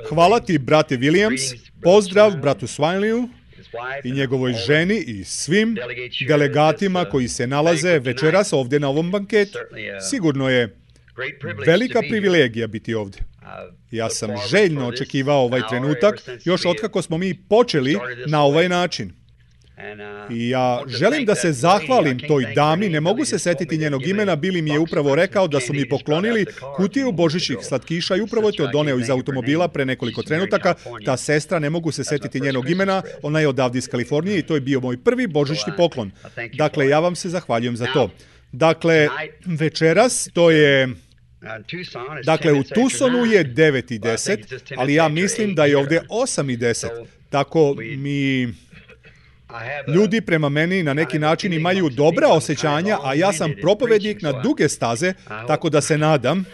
Hvala ti, brate Williams, pozdrav bratu Swinleyu i njegovoj ženi i svim delegatima koji se nalaze večeras ovdje na ovom banketu. Sigurno je velika privilegija biti ovdje. Ja sam željno očekivao ovaj trenutak još otkako smo mi počeli na ovaj način. I ja želim da se zahvalim toj dami, ne mogu se setiti njenog imena, Billy mi je upravo rekao da su mi poklonili kutiju božićnih slatkiša i upravo je to doneo iz automobila pre nekoliko trenutaka. Ta sestra, ne mogu se setiti njenog imena, ona je odavde iz Kalifornije i to je bio moj prvi božićni poklon. Dakle, ja vam se zahvaljujem za to. Dakle, večeras to je... Dakle, u Tucsonu je 9:10, ali ja mislim da je ovdje 8:10. Tako mi... Ljudi prema meni na neki način imaju dobra osjećanja, a ja sam propovednik na duge staze, tako da se nadam.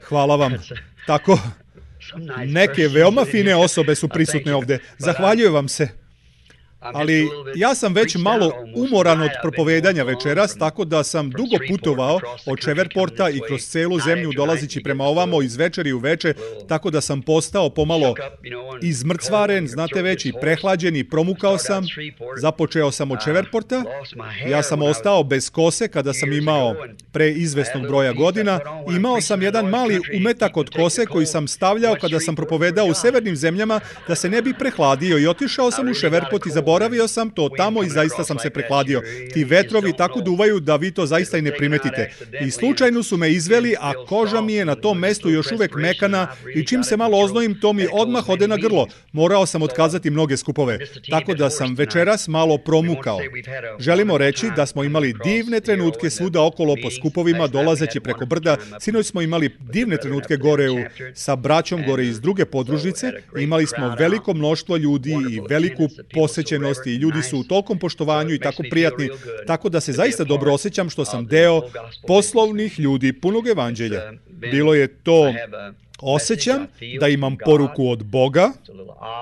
Hvala vam. Tako, neke veoma fine osobe su prisutne ovdje. Zahvaljujem vam se. Ali ja sam već malo umoran od propovedanja večeras, tako da sam dugo putovao od Shrevepporta i kroz celu zemlju dolazići prema ovamo iz večeri u večer, tako da sam postao pomalo izmrcvaren, znate već, i prehlađen i promukao sam. Započeo sam od Shrevepporta, ja sam ostao bez kose kada sam imao preizvesnog broja godina. Imao sam jedan mali umetak od kose koji sam stavljao kada sam propovedao u severnim zemljama da se ne bi prehladio i otišao sam u Shreveport i zaboravio sam to tamo i zaista sam se prehladio. Ti vetrovi tako duvaju da vi to zaista i ne primetite. I slučajno su me izveli, a koža mi je na tom mestu još uvek mekana i čim se malo oznojim, to mi odmah ode na grlo. Morao sam otkazati mnoge skupove. Tako da sam večeras malo promukao. Želimo reći da smo imali divne trenutke svuda okolo po skupovima, dolazeći preko brda. Sinoć smo imali divne trenutke gore sa braćom gore iz druge podružnice. Imali smo veliko mnoštvo ljudi i veliku posjećenost i ljudi su u tolkom poštovanju i tako prijatni, tako da se zaista dobro osjećam što sam deo poslovnih ljudi punog evanđelja. Bilo je to, osjećam da imam poruku od Boga.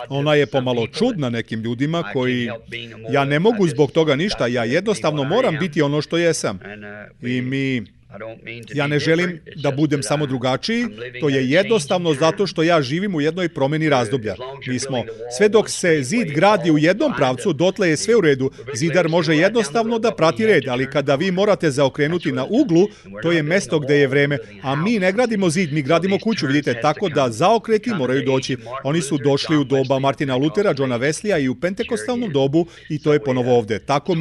Ona je pomalo čudna nekim ljudima koji, ja ne mogu zbog toga ništa, ja jednostavno moram biti ono što jesam. Ja ne želim da budem samo drugačiji, to je jednostavno zato što ja živim u jednoj promjeni razdoblja. Sve dok se zid gradi u jednom pravcu, dotle je sve u redu. Zidar može jednostavno da prati red, ali kada vi morate zaokrenuti na uglu, to je mesto gdje je vreme. A mi ne gradimo zid, mi gradimo kuću, vidite, tako da zaokreti moraju doći. Oni su došli u doba Martina Lutera, Johna Wesleya i u pentekostalnom dobu i to je ponovo ovdje. Tako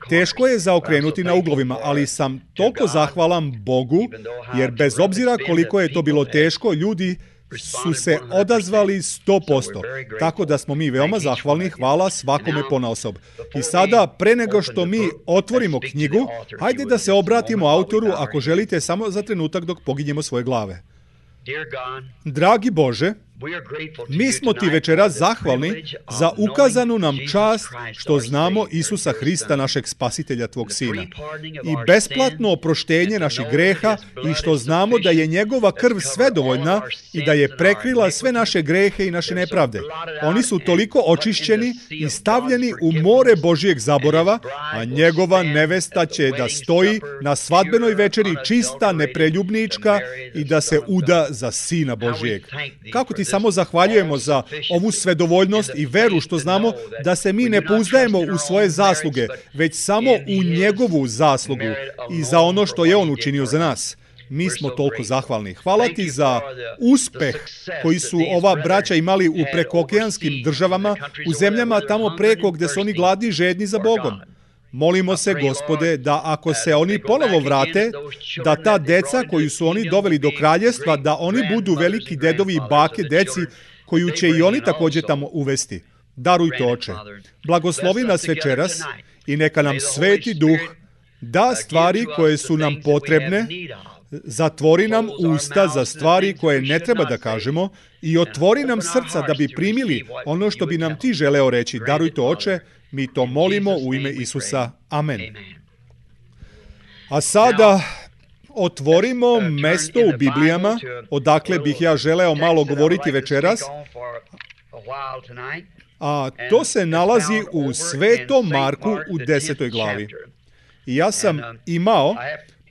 teško je zaokrenuti na uglovima, ali sam toliko zahvalan Bogu, jer bez obzira koliko je to bilo teško, ljudi su se odazvali 100%. Tako da smo mi veoma zahvalni, hvala svakome ponaosob. I sada, pre nego što mi otvorimo knjigu, hajde da se obratimo autoru ako želite samo za trenutak dok poginjemo svoje glave. Dragi Bože, mi smo ti večeras zahvalni za ukazanu nam čast što znamo Isusa Hrista, našeg spasitelja, tvog sina, i besplatno oproštenje naših greha i što znamo da je njegova krv svedovoljna i da je prekrila sve naše grehe i naše nepravde. Oni su toliko očišćeni i stavljeni u more Božijeg zaborava, a njegova nevesta će da stoji na svadbenoj večeri čista, nepreljubnička i da se uda za Sina Božijeg. Kako ti samo zahvaljujemo za ovu svedovoljnost i veru što znamo da se mi ne pouzdajemo u svoje zasluge, već samo u njegovu zaslugu i za ono što je on učinio za nas. Mi smo toliko zahvalni. Hvala ti za uspeh koji su ova braća imali u prekookeanskim državama, u zemljama tamo preko gdje su oni gladni i žedni za Bogom. Molimo se, Gospode, da ako se oni ponovo vrate, da ta deca koju su oni doveli do kraljestva, da oni budu veliki dedovi i bake deci koju će i oni također tamo uvesti. Daruj to, Oče. Blagoslovi nas večeras i neka nam Sveti Duh da stvari koje su nam potrebne, zatvori nam usta za stvari koje ne treba da kažemo i otvori nam srca da bi primili ono što bi nam ti želeo reći. Daruj to, Oče. Mi to molimo u ime Isusa. Amen. A sada otvorimo mesto u Biblijama, odakle bih ja želeo malo govoriti večeras. A to se nalazi u Svetom Marku u 10. glavi. I ja sam imao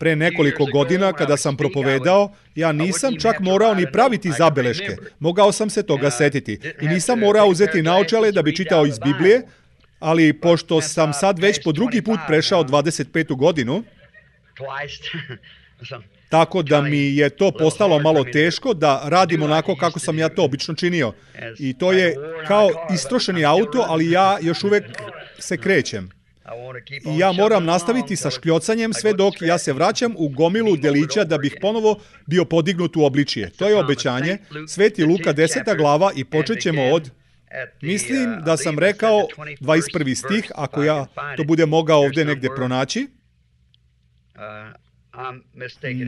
Pre nekoliko godina, kada sam propovedao, ja nisam čak morao ni praviti zabeleške. Mogao sam se toga setiti. I nisam morao uzeti naočale da bi čitao iz Biblije, ali pošto sam sad već po drugi put prešao 25. godinu, tako da mi je to postalo malo teško da radim onako kako sam ja to obično činio. I to je kao istrošeni auto, ali ja još uvek se krećem. I ja moram nastaviti sa škljocanjem sve dok ja se vraćam u gomilu delića da bih ponovo bio podignut u obličje. To je obećanje. Sveti Luka 10. glava i počet ćemo od... Mislim da sam rekao 21. stih, ako ja to budem mogao ovde negde pronaći.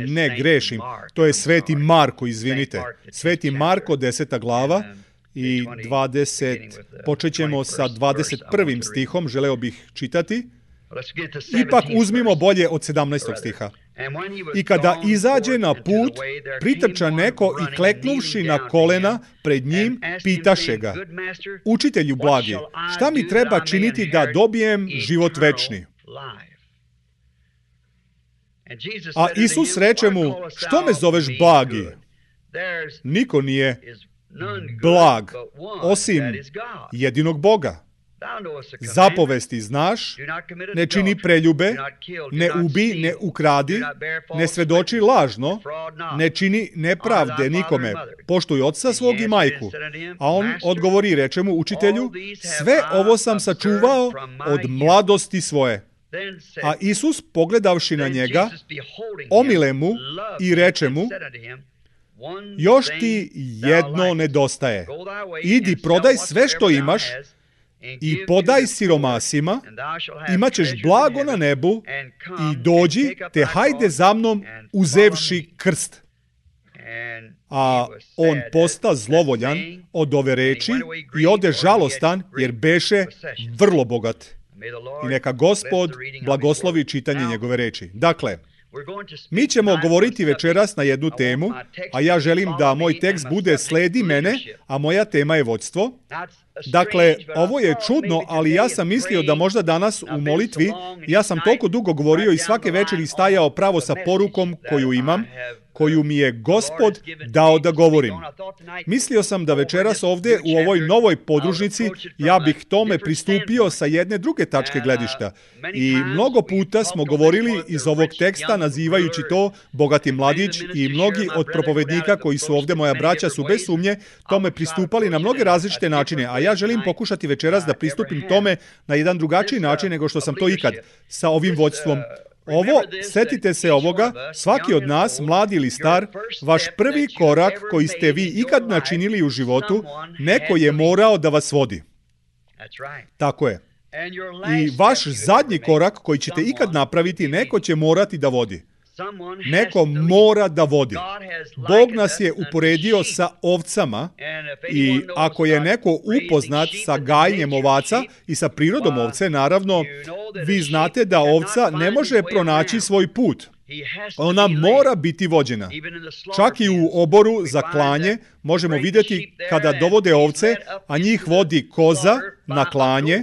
Ne, grešim. To je Sveti Marko, izvinite. Sveti Marko, 10. glava i 20. Počet ćemo sa 21. stihom, želeo bih čitati. Ipak uzmimo bolje od 17. stiha. I kada izađe na put, pritrča neko i kleknuvši na kolena pred njim, pitaše ga: Učitelju blagi, šta mi treba činiti da dobijem život večni? A Isus reče mu: Što me zoveš blagi? Niko nije blag, osim jedinog Boga. Zapovesti znaš, ne čini preljube, ne ubi, ne ukradi, ne svedoči lažno, ne čini nepravde nikome, poštuj oca svog i majku. A on odgovori i reče mu: Učitelju, sve ovo sam sačuvao od mladosti svoje. A Isus, pogledavši na njega, omile mu i reče mu: Još ti jedno nedostaje. Idi, prodaj sve što imaš i podaj siromasima, imaćeš blago na nebu i dođi, te hajde za mnom uzevši krst. A on posta zlovoljan od ove reči i ode žalostan, jer beše vrlo bogat. I neka Gospod blagoslovi čitanje njegove reči. Dakle, mi ćemo govoriti večeras na jednu temu, a ja želim da moj tekst bude sledi mene, a moja tema je vođstvo. Dakle, ovo je čudno, ali ja sam mislio da možda danas u molitvi, ja sam toliko dugo govorio i svake večeri stajao pravo sa porukom koju imam, koju mi je Gospod dao da govorim. Mislio sam da večeras ovde u ovoj novoj podružnici ja bih tome pristupio sa jedne druge tačke gledišta. I mnogo puta smo govorili iz ovog teksta nazivajući to bogati mladić i mnogi od propovednika koji su ovde, moja braća, su bez sumnje tome pristupali na mnoge različite načine, a ja želim pokušati večeras da pristupim tome na jedan drugačiji način nego što sam to ikad sa ovim vođstvom. Ovo, setite se ovoga, svaki od nas, mladi ili star, vaš prvi korak koji ste vi ikad načinili u životu, neko je morao da vas vodi. Tako je. I vaš zadnji korak koji ćete ikad napraviti, neko će morati da vodi. Neko mora da vodi. Bog nas je uporedio sa ovcama i ako je neko upoznat sa gajenjem ovaca i sa prirodom ovce, naravno, vi znate da ovca ne može pronaći svoj put. Ona mora biti vođena. Čak i u oboru za klanje možemo vidjeti kada dovode ovce, a njih vodi koza na klanje.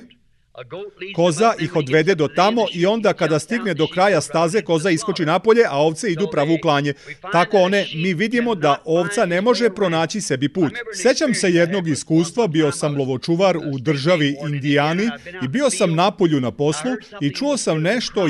Koza ih odvede do tamo i onda kada stigne do kraja staze, koza iskoči napolje, a ovce idu pravo u klanje. Tako mi vidimo da ovca ne može pronaći sebi put. Sećam se jednog iskustva, bio sam lovočuvar u državi Indijani i bio sam napolju na poslu i čuo sam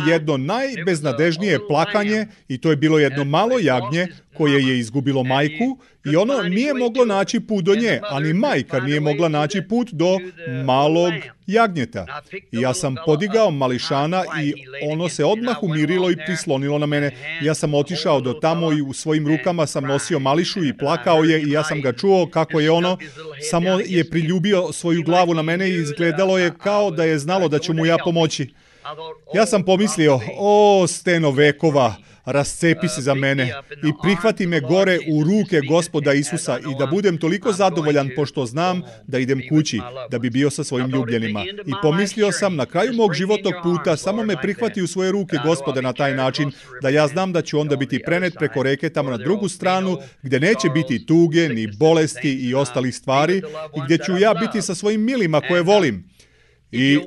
jedno najbeznadežnije plakanje i to je bilo jedno malo jagnje koje je izgubilo majku i ono nije moglo naći put do nje, a ni majka nije mogla naći put do malog jagnjeta. I ja sam podigao mališana i ono se odmah umirilo i prislonilo na mene. Ja sam otišao do tamo i u svojim rukama sam nosio mališu i plakao je i ja sam ga čuo kako je ono, samo je priljubio svoju glavu na mene i izgledalo je kao da je znalo da ću mu ja pomoći. Ja sam pomislio, steno vekova, rascepi se za mene i prihvati me gore u ruke Gospoda Isusa i da budem toliko zadovoljan pošto znam da idem kući, da bi bio sa svojim ljubljenima. I pomislio sam, na kraju mog životnog puta samo me prihvati u svoje ruke Gospode na taj način, da ja znam da ću onda biti prenet preko reke tamo na drugu stranu, gdje neće biti tuge, ni bolesti i ostalih stvari, i gdje ću ja biti sa svojim milima koje volim. I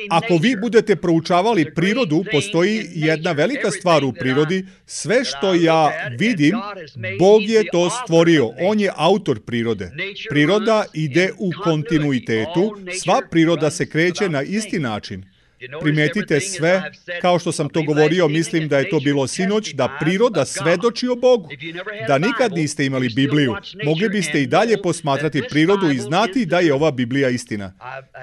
Ako vi budete proučavali prirodu, postoji jedna velika stvar u prirodi. Sve što ja vidim, Bog je to stvorio. On je autor prirode. Priroda ide u kontinuitetu. Sva priroda se kreće na isti način. Primetite sve, kao što sam to govorio, mislim da je to bilo sinoć, da priroda svedoči o Bogu. Da nikad niste imali Bibliju, mogli biste i dalje posmatrati prirodu i znati da je ova Biblija istina.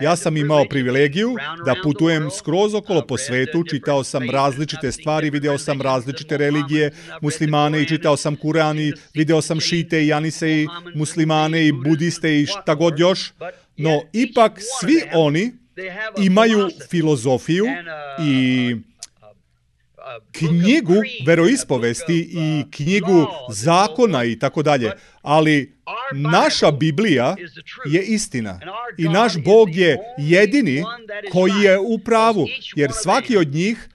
Ja sam imao privilegiju da putujem skroz okolo po svetu, čitao sam različite stvari, video sam različite religije, muslimane i čitao sam Kuran i video sam šite i anise i muslimane i budiste i šta god još. No, ipak svi oni imaju filozofiju i knjigu veroispovesti i knjigu zakona i tako dalje. Ali naša Biblija je istina i naš Bog je jedini koji je u pravu, jer svaki od njih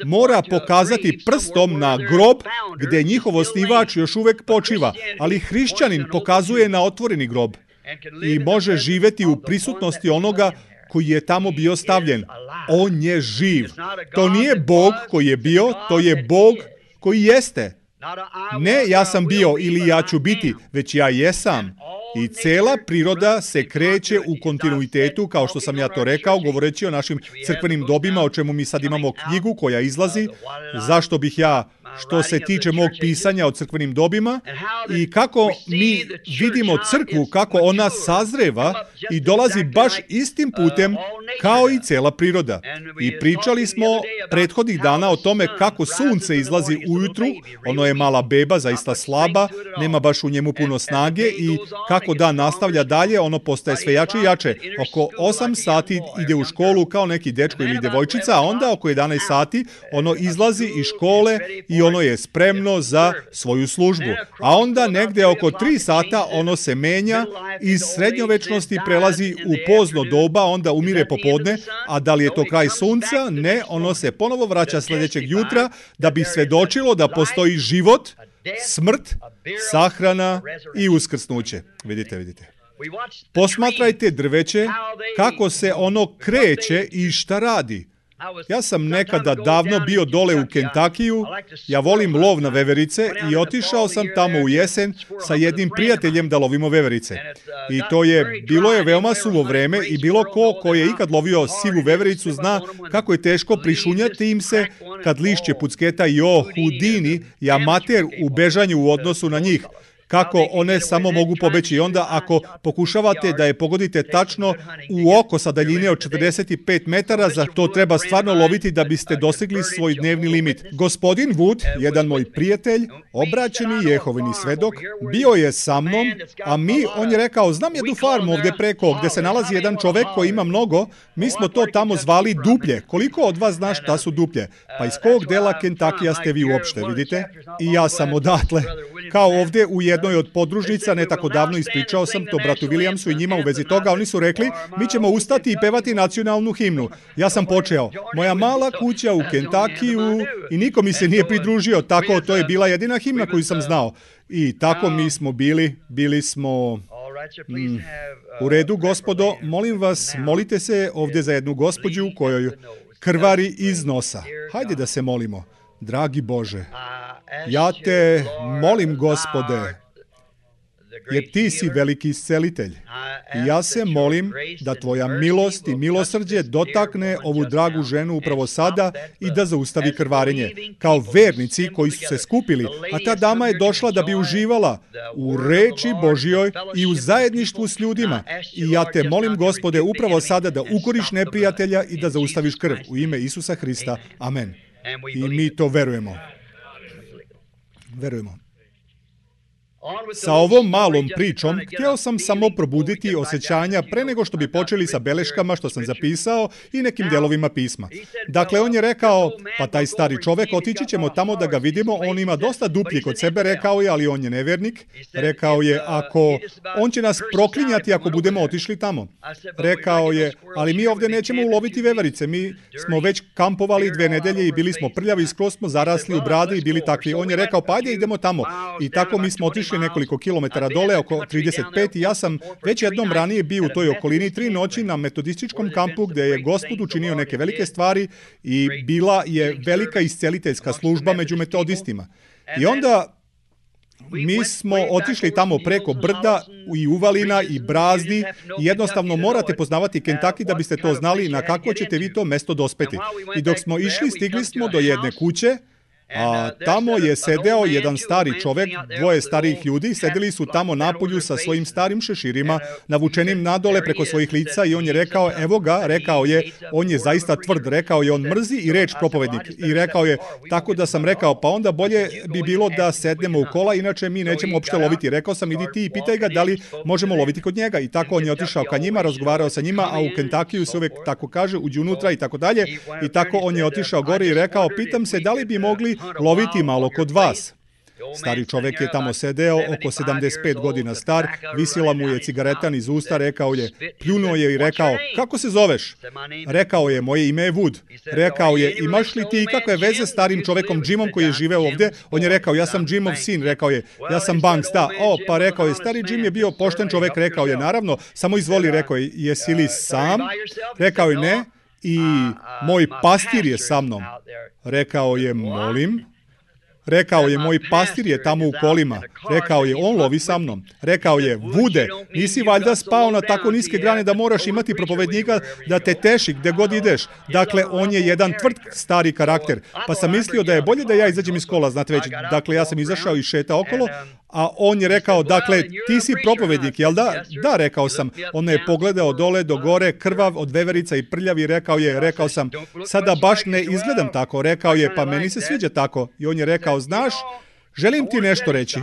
mora pokazati prstom na grob gdje njihov osnivač još uvijek počiva, ali hrišćanin pokazuje na otvoreni grob i može živjeti u prisutnosti onoga koji je tamo bio stavljen. On je živ. To nije Bog koji je bio, to je Bog koji jeste. Ne ja sam bio ili ja ću biti, već ja jesam. I cela priroda se kreće u kontinuitetu, kao što sam ja to rekao, govoreći o našim crkvenim dobima, o čemu mi sad imamo knjigu koja izlazi. Zašto bih ja, što se tiče mog pisanja o crkvenim dobima, i kako mi vidimo crkvu, kako ona sazreva i dolazi baš istim putem kao i cela priroda. I pričali smo prethodnih dana o tome kako sunce izlazi ujutru, ono je mala beba, zaista slaba, nema baš u njemu puno snage i kako dan nastavlja dalje, ono postaje sve jače i jače. Oko 8 sati ide u školu kao neki dečko ili djevojčica, a onda oko 11 sati ono izlazi iz škole i ono je spremno za svoju službu. A onda negdje oko 3 sata ono se menja, iz srednjovečnosti prelazi u pozno doba, onda umire popodne, a da li je to kraj sunca? Ne, ono se ponovo vraća sljedećeg jutra da bi svedočilo da postoji život, smrt, sahrana i uskrsnuće. Vidite. Posmatrajte drveće, kako se ono kreće i šta radi. Ja sam nekada davno bio dole u Kentakiju, ja volim lov na veverice i otišao sam tamo u jesen sa jednim prijateljem da lovimo veverice. I bilo je veoma suvo vreme i bilo ko je ikad lovio sivu vevericu zna kako je teško prišunjati im se kad lišće pucketa i Hudini i amater u bežanju u odnosu na njih. Kako one samo mogu pobeći. I onda ako pokušavate da je pogodite tačno u oko sa daljine od 45 metara, za to treba stvarno loviti da biste dostigli svoj dnevni limit. Gospodin Wood, jedan moj prijatelj, obraćeni Jehovini svedok, bio je sa mnom, a on je rekao, znam jednu farmu ovdje preko gdje se nalazi jedan čovek koji ima mnogo, mi smo to tamo zvali duplje. Koliko od vas zna šta su duplje? Pa iz kog dela Kentakija ste vi uopšte, vidite? I ja sam odatle. Kao ovdje u jednoj od podružnica, ne tako davno ispričao sam to bratu Williamsu i njima u vezi toga, oni su rekli, mi ćemo ustati i pevati nacionalnu himnu. Ja sam počeo, moja mala kuća u Kentakiju i niko mi se nije pridružio, tako to je bila jedina himna koju sam znao. I tako mi smo bili smo... U redu, gospodo, molim vas, molite se ovdje za jednu gospođu kojoj krvari iz nosa. Hajde da se molimo. Dragi Bože, ja te molim, Gospode, jer ti si veliki iscelitelj. I ja se molim da tvoja milost i milosrđe dotakne ovu dragu ženu upravo sada i da zaustavi krvarenje. Kao vernici koji su se skupili, a ta dama je došla da bi uživala u reči Božjoj i u zajedništvu s ljudima. I ja te molim, Gospode, upravo sada da ukoriš neprijatelja i da zaustaviš krv. U ime Isusa Hrista. Amen. I mi to verujemo. Sa ovom malom pričom htio sam samo probuditi osjećanja pre nego što bi počeli sa beleškama što sam zapisao i nekim delovima pisma. Dakle, on je rekao, pa taj stari čovek, otići ćemo tamo da ga vidimo, on ima dosta duplji kod sebe, rekao je, ali on je nevernik. Rekao je, on će nas proklinjati ako budemo otišli tamo. Rekao je, ali mi ovdje nećemo uloviti veverice, mi smo već kampovali 2 nedelje i bili smo prljavi, skroz smo zarasli u brade i bili takvi. On je rekao, pa ajde idemo tamo. I tako mi smo otišli išli nekoliko kilometara dole, oko 35, i ja sam već jednom ranije bio u toj okolini 3 noći na metodističkom kampu gdje je Gospod učinio neke velike stvari i bila je velika isceliteljska služba među metodistima. I onda mi smo otišli tamo preko brda i uvalina i brazdi i jednostavno morate poznavati Kentucky da biste to znali na kako ćete vi to mesto dospeti. I dok smo išli, stigli smo do jedne kuće, a tamo je sedeo jedan stari čovek, 2 starijih ljudi, sedeli su tamo napolju sa svojim starim šeširima, navučenim nadole preko svojih lica, i on je rekao, evo ga, rekao je, on je zaista tvrd, rekao je, on mrzi i reč propovednik. I rekao je, tako da sam rekao, pa onda bolje bi bilo da sednemo u kola, inače mi nećemo uopšte loviti. Rekao sam, idi ti i pitaj ga da li možemo loviti kod njega. I tako on je otišao ka njima, razgovarao sa njima, a u Kentakiju se uvek tako kaže, uđi unutra i tako dalje. I tako on je otišao gore i rekao, pitam se da li bi mogli loviti malo kod vas. Stari čovek je tamo sedeo, oko 75 godina star, visila mu je cigaretan iz usta, rekao je, pljunuo je i rekao, kako se zoveš? Rekao je, moje ime je Wood. Rekao je, imaš li ti kakve veze s starim čovekom Jimom koji je živeo ovdje? On je rekao, ja sam Jimov sin. Rekao je, ja sam Banks, da. Pa rekao je, stari Jim je bio pošten čovek. Rekao je, naravno, samo izvoli. Rekao je, jesi li sam? Rekao je, ne. I moj pastir je sa mnom. Rekao je, molim. Rekao je, moj pastir je tamo u kolima. Rekao je, on lovi sa mnom. Rekao je, Vude, nisi valjda spao na tako niske grane da moraš imati propovednika da te teši gde god ideš. Dakle, on je jedan tvrd stari karakter. Pa sam mislio da je bolje da ja izađem iz kola, znate već. Dakle, ja sam izašao i šetao okolo, a on je rekao, dakle, ti si propovednik, jel da? Da, rekao sam. On je pogledao dole do gore, krvav od veverica i prljav, i rekao sam, sada baš ne izgledam tako. Rekao je, pa meni se sviđa tako. I on je rekao, znaš, želim ti nešto reći.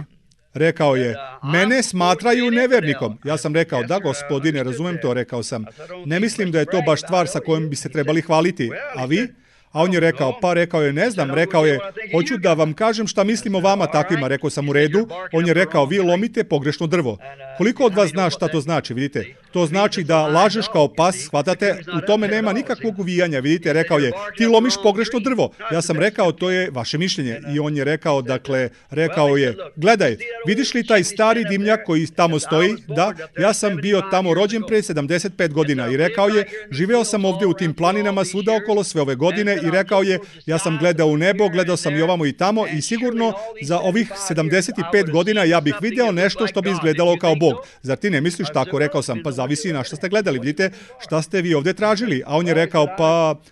Rekao je, mene smatraju nevernikom. Ja sam rekao, da gospodine, razumem to, rekao sam. Ne mislim da je to baš stvar sa kojom bi se trebali hvaliti. A vi? A on je rekao, pa rekao je, ne znam, rekao je, hoću da vam kažem šta mislim o vama takvima. Rekao sam, u redu. On je rekao, vi lomite pogrešno drvo. Koliko od vas zna šta to znači, vidite? To znači da lažeš kao pas, shvatate, u tome nema nikakvog uvijanja, vidite? Rekao je, ti lomiš pogrešno drvo. Ja sam rekao, to je vaše mišljenje. I on je rekao, dakle, rekao je, gledaj, vidiš li taj stari dimnjak koji tamo stoji? Da, ja sam bio tamo rođen pre 75 godina. I rekao je, živeo sam ovdje u tim planinama svuda okolo sve ove godine. I rekao je, ja sam gledao u nebo, gledao sam i ovamo i tamo, i sigurno za ovih 75 godina ja bih video nešto što bi izgledalo kao Bog. Zar ti ne misliš tako? Rekao sam, pa zavisi na šta ste gledali, vidite, šta ste vi ovdje tražili. A on je rekao,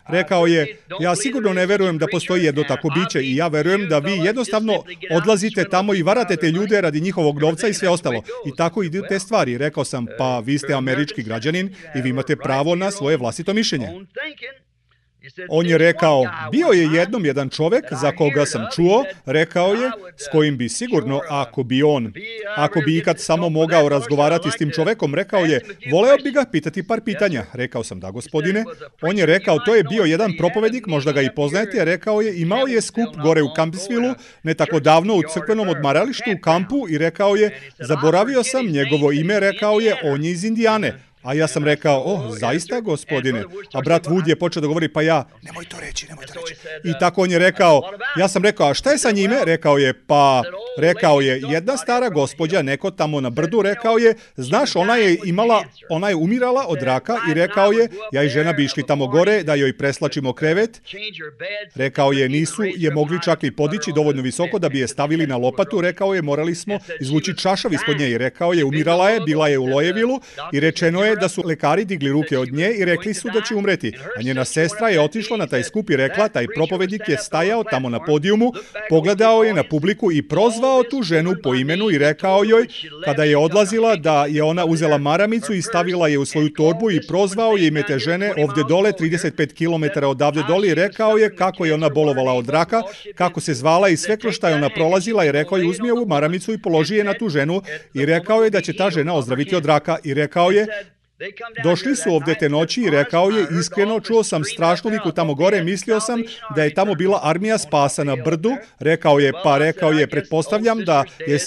rekao je, ja sigurno ne verujem da postoji jedno tako biće, i ja verujem da vi jednostavno odlazite tamo i varate te ljude radi njihovog novca i sve ostalo. I tako idu te stvari. Rekao sam, pa vi ste američki građanin i vi imate pravo na svoje vlastito mišljenje. On je rekao, bio je jednom jedan čovek za koga sam čuo, rekao je, s kojim bi sigurno, ako bi ikad samo mogao razgovarati s tim čovekom, rekao je, voleo bi ga pitati par pitanja. Rekao sam, da gospodine. On je rekao, to je bio jedan propovednik, možda ga i poznajete, rekao je, imao je skup gore u Campbellsvillu, ne tako davno u crkvenom odmaralištu u kampu, i rekao je, zaboravio sam njegovo ime, rekao je, on je iz Indijane. A ja sam rekao, zaista gospodine? A brat Wood je počeo da govori, pa ja, nemoj to reći. I tako on je rekao, ja sam rekao, a šta je sa njime? Rekao je, jedna stara gospođa, neko tamo na brdu, rekao je, znaš, ona je umirala od raka, i rekao je, ja i žena bi išli tamo gore da joj preslačimo krevet. Rekao je, nisu je mogli čak i podići dovoljno visoko da bi je stavili na lopatu. Rekao je, morali smo izvući čašav ispod nje. I rekao je, umirala je, bila je u Lojevilu, i rečeno je da su lekari digli ruke od nje i rekli su da će umreti. A njena sestra je otišla na taj skup i rekla, taj propovednik je stajao tamo na podijumu, pogledao je na publiku i prozvao tu ženu po imenu i rekao joj, kada je odlazila, da je ona uzela maramicu i stavila je u svoju torbu, i prozvao je ime te žene ovdje dole, 35 km odavde dole, i rekao je kako je ona bolovala od raka, kako se zvala i sve kroz šta je ona prolazila, i rekao je, uzmi ovu maramicu i položi je na tu ženu, i rekao je da će ta žena ozdraviti od raka, i rekao je, Došli su ovde te noći i rekao je, iskreno, čuo sam strašnu viku tamo gore, mislio sam da je tamo bila armija spasa na brdu, rekao je, pretpostavljam da je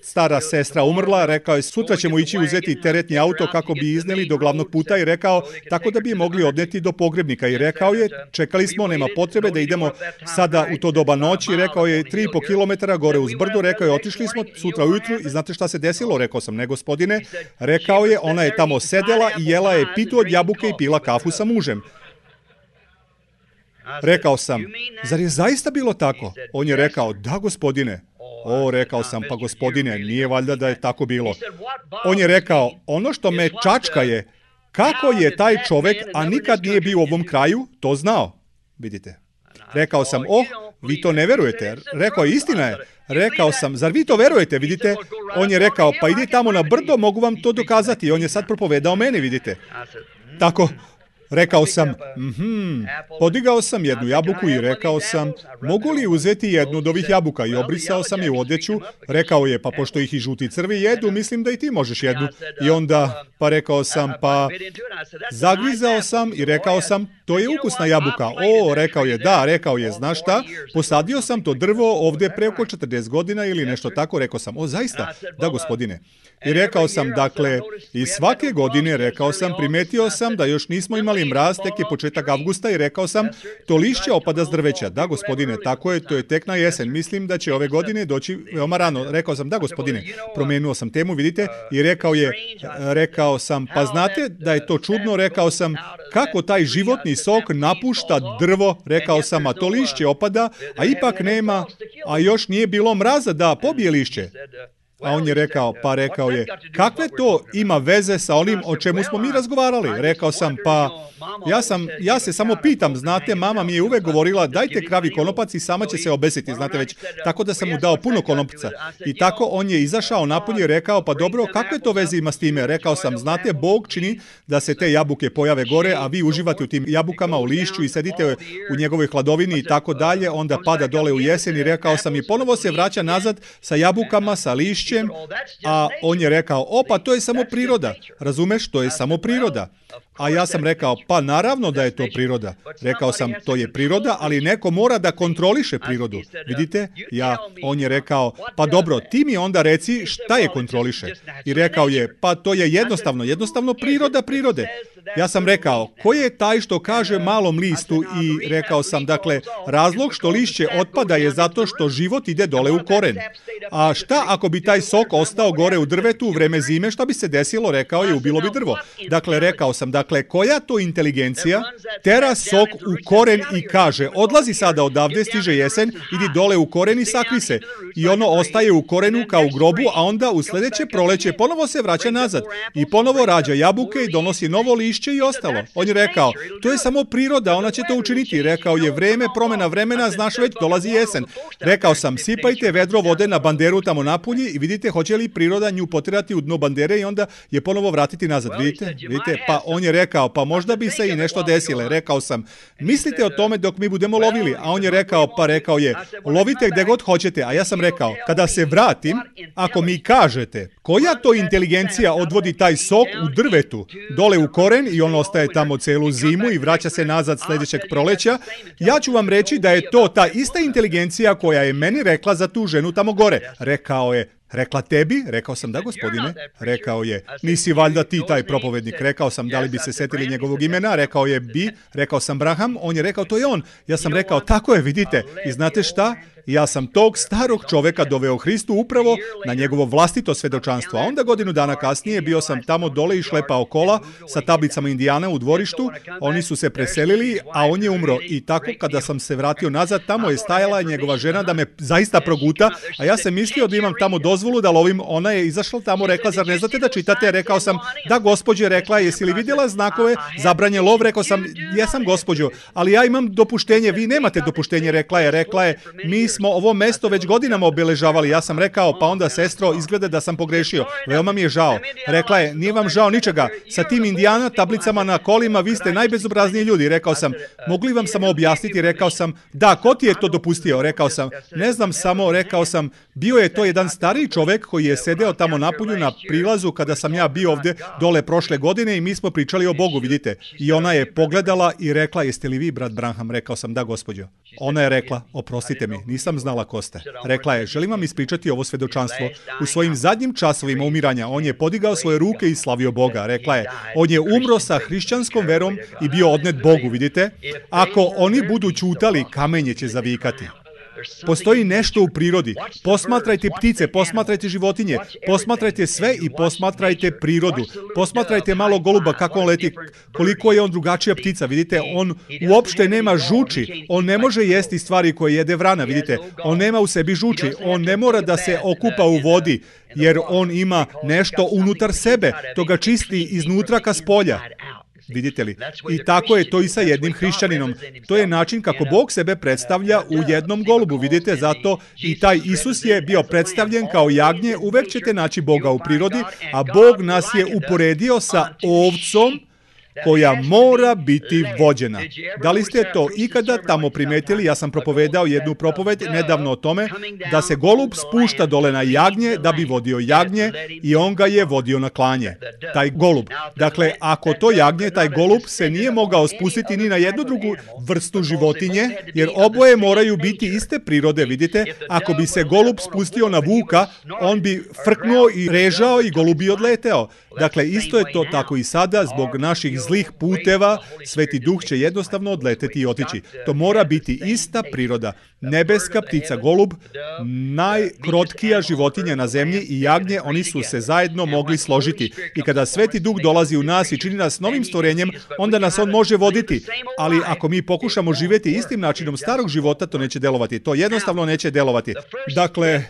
stara sestra umrla, rekao je, sutra ćemo ići uzeti teretni auto kako bi izneli do glavnog puta i rekao, tako da bi je mogli odneti do pogrebnika i rekao je, čekali smo, nema potrebe da idemo sada u to doba noći, rekao je, 3,5 kilometara gore uz brdu, rekao je, otišli smo sutra ujutru i znate šta se desilo, rekao sam, ne gospodine, rekao je, ona je tamo sedela i jela je pitu od jabuke i pila kafu sa mužem. Rekao sam, zar je zaista bilo tako? On je rekao, da gospodine. Rekao sam, pa gospodine, nije valjda da je tako bilo. On je rekao, ono što me čačka je, kako je taj čovek, a nikad nije bio u ovom kraju, to znao. Vidite. Rekao sam, vi to ne verujete. Rekao je, istina je. Rekao sam, zar vi to verujete, vidite? On je rekao, pa idi tamo na brdo, mogu vam to dokazati. On je sad propovedao meni, vidite. Tako, rekao sam, podigao sam jednu jabuku i rekao sam, mogu li uzeti jednu od ovih jabuka? I obrisao sam je u odeću. Rekao je, pa pošto ih i žuti crvi jedu, mislim da i ti možeš jednu. I onda, pa rekao sam, pa zagrizao sam i rekao sam, to je ukusna jabuka. Rekao je, da, rekao je, znaš šta? Posadio sam to drvo ovde pre oko 40 godina ili nešto tako. Rekao sam, zaista? Da, gospodine. I rekao sam, dakle, i svake godine, rekao sam, primetio sam da još nismo imali mraz, tek je početak avgusta i rekao sam, to lišće opada s drveća. Da, gospodine, tako je, to je tek na jesen. Mislim da će ove godine doći veoma rano. Rekao sam, da, gospodine, promenuo sam temu, vidite, i rekao sam, pa znate da je to čudno, rekao sam, kako taj životni sok napušta drvo, rekao sam, a to lišće opada, a ipak nema, a još nije bilo mraza da pobije lišće. A on je rekao, kakve to ima veze sa onim o čemu smo mi razgovarali? Rekao sam, pa ja se samo pitam, znate, mama mi je uvek govorila, dajte kravi konopac i sama će se obesiti, znate već, tako da sam mu dao puno konopca. I tako on je izašao napolje i rekao, pa dobro, kakve to veze ima s time? Rekao sam, znate, Bog čini da se te jabuke pojave gore, a vi uživate u tim jabukama, u lišću i sedite u njegovoj hladovini i tako dalje, onda pada dole u jesen i rekao sam, i ponovo se vraća nazad sa jabukama, sa lišćem, a on je rekao, pa to je samo priroda, razumeš, to je samo priroda. A ja sam rekao, pa naravno da je to priroda. Rekao sam, to je priroda, ali neko mora da kontroliše prirodu. Vidite? On je rekao, pa dobro, ti mi onda reci šta je kontroliše. I rekao je, pa to je jednostavno priroda prirode. Ja sam rekao, ko je taj što kaže malom listu i rekao sam, dakle, razlog što lišće otpada je zato što život ide dole u koren. A šta ako bi taj sok ostao gore u drvetu u vreme zime, šta bi se desilo, rekao je, ubilo bi drvo. Dakle, rekao sam, koja to inteligencija tera sok u koren i kaže, odlazi sada odavde, stiže jesen, idi dole u koren i sakri se. I ono ostaje u korenu kao u grobu, a onda u sledeće proleće ponovo se vraća nazad i ponovo rađa jabuke i donosi novo lišće i ostalo. On je rekao, to je samo priroda, ona će to učiniti. Rekao je, vreme, promena vremena, znaš već, dolazi jesen. Rekao sam, sipajte vedro vode na banderu tamo napolje i vidite hoće li priroda nju potirati u dno bandere i onda je ponovo vratiti nazad. Vidite? Pa on je rekao, pa možda bi se i nešto desile. Rekao sam, mislite o tome dok mi budemo lovili. A on je rekao, lovite gde god hoćete. A ja sam rekao, kada se vratim, ako mi kažete, koja to inteligencija odvodi taj sok u drvetu dole u koren i on ostaje tamo celu zimu i vraća se nazad sledećeg proleća, ja ću vam reći da je to ta ista inteligencija koja je meni rekla za tu ženu tamo gore. Rekao je, rekla tebi? Rekao sam, da gospodine. Rekao je, nisi valjda ti taj propovednik. Rekao sam, da li bi se setili njegovog imena? Rekao je, bi. Rekao sam, Braham. On je rekao, to je on. Ja sam rekao, tako je, vidite. I znate šta? Ja sam tog starog čoveka doveo Hristu upravo na njegovo vlastito svedočanstvo. A onda godinu dana kasnije bio sam tamo dole i šlepao kola sa tablicama Indijana u dvorištu. Oni su se preselili, a on je umro. I tako kada sam se vratio nazad, tamo je stajala njegova žena da me zaista proguta, a ja sam mislio da imam tamo dozvolu da lovim. Ona je izašla tamo, rekla, zar ne znate da čitate? Rekao sam, da gospođe, rekla, jesi li vidjela znakove zabranje lov? Rekao sam, jesam gospođo, ali ja imam dopuštenje, vi nemate dopuštenje, rekla je, mi smo ovo mesto već godinama obeležavali. Ja sam rekao, pa onda sestro, izgleda da sam pogrešio. Veoma mi je žao. Rekla je, nije vam žao ničega. Sa tim Indijana tablicama na kolima vi ste najbezobrazniji ljudi. Rekao sam, mogli vam samo objasniti? Rekao sam, da, ko ti je to dopustio? Rekao sam, ne znam samo, rekao sam, bio je to jedan stariji čovek koji je sedeo tamo napolju na prilazu kada sam ja bio ovde dole prošle godine i mi smo pričali o Bogu, vidite. I ona je pogledala i rekla, jeste li vi brat Branham? Rekao sam, da gospođo. Ona je rekla, oprostite mi, nisam znala ko ste. Rekla je, želim vam ispričati ovo svedočanstvo. U svojim zadnjim časovima umiranja on je podigao svoje ruke i slavio Boga. Rekla je, on je umro sa hrišćanskom verom i bio odnet Bogu, vidite. Ako oni budu ćutali, kamenje će zavikati. Postoji nešto u prirodi. Posmatrajte ptice, posmatrajte životinje, posmatrajte sve i posmatrajte prirodu. Posmatrajte malo goluba kako on leti, koliko je on drugačija ptica, vidite, on uopšte nema žuči, on ne može jesti stvari koje jede vrana, vidite, on nema u sebi žuči, on ne mora da se okupa u vodi, jer on ima nešto unutar sebe, to ga čisti iznutra ka spolja. Vidite li? I tako je to i sa jednim hrišćaninom. To je način kako Bog sebe predstavlja u jednom golubu. Vidite, zato i taj Isus je bio predstavljen kao jagnje. Uvek ćete naći Boga u prirodi, a Bog nas je uporedio sa ovcom koja mora biti vođena. Da li ste to ikada tamo primetili? Ja sam propovedao jednu propoved nedavno o tome da se golub spušta dole na jagnje da bi vodio jagnje i on ga je vodio na klanje. Taj golub. Dakle, ako to jagnje, taj golub se nije mogao spustiti ni na jednu drugu vrstu životinje, jer oboje moraju biti iste prirode, vidite. Ako bi se golub spustio na vuka, on bi frknuo i režao i golub bi odleteo. Dakle, isto je to tako i sada, zbog naših zlih puteva, Sveti Duh će jednostavno odleteti i otići. To mora biti ista priroda. Nebeska ptica golub, najkrotkija životinja na zemlji i jagnje, oni su se zajedno mogli složiti. I kada Sveti Duh dolazi u nas i čini nas novim stvorenjem, onda nas on može voditi. Ali ako mi pokušamo živjeti istim načinom starog života, to neće delovati. To jednostavno neće delovati. Dakle,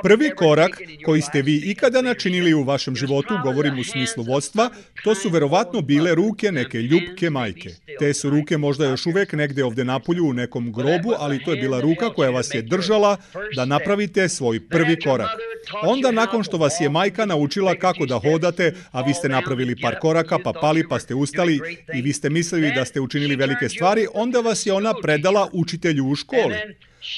prvi korak koji ste vi ikada načinili u vašem životu, govorim u smislu vodstva, to su verovatno bile ruke neke ljubke majke. Te su ruke možda još uvek negde ovde napolju u nekom grobu, ali to je bila ruka koja vas je držala da napravite svoj prvi korak. Onda nakon što vas je majka naučila kako da hodate, a vi ste napravili par koraka, pa pali, pa ste ustali i vi ste mislili da ste učinili velike stvari, onda vas je ona predala učitelju u školi.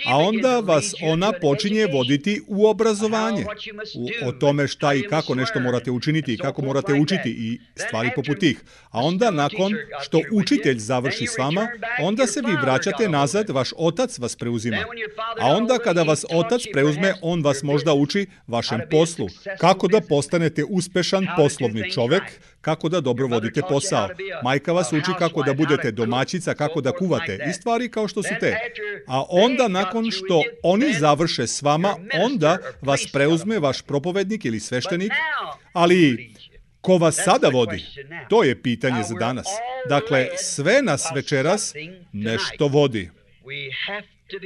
A onda vas ona počinje voditi u obrazovanje, o tome šta i kako nešto morate učiniti i kako morate učiti i stvari poput tih. A onda nakon što učitelj završi s vama, onda se vi vraćate nazad, vaš otac vas preuzima. A onda kada vas otac preuzme, on vas možda uči vašem poslu. Kako da postanete uspešan poslovni čovek, kako da dobro vodite posao. Majka vas uči kako da budete domaćica, kako da kuvate i stvari kao što su te. A onda nakon što oni završe s vama, onda vas preuzme vaš propovednik ili sveštenik, ali ko vas sada vodi? To je pitanje za danas. Dakle, sve nas večeras nešto vodi.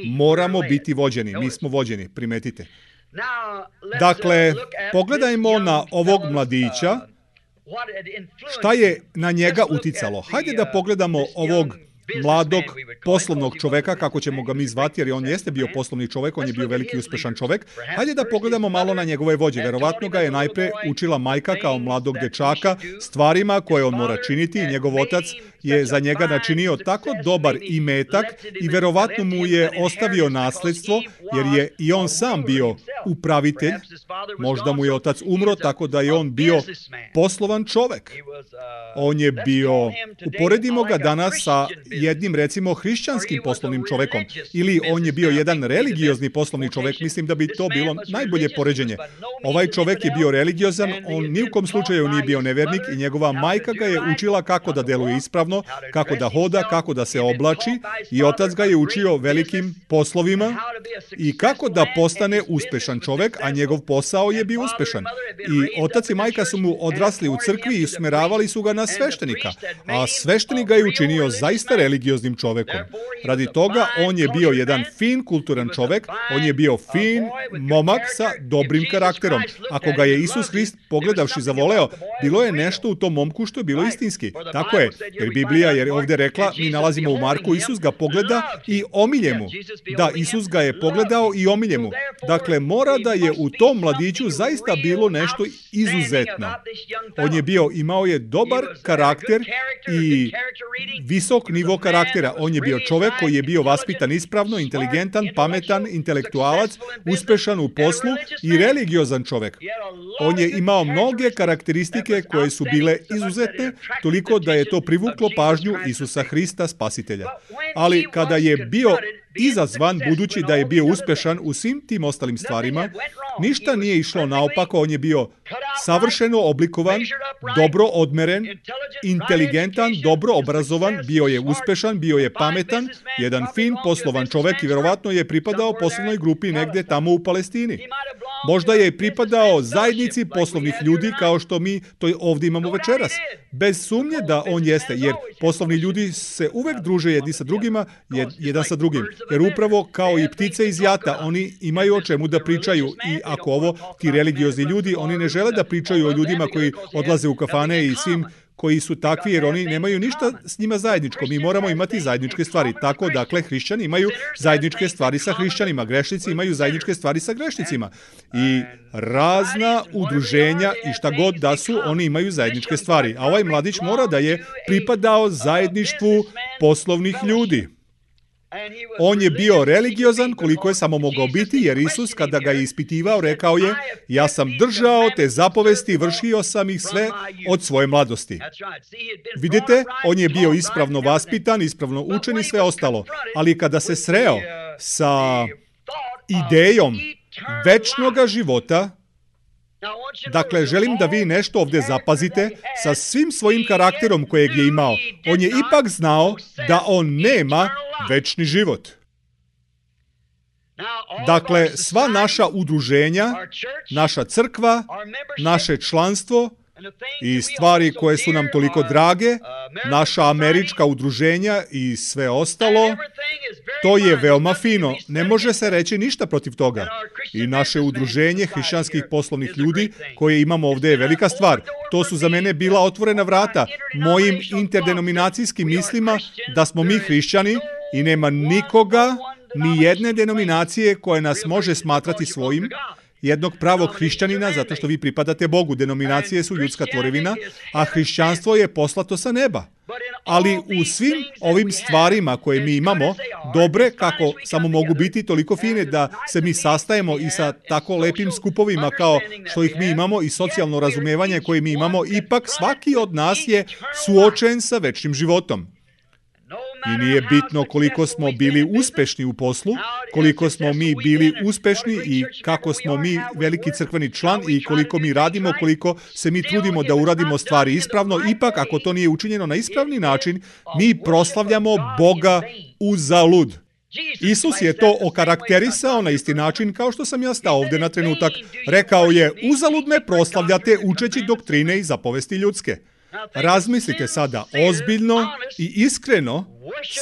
Moramo biti vođeni, mi smo vođeni, primetite. Dakle, pogledajmo na ovog mladića, šta je na njega uticalo. Hajde da pogledamo ovog mladog poslovnog čoveka, kako ćemo ga mi zvati, jer on jeste bio poslovni čovek, on je bio veliki uspešan čovek. Hajde da pogledamo malo na njegove vođe. Verovatno ga je najpre učila majka kao mladog dečaka stvarima koje on mora činiti i njegov otac je za njega načinio tako dobar imetak i verovatno mu je ostavio nasledstvo, jer je i on sam bio upravitelj. Možda mu je otac umro, tako da je on bio poslovan čovek. On je bio, uporedimo ga danas sa jednim, recimo, hrišćanskim poslovnim čovekom, ili on je bio jedan religiozni poslovni čovek, mislim da bi to bilo najbolje poređenje. Ovaj čovek je bio religiozan, on ni u kom slučaju nije bio nevernik i njegova majka ga je učila kako da deluje ispravno, kako da hoda, kako da se oblači i otac ga je učio velikim poslovima i kako da postane uspešan uspešan čovek, a njegov posao je bio uspešan. I otac i majka su mu odrasli u crkvi i usmeravali su ga na sveštenika, a sveštenik ga je učinio zaista religioznim čovekom. Radi toga, on je bio jedan fin, kulturan čovek, on je bio fin momak sa dobrim karakterom. Ako ga je Isus Hrist pogledavši zavoleo, bilo je nešto u tom momku što je bilo istinski. Tako je, jer Biblija je ovdje rekla, mi nalazimo u Marku, Isus ga pogleda i omilje mu. Da, Isus ga je pogledao i omilje mu. Dakle, mora da je u tom mladiću zaista bilo nešto izuzetno. On je imao je dobar karakter i visok nivo karaktera. On je bio čovek koji je bio vaspitan ispravno, inteligentan, pametan, intelektualac, uspešan u poslu i religiozan čovek. On je imao mnoge karakteristike koje su bile izuzetne, toliko da je to privuklo pažnju Isusa Hrista, Spasitelja. Ali kada je bio izazvan, budući da je bio uspešan u svim tim ostalim stvarima, ništa nije išlo naopako, on je bio savršeno oblikovan, dobro odmeren, inteligentan, dobro obrazovan, bio je uspešan, bio je pametan, jedan fin poslovan čovek i verovatno je pripadao poslovnoj grupi negde tamo u Palestini. Možda je pripadao zajednici poslovnih ljudi kao što mi to ovdje imamo večeras. Bez sumnje da on jeste, jer poslovni ljudi se uvek druže jedni sa drugima, jedan sa drugim. Jer upravo kao i ptice iz jata, oni imaju o čemu da pričaju i ako ti religiozni ljudi, oni ne žele da pričaju o ljudima koji odlaze u kafane i svim koji su takvi, jer oni nemaju ništa s njima zajedničko. Mi moramo imati zajedničke stvari. Tako, dakle, hrišćani imaju zajedničke stvari sa hrišćanima, grešnici imaju zajedničke stvari sa grešnicima. I razna udruženja i šta god da su, oni imaju zajedničke stvari. A ovaj mladić mora da je pripadao zajedništvu poslovnih ljudi. On je bio religiozan koliko je samo mogao biti, jer Isus kada ga je ispitivao rekao je, ja sam držao te zapovesti, vršio sam ih sve od svoje mladosti. Vidite, on je bio ispravno vaspitan, ispravno učen i sve ostalo, ali kada se sreo sa idejom večnoga života, dakle, želim da vi nešto ovdje zapazite, sa svim svojim karakterom kojeg je imao, on je ipak znao da on nema večni život. Dakle, sva naša udruženja, naša crkva, naše članstvo i stvari koje su nam toliko drage, naša američka udruženja i sve ostalo, to je veoma fino. Ne može se reći ništa protiv toga. I naše udruženje hrišćanskih poslovnih ljudi koje imamo ovdje je velika stvar. To su za mene bila otvorena vrata mojim interdenominacijskim mislima da smo mi hrišćani i nema nikoga, ni jedne denominacije koja nas može smatrati svojim, jednog pravog hrišćanina, zato što vi pripadate Bogu. Denominacije su ljudska tvorevina, a hrišćanstvo je poslato sa neba. Ali u svim ovim stvarima koje mi imamo, dobre kako samo mogu biti, toliko fine da se mi sastajemo i sa tako lepim skupovima kao što ih mi imamo i socijalno razumevanje koje mi imamo, ipak svaki od nas je suočen sa večnim životom. I nije bitno koliko smo bili uspešni u poslu, koliko smo mi bili uspešni i kako smo mi veliki crkveni član i koliko mi radimo, koliko se mi trudimo da uradimo stvari ispravno, ipak ako to nije učinjeno na ispravni način, mi proslavljamo Boga uzalud. Isus je to okarakterisao na isti način kao što sam ja stao ovdje na trenutak. Rekao je, uzalud me proslavljate učeći doktrine i zapovesti ljudske. Razmislite sada ozbiljno i iskreno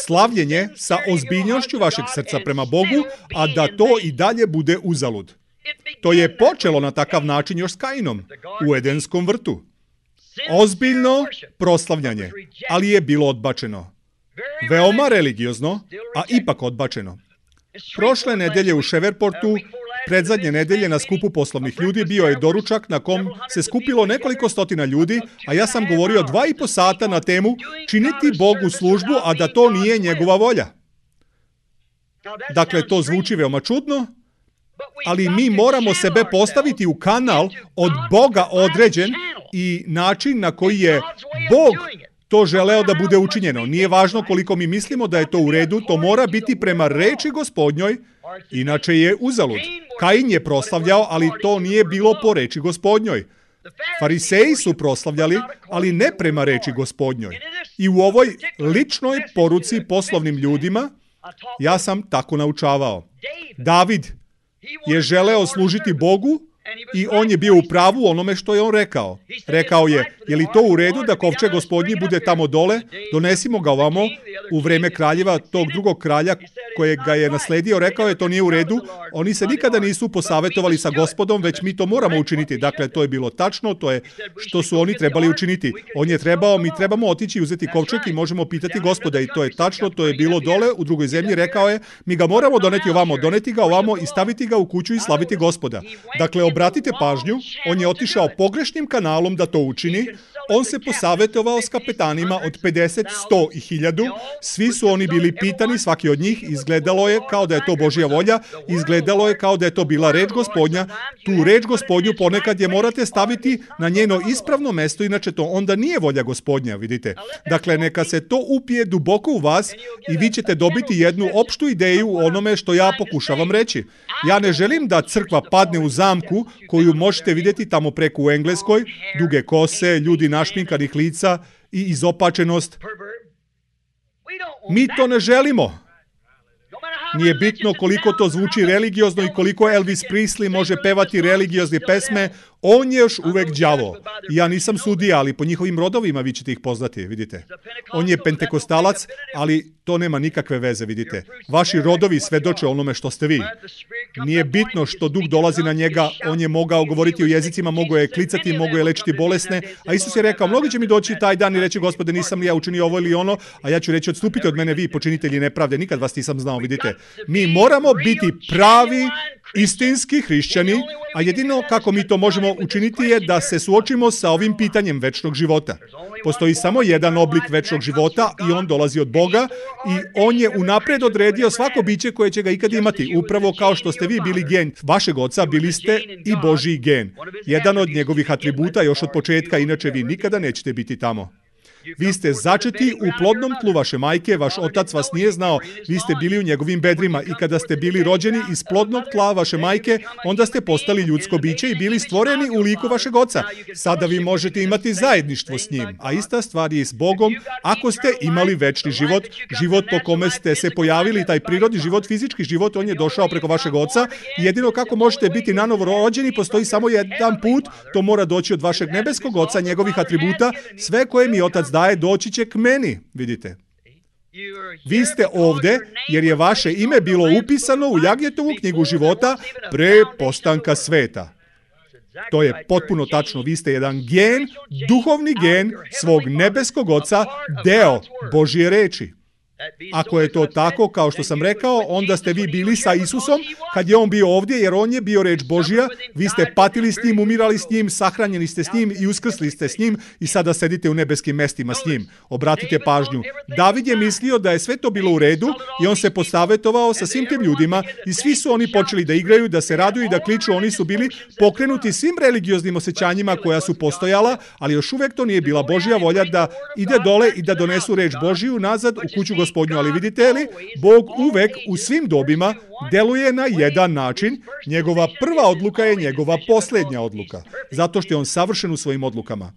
slavljenje sa ozbiljnošću vašeg srca prema Bogu, a da to i dalje bude uzalud. To je počelo na takav način još s Kainom u Edenskom vrtu. Ozbiljno proslavljanje, ali je bilo odbačeno. Veoma religiozno, a ipak odbačeno. Prošle nedelje u Shrevepportu, predzadnje nedelje na skupu poslovnih ljudi, bio je doručak na kom se skupilo nekoliko stotina ljudi, a ja sam govorio 2,5 sata na temu činiti Bogu službu, a da to nije njegova volja. Dakle, to zvuči veoma čudno, ali mi moramo sebe postaviti u kanal od Boga određen i način na koji je Bog to želeo da bude učinjeno. Nije važno koliko mi mislimo da je to u redu, to mora biti prema reči Gospodnjoj, inače je uzalud. Kain je proslavljao, ali to nije bilo po reči Gospodnjoj. Fariseji su proslavljali, ali ne prema reči Gospodnjoj. I u ovoj ličnoj poruci poslovnim ljudima, ja sam tako naučavao. David je želeo služiti Bogu i on je bio u pravu onome što je on rekao. Rekao je li to u redu da kovčeg Gospodnji bude tamo dole? Donesimo ga ovamo. U vreme kraljeva, tog drugog kralja kojeg ga je nasledio, rekao je to nije u redu. Oni se nikada nisu posavetovali sa Gospodom, već mi to moramo učiniti. Dakle, to je bilo tačno, to je što su oni trebali učiniti. On je trebao, mi trebamo otići i uzeti kovčeg i možemo pitati Gospoda i to je tačno, to je bilo dole u drugoj zemlji. Rekao je, mi ga moramo doneti ovamo, doneti ga ovamo i staviti ga u kuću i slaviti Gospoda. Dakle, obratite pažnju, on je otišao pogrešnim kanalom da to učini. On se posavetovao s kapetanima od 50, 100 i 1000. Svi su oni bili pitani, svaki od njih. Izgledalo je kao da je to Božja volja. Izgledalo je kao da je to bila reč Gospodnja. Tu reč Gospodnju ponekad je morate staviti na njeno ispravno mesto, inače to onda nije volja Gospodnja, vidite. Dakle, neka se to upije duboko u vas i vi ćete dobiti jednu opštu ideju u onome što ja pokušavam reći. Ja ne želim da crkva padne u zamku koju možete vidjeti tamo preko u Engleskoj, duge kose, ljudi našminkanih lica i izopačenost. Mi to ne želimo. Nije bitno koliko to zvuči religiozno i koliko Elvis Presley može pevati religiozne pesme, on je još uvek đavo. Ja nisam sudija, ali po njihovim rodovima vi ćete ih poznati, vidite. On je pentekostalac, ali to nema nikakve veze, vidite. Vaši rodovi svedoče onome što ste vi. Nije bitno što duh dolazi na njega, on je mogao govoriti u jezicima, mogao je klicati, mogao je lečiti bolesne, a Isus je rekao, mnogi će mi doći taj dan i reći, Gospode, nisam li ja učinio ovo ili ono, a ja ću reći, odstupite od mene vi, počinitelji nepravde, nikad vas nisam znao, vidite. Mi moramo biti pravi, istinski hrišćani, a jedino kako mi to možemo učiniti je da se suočimo sa ovim pitanjem večnog života. Postoji samo jedan oblik večnog života i on dolazi od Boga i on je unapred odredio svako biće koje će ga ikad imati. Upravo kao što ste vi bili gen vašeg oca, bili ste i Božji gen. Jedan od njegovih atributa još od početka, inače vi nikada nećete biti tamo. Vi ste začeti u plodnom tlu vaše majke, vaš otac vas nije znao, vi ste bili u njegovim bedrima i kada ste bili rođeni iz plodnog tla vaše majke, onda ste postali ljudsko biće i bili stvoreni u liku vašeg oca. Sada vi možete imati zajedništvo s njim, a ista stvar je i s Bogom. Ako ste imali večni život, život po kome ste se pojavili, taj prirodni život, fizički život, on je došao preko vašeg oca. Jedino kako možete biti nanovo rođeni, postoji samo jedan put, to mora doći od vašeg nebeskog oca, njegovih atributa, sve koje mi otac daje, doći će k meni, vidite. Vi ste ovde jer je vaše ime bilo upisano u Jagnjetovu knjigu života pre postanka sveta. To je potpuno tačno. Vi ste jedan gen, duhovni gen svog nebeskog oca, deo Božje reči. Ako je to tako, kao što sam rekao, onda ste vi bili sa Isusom kad je on bio ovdje, jer on je bio reč Božja. Vi ste patili s njim, umirali s njim, sahranjeni ste s njim i uskrsli ste s njim i sada sedite u nebeskim mestima s njim. Obratite pažnju. David je mislio da je sve to bilo u redu i on se posavetovao sa svim tim ljudima i svi su oni počeli da igraju, da se raduju i da kliču. Oni su bili pokrenuti svim religioznim osjećanjima koja su postojala, ali još uvek to nije bila Božja volja da ide dole i da donesu reč Božju nazad u kuću Gospodnju. Ali vidite li, Bog uvek u svim dobima deluje na jedan način. Njegova prva odluka je njegova posljednja odluka, zato što je on savršen u svojim odlukama.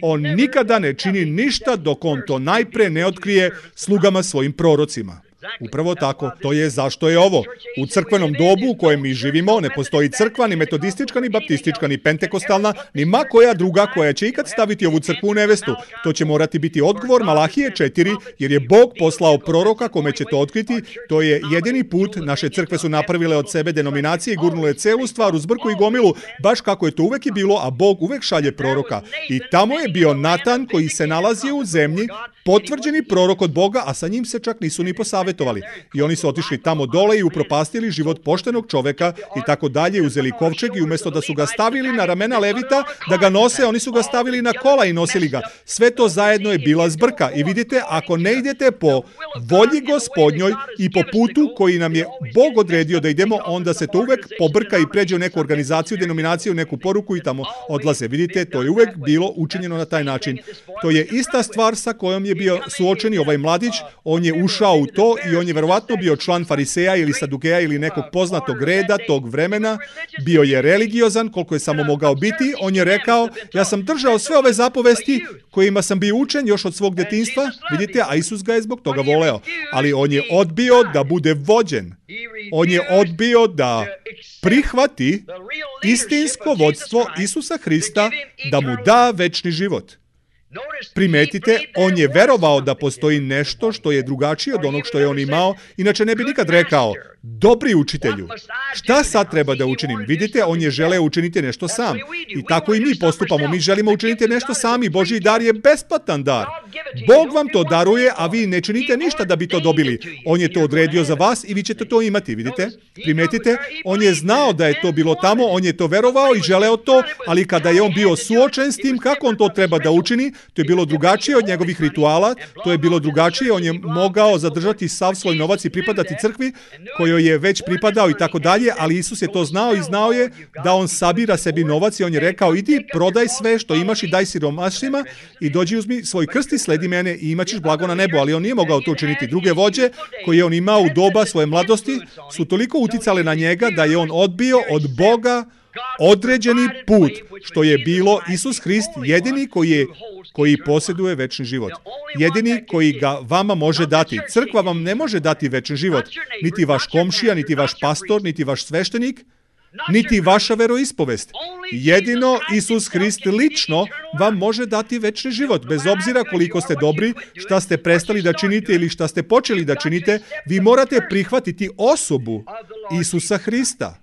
On nikada ne čini ništa dok on to najpre ne otkrije slugama svojim prorocima. Upravo tako, to je zašto je ovo. U crkvenom dobu u kojem mi živimo ne postoji crkva, ni metodistička, ni baptistička, ni pentekostalna, ni ma koja druga koja će ikad staviti ovu crkvu u nevestu. To će morati biti odgovor Malahije 4, jer je Bog poslao proroka kome će to otkriti. To je jedini put. Naše crkve su napravile od sebe denominacije i gurnule celu stvar u zbrku i gomilu, baš kako je to uvek i bilo, a Bog uvek šalje proroka. I tamo je bio Natan koji se nalazio u zemlji, potvrđeni prorok od Boga, a sa njim se čak nisu ni posavetovali. I oni su otišli tamo dole i upropastili život poštenog čoveka i tako dalje, uzeli kovčeg i umjesto da su ga stavili na ramena levita, da ga nose, oni su ga stavili na kola i nosili ga. Sve to zajedno je bila zbrka. I vidite, ako ne idete po volji Gospodnjoj i po putu koji nam je Bog odredio da idemo, onda se to uvek pobrka i pređe u neku organizaciju, denominaciju, neku poruku i tamo odlaze. Vidite, to je uvek bilo učinjeno na taj način. To je ista stvar sa kojom je je bio suočeni, ovaj mladić, on je ušao u to i on je verovatno bio član fariseja ili sadukeja ili nekog poznatog reda tog vremena, bio je religiozan koliko je samo mogao biti, on je rekao, ja sam držao sve ove zapovesti kojima sam bio učen još od svog detinjstva, vidite, a Isus ga je zbog toga voleo, ali on je odbio da bude vođen, on je odbio da prihvati istinsko vodstvo Isusa Hrista da mu da večni život. Primetite, on je verovao da postoji nešto što je drugačije od onog što je on imao, inače ne bi nikad rekao, dobri učitelju, šta sad treba da učinim? Vidite, on je želeo učiniti nešto sam. I tako i mi postupamo, mi želimo učiniti nešto sami, Božji dar je besplatan dar. Bog vam to daruje, a vi ne činite ništa da bi to dobili. On je to odredio za vas i vi ćete to imati, vidite? Primetite, on je znao da je to bilo tamo, on je to verovao i želeo to, ali kada je on bio suočen s tim kako on to treba da učini, to je bilo drugačije od njegovih rituala, to je bilo drugačije, on je mogao zadržati sav svoj novac i pripadati crkvi, kojoj je već pripadao i tako dalje, ali Isus je to znao i znao je da on sabira sebi novac i on je rekao, idi, prodaj sve što imaš i daj siromašnima i dođi uzmi svoj krst i sledi mene i imat ćeš blago na nebu, ali on nije mogao to učiniti. Druge vođe koje je on imao u doba svoje mladosti su toliko uticale na njega da je on odbio od Boga određeni put, što je bilo Isus Hrist, jedini koji posjeduje večni život. Jedini koji ga vama može dati. Crkva vam ne može dati večni život. Niti vaš komšija, niti vaš pastor, niti vaš sveštenik, niti vaša veroispovest. Jedino Isus Hrist lično vam može dati večni život. Bez obzira koliko ste dobri, šta ste prestali da činite ili šta ste počeli da činite, vi morate prihvatiti osobu Isusa Hrista.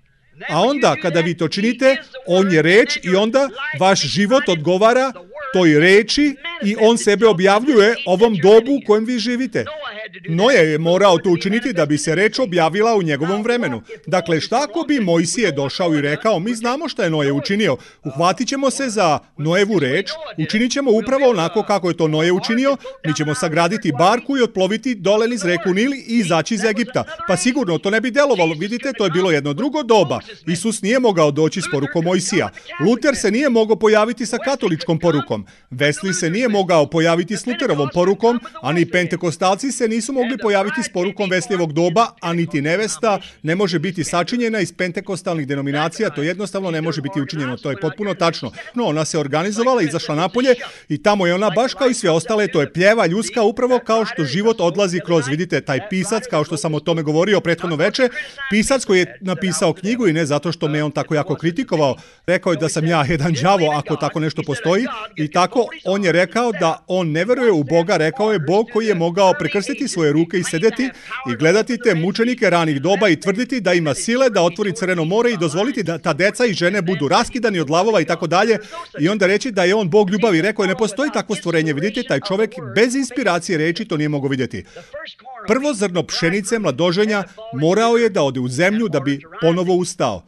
A onda, kada vi to činite, on je reč i onda vaš život odgovara toj reči i on sebe objavljuje ovom dobu u kojem vi živite. Noe je morao to učiniti da bi se reč objavila u njegovom vremenu. Dakle, šta ako bi Mojsije došao i rekao, mi znamo šta je Noe učinio, uhvatit ćemo se za Noevu reč, učinit ćemo upravo onako kako je to Noe učinio, mi ćemo sagraditi barku i otploviti dole niz reku Nil i izaći iz Egipta. Pa sigurno to ne bi delovalo, vidite, to je bilo jedno drugo doba. Isus nije mogao doći s porukom Mojsija. Luter se nije mogao pojaviti sa katoličkom porukom. Wesley se nije mogao pojaviti s Luterovom porukom, a ni pentekostalci se nisu mogli pojaviti s porukom Wesleyevog doba, a niti nevesta ne može biti sačinjena iz pentekostalnih denominacija, to jednostavno ne može biti učinjeno, to je potpuno tačno. No, ona se organizovala, izašla napolje i tamo je ona baš kao i sve ostale, to je pljeva ljudska upravo kao što život odlazi kroz, vidite, taj pisac, kao što sam o tome govorio prethodno veče, pisac koji je napisao knjigu i ne zato što me on tako jako kritikovao, rekao je da sam ja jedan đavo ako tako nešto postoji i tako on je rekao da on ne veruje u Boga, rekao je Bog koji je mogao prekrstiti svoje ruke i sedeti i gledati te mučenike ranih doba i tvrditi da ima sile da otvori Crveno more i dozvoliti da ta deca i žene budu raskidani od lavova i tako dalje i onda reći da je on Bog ljubavi. Rekao je ne postoji takvo stvorenje, vidite, taj čovjek bez inspiracije reči to nije mogao vidjeti. Prvo zrno pšenice mladoženja morao je da ode u zemlju da bi ponovo ustao.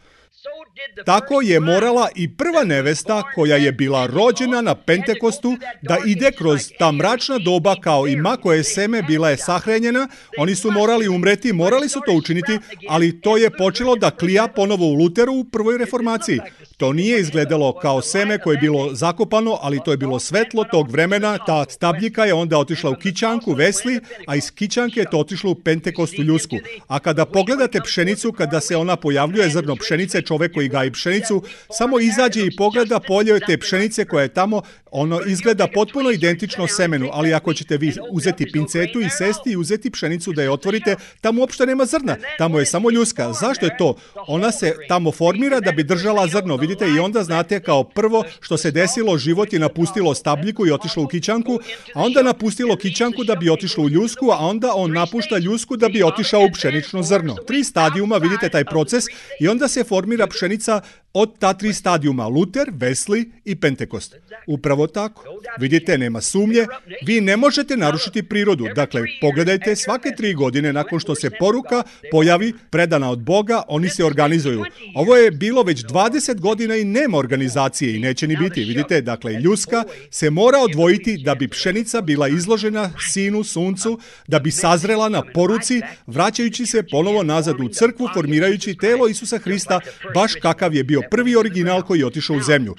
Tako je morala i prva nevesta koja je bila rođena na Pentekostu da ide kroz ta mračna doba kao i ma koje seme bila je sahranjena, oni su morali umreti, morali su to učiniti, ali to je počelo da klija ponovo u Luteru u prvoj reformaciji. To nije izgledalo kao seme koje je bilo zakopano, ali to je bilo svetlo tog vremena, ta stabljika je onda otišla u kićanku, Wesley, a iz kićanke je to otišlo u Pentekostu ljusku. A kada pogledate pšenicu, kada se ona pojavljuje, zrno pšenice, čovek koji gaji pšenicu, samo izađe i pogleda polje te pšenice koja je tamo, ono izgleda potpuno identično semenu, ali ako ćete vi uzeti pincetu i sesti i uzeti pšenicu da je otvorite, tamo uopšte nema zrna, tamo je samo ljuska. Zašto je to? Ona se tamo formira da bi držala zrno, vidite, i onda znate kao prvo što se desilo, život je napustilo stabljiku i otišlo u kićanku, a onda napustilo kićanku da bi otišlo u ljusku, a onda on napušta ljusku da bi otišao u pšenično zrno. 3 stadijuma, vidite taj proces, i onda se formira pšenica od ta 3 stadijuma, Luter, Wesley i Pentekost. Upravo tako. Vidite, nema sumnje, vi ne možete narušiti prirodu. Dakle, pogledajte, svake 3 godine nakon što se poruka pojavi predana od Boga, oni se organizuju. Ovo je bilo već 20 godina i nema organizacije i neće ni biti. Vidite, dakle, ljuska se mora odvojiti da bi pšenica bila izložena sinu, suncu, da bi sazrela na poruci, vraćajući se ponovo nazad u crkvu, formirajući telo Isusa Hrista, baš kakav je bio prvi original koji je otišao u zemlju.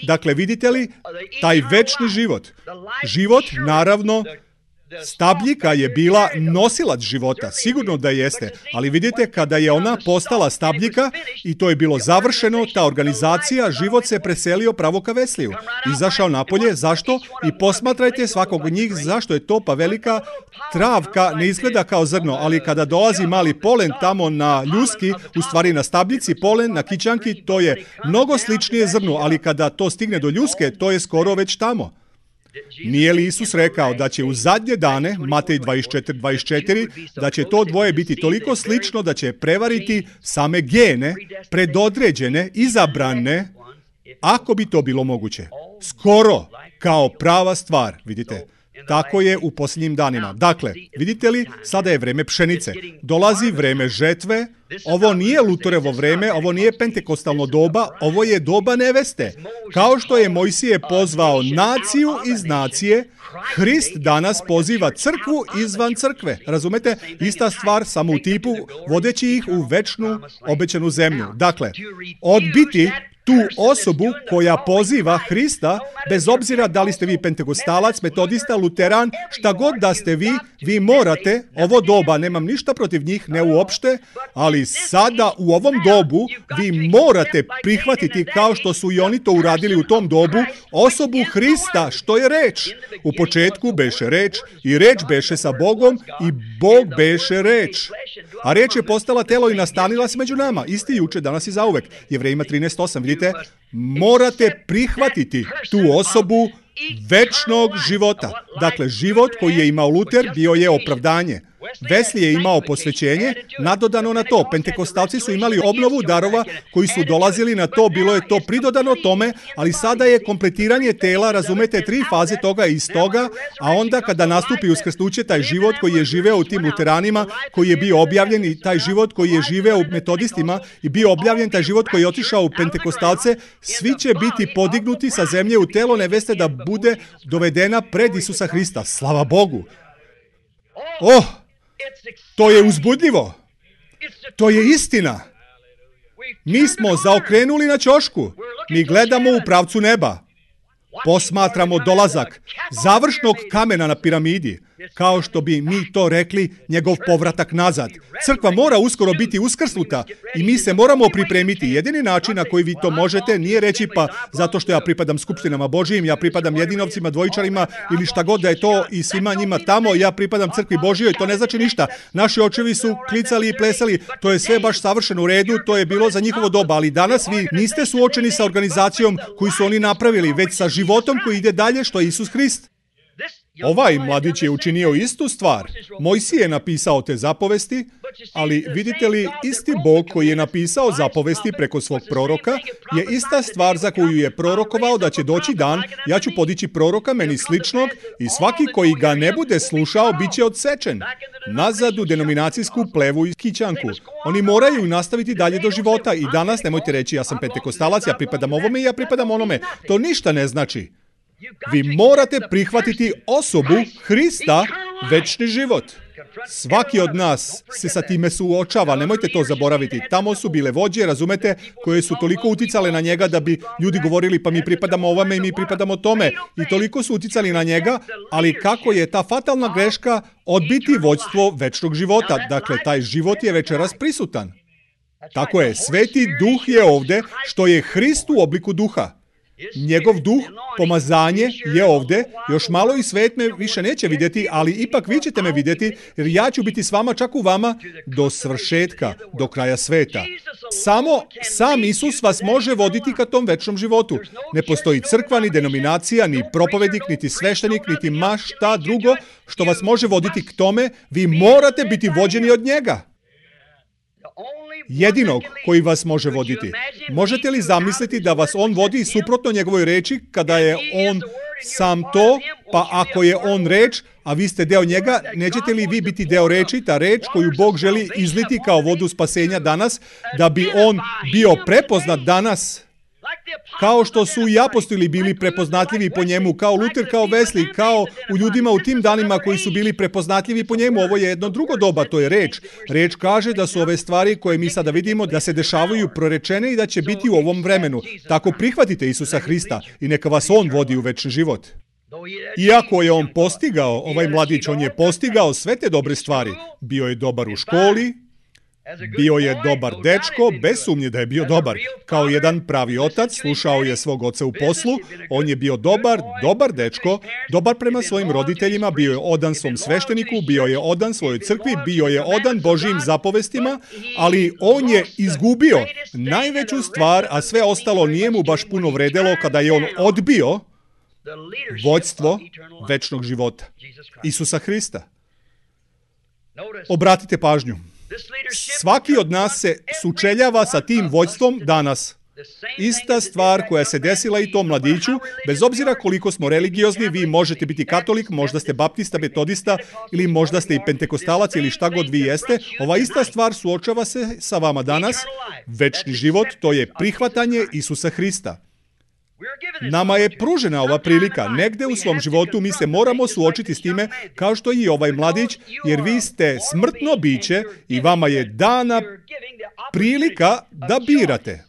Dakle, vidite li, taj večni život, naravno, Stabljika je bila nosilac života, sigurno da jeste, ali vidite, kada je ona postala stabljika i to je bilo završeno, ta organizacija, život se preselio pravo ka Wesliju. Izašao napolje, zašto? I posmatrajte svakog od njih, zašto je to, pa velika travka ne izgleda kao zrno, ali kada dolazi mali polen tamo na ljuski, u stvari na stabljici, polen na kićanki, to je mnogo sličnije zrnu, ali kada to stigne do ljuske, to je skoro već tamo. Nije li Isus rekao da će u zadnje dane, Matej 24:24, da će to dvoje biti toliko slično da će prevariti same gene, predodređene, izabrane, ako bi to bilo moguće. Skoro kao prava stvar, vidite. Tako je u posljednjim danima. Dakle, vidite li, sada je vreme pšenice. Dolazi vreme žetve. Ovo nije Luterovo vreme, ovo nije pentekostalno doba, ovo je doba neveste. Kao što je Mojsije pozvao naciju iz nacije, Hrist danas poziva crkvu izvan crkve. Razumete? Ista stvar, samo u tipu, vodeći ih u večnu obećanu zemlju. Dakle, odbiti tu osobu koja poziva Hrista, bez obzira da li ste vi pentekostalac, metodista, luteran, šta god da ste vi morate, ovo doba, nemam ništa protiv njih, ne uopšte, ali sada u ovom dobu vi morate prihvatiti, kao što su i oni to uradili u tom dobu, osobu Hrista, što je reč. U početku beše reč i reč beše sa Bogom i Bog beše reč. A reč je postala telo i nastanila se među nama, isti juče, danas i zauvek. Jevrejima 13:8, vidite, morate prihvatiti tu osobu večnog života. Dakle, život koji je imao Luter bio je opravdanje. Wesley je imao posvećenje, nadodano na to. Pentekostalci su imali obnovu darova koji su dolazili na to, bilo je to pridodano tome, ali sada je kompletiranje tela, razumete, 3 faze toga iz toga, a onda kada nastupi uskrsnuće, taj život koji je živeo u tim luteranima, koji je bio objavljen i taj život koji je živeo u metodistima i bio objavljen, taj život koji je otišao u pentekostalce, svi će biti podignuti sa zemlje u telo neveste da bude dovedena pred Isusa Hrista. Slava Bogu! To je uzbudljivo. To je istina. Mi smo zaokrenuli na ćošku. Mi gledamo u pravcu neba. Posmatramo dolazak završnog kamena na piramidi, kao što bi mi to rekli, njegov povratak nazad. Crkva mora uskoro biti uskrsnuta i mi se moramo pripremiti. Jedini način na koji vi to možete nije reći pa zato što ja pripadam skupštinama Božijim, ja pripadam jedinovcima, dvojičarima ili šta god da je to i svima njima tamo, ja pripadam crkvi Božijoj, to ne znači ništa. Naši očevi su klicali i plesali, to je sve baš savršeno u redu, to je bilo za njihovo doba, ali danas vi niste suočeni sa organizacijom koju su oni napravili, već sa životom koji ide dalje, što je Isus Hrist. Ovaj mladić je učinio istu stvar. Mojsije je napisao te zapovesti, ali vidite li, isti Bog koji je napisao zapovesti preko svog proroka je ista stvar za koju je prorokovao da će doći dan, ja ću podići proroka meni sličnog i svaki koji ga ne bude slušao bit će odsečen. Nazad u denominacijsku plevu i kićanku. Oni moraju nastaviti dalje do života i danas nemojte reći ja sam pentekostalac, ja pripadam ovome i ja pripadam onome. To ništa ne znači. Vi morate prihvatiti osobu Hrista, večni život. Svaki od nas se sa time suočava, nemojte to zaboraviti. Tamo su bile vođe, razumete, koje su toliko uticale na njega da bi ljudi govorili pa mi pripadamo ovome i mi pripadamo tome. I toliko su uticali na njega, ali kako je ta fatalna greška odbiti vođstvo večnog života. Dakle, taj život je večeras prisutan. Tako je, Sveti Duh je ovde, što je Hrist u obliku duha. Njegov duh, pomazanje je ovde, još malo i svet me više neće vidjeti, ali ipak vi ćete me vidjeti, jer ja ću biti s vama, čak u vama, do svršetka, do kraja sveta. Samo sam Isus vas može voditi ka tom večnom životu. Ne postoji crkva, ni denominacija, ni propovednik, niti sveštenik, niti ma šta drugo što vas može voditi k tome, vi morate biti vođeni od njega. Jedinog koji vas može voditi. Možete li zamisliti da vas on vodi suprotno njegovoj reči kada je on sam to, pa ako je on reč, a vi ste deo njega, nećete li vi biti deo reči, ta reč koju Bog želi izliti kao vodu spasenja danas, da bi on bio prepoznat danas? Kao što su i apostoli bili prepoznatljivi po njemu, kao Luter, kao Wesley, kao u ljudima u tim danima koji su bili prepoznatljivi po njemu. Ovo je jedno drugo doba, to je reč. Reč kaže da su ove stvari koje mi sada vidimo da se dešavaju prorečene i da će biti u ovom vremenu. Tako prihvatite Isusa Hrista i neka vas on vodi u večni život. Iako je on postigao, ovaj mladić, on je postigao sve te dobre stvari. Bio je dobar u školi, bio je dobar dečko, bez sumnje da je bio dobar. Kao jedan pravi otac, slušao je svog oca u poslu, on je bio dobar dečko, dobar prema svojim roditeljima, bio je odan svom svešteniku, bio je odan svojoj crkvi, bio je odan Božijim zapovestima, ali on je izgubio najveću stvar, a sve ostalo nije mu baš puno vredelo kada je on odbio vođstvo večnog života, Isusa Hrista. Obratite pažnju. Svaki od nas se sučeljava sa tim vođstvom danas. Ista stvar koja se desila i tom mladiću, bez obzira koliko smo religiozni, vi možete biti katolik, možda ste baptista, metodista ili možda ste i pentekostalac ili šta god vi jeste, ova ista stvar suočava se sa vama danas. Večni život, to je prihvatanje Isusa Hrista. Nama je pružena ova prilika. Negde u svom životu mi se moramo suočiti s time, kao što i ovaj mladić, jer vi ste smrtno biće i vama je dana prilika da birate.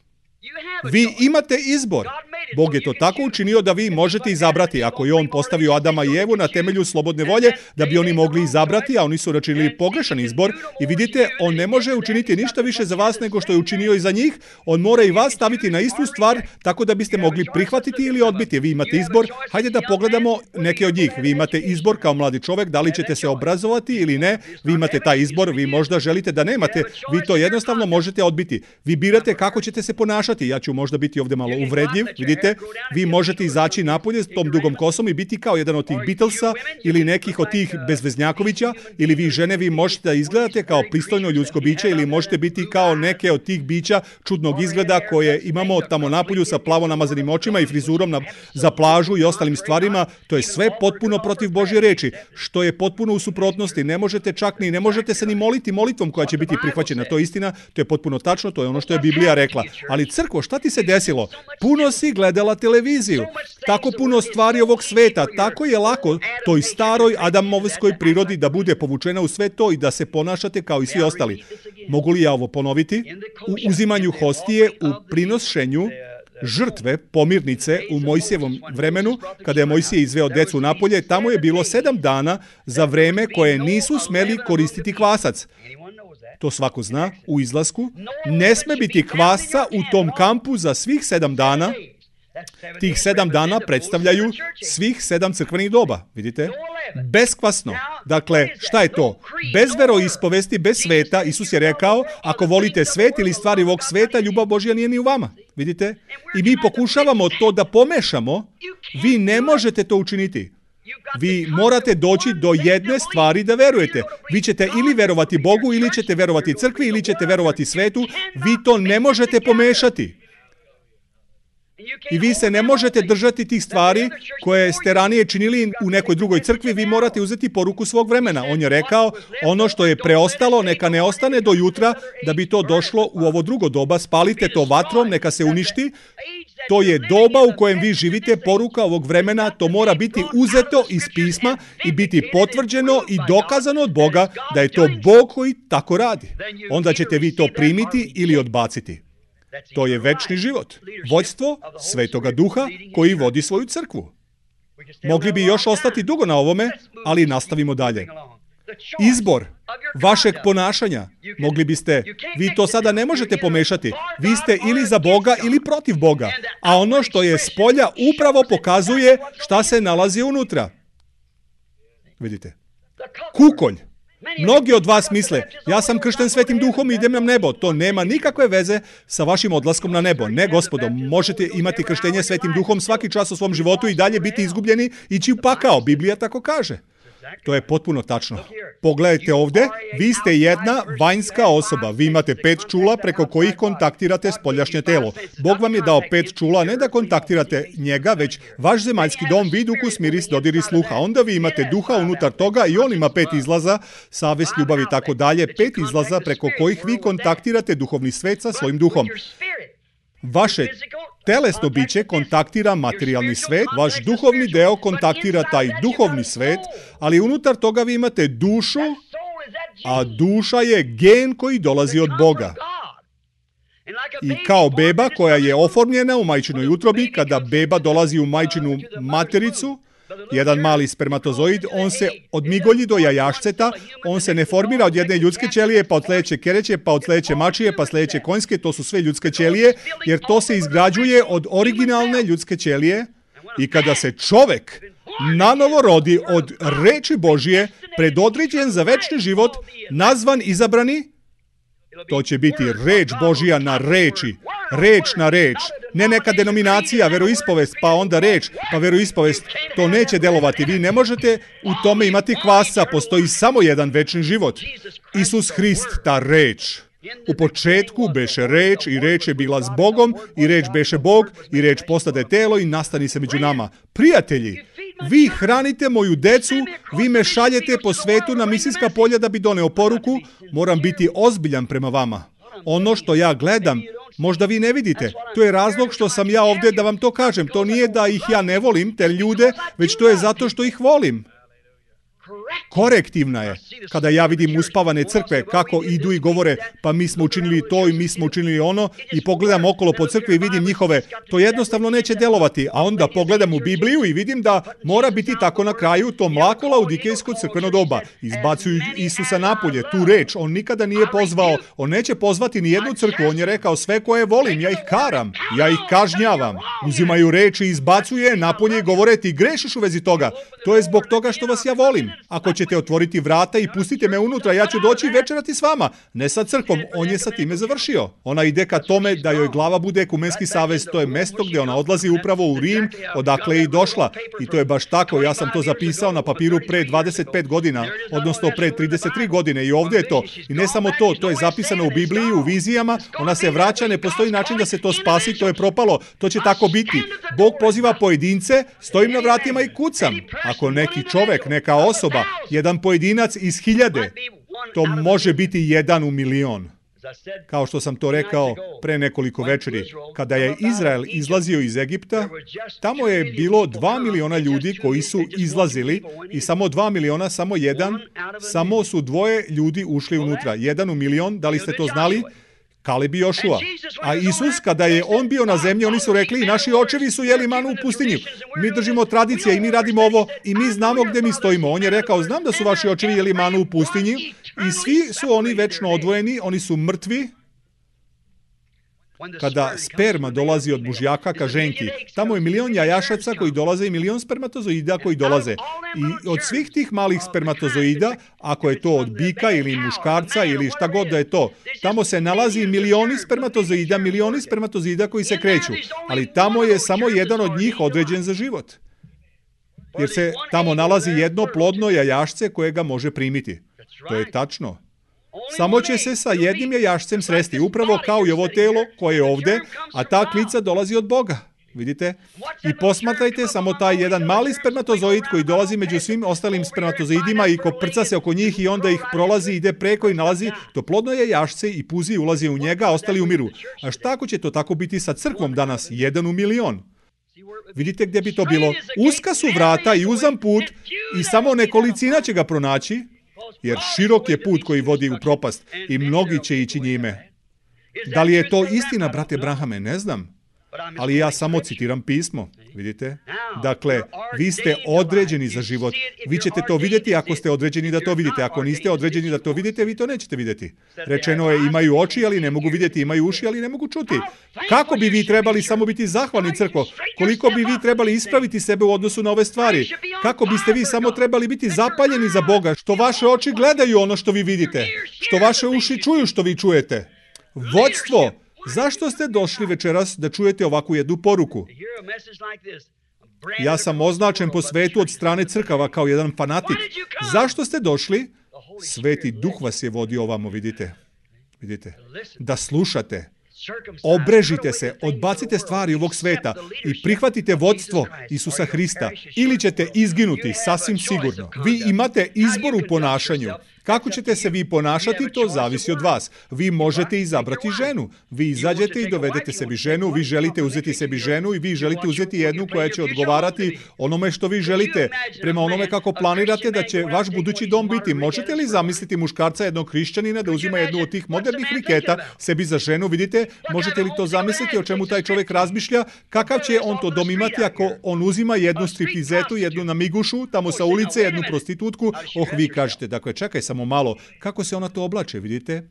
Vi imate izbor. Bog je to tako učinio da vi možete izabrati. Ako je on postavio Adama i Evu na temelju slobodne volje, da bi oni mogli izabrati, a oni su učinili pogrešan izbor. I vidite, on ne može učiniti ništa više za vas nego što je učinio i za njih. On mora i vas staviti na istu stvar, tako da biste mogli prihvatiti ili odbiti. Vi imate izbor. Hajde da pogledamo neke od njih. Vi imate izbor kao mladi čovjek, da li ćete se obrazovati ili ne. Vi imate taj izbor, vi možda želite da nemate. Vi to jednostavno možete odbiti. Vi birate kako ćete se ponašati. Ja ću možda biti ovdje malo uvredljiv, vidite, vi možete izaći napolje s tom dugom kosom i biti kao jedan od tih Beatlesa ili nekih od tih bezveznjakovića, ili vi žene, vi možete da izgledate kao pristojno ljudsko biće ili možete biti kao neke od tih bića čudnog izgleda koje imamo tamo napolju sa plavo namazanim očima i frizurom za plažu i ostalim stvarima. To je sve potpuno protiv Božje reči, što je potpuno u suprotnosti. Ne možete čak ne možete se ni moliti molitvom koja će biti prihvaćena. To je istina, to je potpuno tačno, to je ono što je Biblija rekla. Ali crkvo, šta ti se desilo? Puno si gledala televiziju. Tako puno stvari ovog sveta. Tako je lako toj staroj adamovskoj prirodi da bude povučena u sve to i da se ponašate kao i svi ostali. Mogu li ja ovo ponoviti? U uzimanju hostije, u prinošenju žrtve, pomirnice u Mojsijevom vremenu, kada je Mojsije izveo decu napolje, tamo je bilo 7 dana za vreme koje nisu smeli koristiti kvasac. To svako zna, u izlasku. Ne sme biti kvasca u tom kampu za svih 7 dana. Tih 7 dana predstavljaju svih 7 crkvenih doba, vidite? Beskvasno. Dakle, šta je to? Bez veroispovesti, bez sveta, Isus je rekao, ako volite svet ili stvari ovog sveta, ljubav Božja nije ni u vama, vidite? I mi pokušavamo to da pomešamo, vi ne možete to učiniti. Vi morate doći do jedne stvari da verujete. Vi ćete ili verovati Bogu, ili ćete verovati crkvi, ili ćete verovati svetu. Vi to ne možete pomešati. I vi se ne možete držati tih stvari koje ste ranije činili u nekoj drugoj crkvi. Vi morate uzeti poruku svog vremena. On je rekao, ono što je preostalo, neka ne ostane do jutra, da bi to došlo u ovo drugo doba. Spalite to vatrom, neka se uništi. To je doba u kojem vi živite, poruka ovog vremena, to mora biti uzeto iz pisma i biti potvrđeno i dokazano od Boga da je to Bog koji tako radi. Onda ćete vi to primiti ili odbaciti. To je večni život. Vođstvo Svetoga Duha koji vodi svoju crkvu. Mogli bi još ostati dugo na ovome, ali nastavimo dalje. Izbor vašeg ponašanja. Mogli biste, vi to sada ne možete pomešati. Vi ste ili za Boga ili protiv Boga. A ono što je spolja upravo pokazuje šta se nalazi unutra. Vidite. Kukolj. Mnogi od vas misle, ja sam kršten Svetim Duhom i idem na nebo. To nema nikakve veze sa vašim odlaskom na nebo. Ne, gospodo, možete imati krštenje Svetim Duhom svaki čas u svom životu i dalje biti izgubljeni, ići u pakao. Biblija tako kaže. To je potpuno tačno. Pogledajte ovdje, vi ste jedna vanjska osoba. Vi imate 5 čula preko kojih kontaktirate spoljašnje telo. Bog vam je dao 5 čula, ne da kontaktirate njega, već vaš zemaljski dom, vid, ukus, miris, dodir i sluha. Onda vi imate duha unutar toga i on ima 5 izlaza, savest, ljubav i tako dalje. 5 izlaza preko kojih vi kontaktirate duhovni svet sa svojim duhom. Vaše telesno biće kontaktira materijalni svet, vaš duhovni deo kontaktira taj duhovni svet, ali unutar toga vi imate dušu, a duša je gen koji dolazi od Boga. I kao beba koja je oformljena u majčinoj utrobi, kada beba dolazi u majčinu matericu, Jedan mali spermatozoid, on se odmigolji do jajašceta, on se ne formira od jedne ljudske ćelije, pa od sledeće kereće, pa od sledeće mačije, pa sledeće konjske, to su sve ljudske ćelije, jer to se izgrađuje od originalne ljudske ćelije. I kada se čovek nanovo rodi od reči Božije, predodređen za večni život, nazvan izabrani, to će biti reč Božija na reči, reč na reč, ne neka denominacija, veroispovest, pa onda reč, pa veroispovest, to neće delovati. Vi ne možete u tome imati kvasca, postoji samo jedan večni život. Isus Hrist, ta reč. U početku beše reč i reč je bila s Bogom i reč beše Bog i reč postade telo i nastani se među nama. Prijatelji, vi hranite moju decu, vi me šaljete po svetu na misijska polja da bi doneo poruku, moram biti ozbiljan prema vama. Ono što ja gledam, možda vi ne vidite. To je razlog što sam ja ovdje da vam to kažem. To nije da ih ja ne volim, te ljude, već to je zato što ih volim. Korektivna je. Kada ja vidim uspavane crkve kako idu i govore pa mi smo učinili to i mi smo učinili ono i pogledam okolo po crkvi i vidim njihove, to jednostavno neće delovati. A onda pogledam u Bibliju i vidim da mora biti tako na kraju to mlako laudikejsko crkveno doba. Izbacuju Isusa napolje, tu reč. On nikada nije pozvao, on neće pozvati ni jednu crkvu. On je rekao sve koje volim, ja ih karam, ja ih kažnjavam. Uzimaju reč i izbacuje napolje i govore ti grešiš u vezi toga. To je zbog toga što vas ja volim. Ako ćete otvoriti vrata i pustite me unutra, ja ću doći i večerati s vama. Ne sa crkvom, on je sa time završio. Ona ide ka tome da joj glava bude ekumenski savez, to je mesto gdje ona odlazi upravo u Rim, odakle je i došla. I to je baš tako, ja sam to zapisao na papiru pre 25 godina, odnosno pre 33 godine i ovdje je to. I ne samo to, to je zapisano u Bibliji, u vizijama, ona se vraća, ne postoji način da se to spasi, to je propalo, to će tako biti. Bog poziva pojedince, stojim na vratima i kucam. Ako neki čovek, neka osoba, jedan pojedinac iz 1000, to može biti 1 u milion. Kao što sam to rekao pre nekoliko večeri, kada je Izrael izlazio iz Egipta, tamo je bilo 2 miliona ljudi koji su izlazili i samo 2 miliona, samo jedan, samo su 2 ljudi ušli unutra. 1 u milion, da li ste to znali? Kaleb i Jošua. A Isus, kada je on bio na zemlji, oni su rekli, naši očevi su jeli manu u pustinji. Mi držimo tradicije i mi radimo ovo i mi znamo gdje mi stojimo. On je rekao, znam da su vaši očevi jeli manu u pustinji i svi su oni večno odvojeni, oni su mrtvi. Kada sperma dolazi od mužjaka ka ženki, tamo je milion jajašaca koji dolaze i milion spermatozoida koji dolaze. I od svih tih malih spermatozoida, ako je to od bika ili muškarca ili šta god da je to, tamo se nalazi milioni spermatozoida koji se kreću. Ali tamo je samo jedan od njih određen za život. Jer se tamo nalazi jedno plodno jajašce koje ga može primiti. To je tačno. Samo će se sa jednim jajašcem sresti, upravo kao i ovo telo koje je ovdje, a ta klica dolazi od Boga. Vidite? I posmatrajte samo taj jedan mali spermatozoid koji dolazi među svim ostalim spermatozoidima i koprca se oko njih i onda ih prolazi, ide preko i nalazi to plodno jajašce i puzi i ulazi u njega, a ostali umiru. A šta ako će to tako biti sa crkvom danas? 1 u milion. Vidite gdje bi to bilo? Uska su vrata i uzam put i samo nekolicina će ga pronaći, jer širok je put koji vodi u propast i mnogi će ići njime. Da li je to istina, brate Brahame? Ne znam. Ali ja samo citiram pismo. Vidite? Dakle, vi ste određeni za život. Vi ćete to vidjeti ako ste određeni da to vidite. Ako niste određeni da to vidite, vi to nećete vidjeti. Rečeno je, imaju oči, ali ne mogu vidjeti, imaju uši, ali ne mogu čuti. Kako bi vi trebali samo biti zahvalni, crkvo? Koliko bi vi trebali ispraviti sebe u odnosu na ove stvari? Kako biste vi samo trebali biti zapaljeni za Boga, što vaše oči gledaju ono što vi vidite, što vaše uši čuju što vi čujete? Vodstvo! Zašto ste došli večeras da čujete ovakvu jednu poruku? Ja sam označen po svetu od strane crkava kao jedan fanatik. Zašto ste došli? Sveti Duh vas je vodio ovamo, vidite. Da slušate. Obrežite se, odbacite stvari ovog sveta i prihvatite vodstvo Isusa Hrista ili ćete izginuti, sasvim sigurno. Vi imate izbor u ponašanju. Kako ćete se vi ponašati, to zavisi od vas. Vi možete izabrati ženu. Vi izađete i dovedete sebi ženu, vi želite uzeti sebi ženu i vi želite uzeti jednu koja će odgovarati onome što vi želite, prema onome kako planirate da će vaš budući dom biti. Možete li zamisliti muškarca jednog hrišćanina da uzima jednu od tih modernih riketa sebi za ženu? Vidite, možete li to zamisliti o čemu taj čovjek razmišlja? Kakav će on to dom imati ako on uzima jednu stripizetu, jednu namigušu, tamo sa ulice, jednu prostitutku? Vi kažete, dakle, čekaj samo malo, kako se ona to oblače, vidite?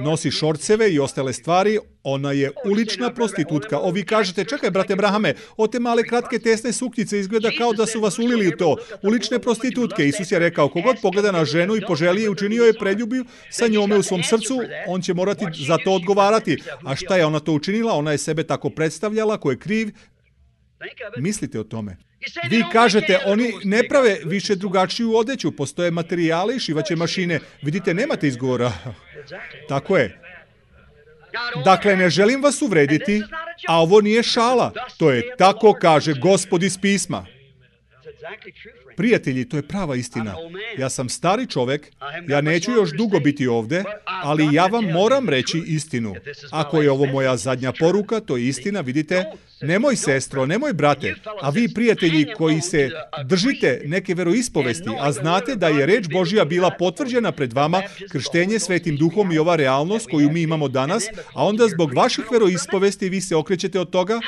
Nosi šorceve i ostale stvari, ona je ulična prostitutka. Vi kažete, čekaj, brate Brahame, od te male kratke tesne suknjice izgleda kao da su vas ulili u to. Ulične prostitutke. Isus je rekao, kogod pogleda na ženu i poželi je, učinio je preljubiju sa njome u svom srcu, on će morati za to odgovarati. A šta je ona to učinila? Ona je sebe tako predstavljala, ko je kriv. Mislite o tome. Vi kažete, oni ne prave više drugačiju odeću, postoje materijali i šivaće mašine. Vidite, nemate izgovora. Tako je. Dakle, ne želim vas uvrediti, a ovo nije šala. To je tako kaže Gospod iz pisma. Prijatelji, to je prava istina. Ja sam stari čovek, ja neću još dugo biti ovde, ali ja vam moram reći istinu. Ako je ovo moja zadnja poruka, to je istina, vidite. Nemoj sestro, nemoj brate, a vi prijatelji koji se držite neke veroispovesti, a znate da je reč Božja bila potvrđena pred vama, krštenje Svetim Duhom i ova realnost koju mi imamo danas, a onda zbog vaših veroispovesti vi se okrećete od toga,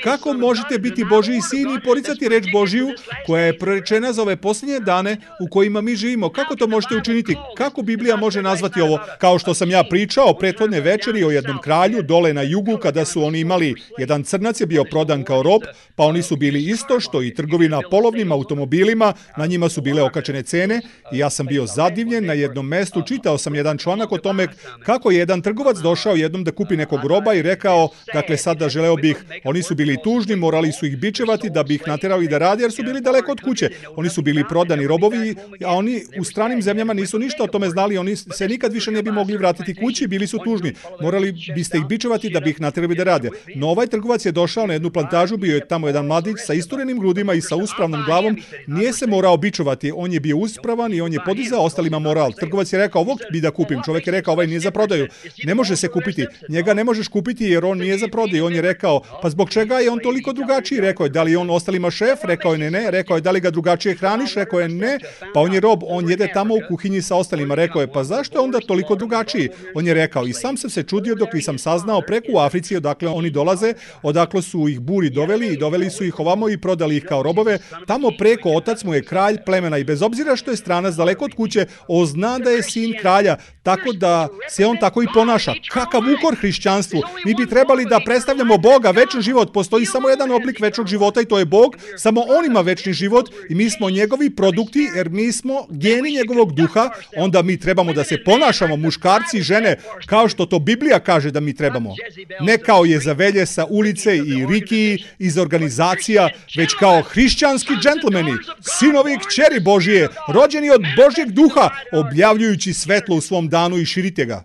kako možete biti Božji sin i poricati reč Božju koja je prorečena za ove posljednje dane u kojima mi živimo? Kako to možete učiniti? Kako Biblija može nazvati ovo? Kao što sam ja pričao prethodne večeri o jednom kralju dole na jugu kada su oni imali, jedan crnac je bio prodan kao rob, pa oni su bili isto što i trgovina polovnim automobilima, na njima su bile okačene cene i ja sam bio zadivljen na jednom mestu, čitao sam jedan članak o tome kako je jedan trgovac došao jednom da kupi nekog roba i rekao, dakle sada želeo bih, oni su bili tužni, morali su ih bičevati da bi ih naterali da radi jer su bili daleko od kuće. Oni su bili prodani robovi, a oni u stranim zemljama nisu ništa o tome znali, oni se nikad više ne bi mogli vratiti kući, bili su tužni. Morali biste ih bičevati da bi ih naterali da rade. No ovaj trgovac je došao na jednu plantažu, bio je tamo jedan mladić sa isturenim grudima i sa uspravnom glavom, nije se morao bičovati, on je bio uspravan i on je podizao ostalima moral. Trgovac je rekao, ovog bi da kupim, čovjek je rekao, ovaj nije za prodaju, ne može se kupiti, njega ne možeš kupiti jer on nije za prodaju. On je rekao, pa zbog čega je on toliko drugačiji? Rekao je, da li je on ostalima šef? Rekao je ne. Rekao je, da li ga drugačije hraniš? Rekao je ne. Pa on je rob, on jede tamo u kuhinji sa ostalima. Rekao je, pa zašto je onda toliko drugačiji? On je rekao, i sam sam se čudio dok nisam saznao preko u Africi odakle oni dolaze, odakle su ih buri doveli i doveli su ih ovamo i prodali ih kao robove. Tamo preko otac mu je kralj plemena i bez obzira što je stranac daleko od kuće, on zna da je sin kralja, tako da se on tako i ponaša. Kakav ukor hrišćanstvu! Mi bi trebali da predstavljamo Boga, večni život. Postoji samo jedan oblik večnog života i to je Bog. Samo on ima večni život i mi smo njegovi produkti jer mi smo geni njegovog duha. Onda mi trebamo da se ponašamo, muškarci i žene, kao što to Biblija kaže da mi trebamo. Ne kao Jezavelje sa ulice i Riki iz organizacija, već kao hrišćanski džentlmeni, sinovi i kćeri Božije, rođeni od Božjeg duha, objavljujući svetlo u svom danu i širite ga.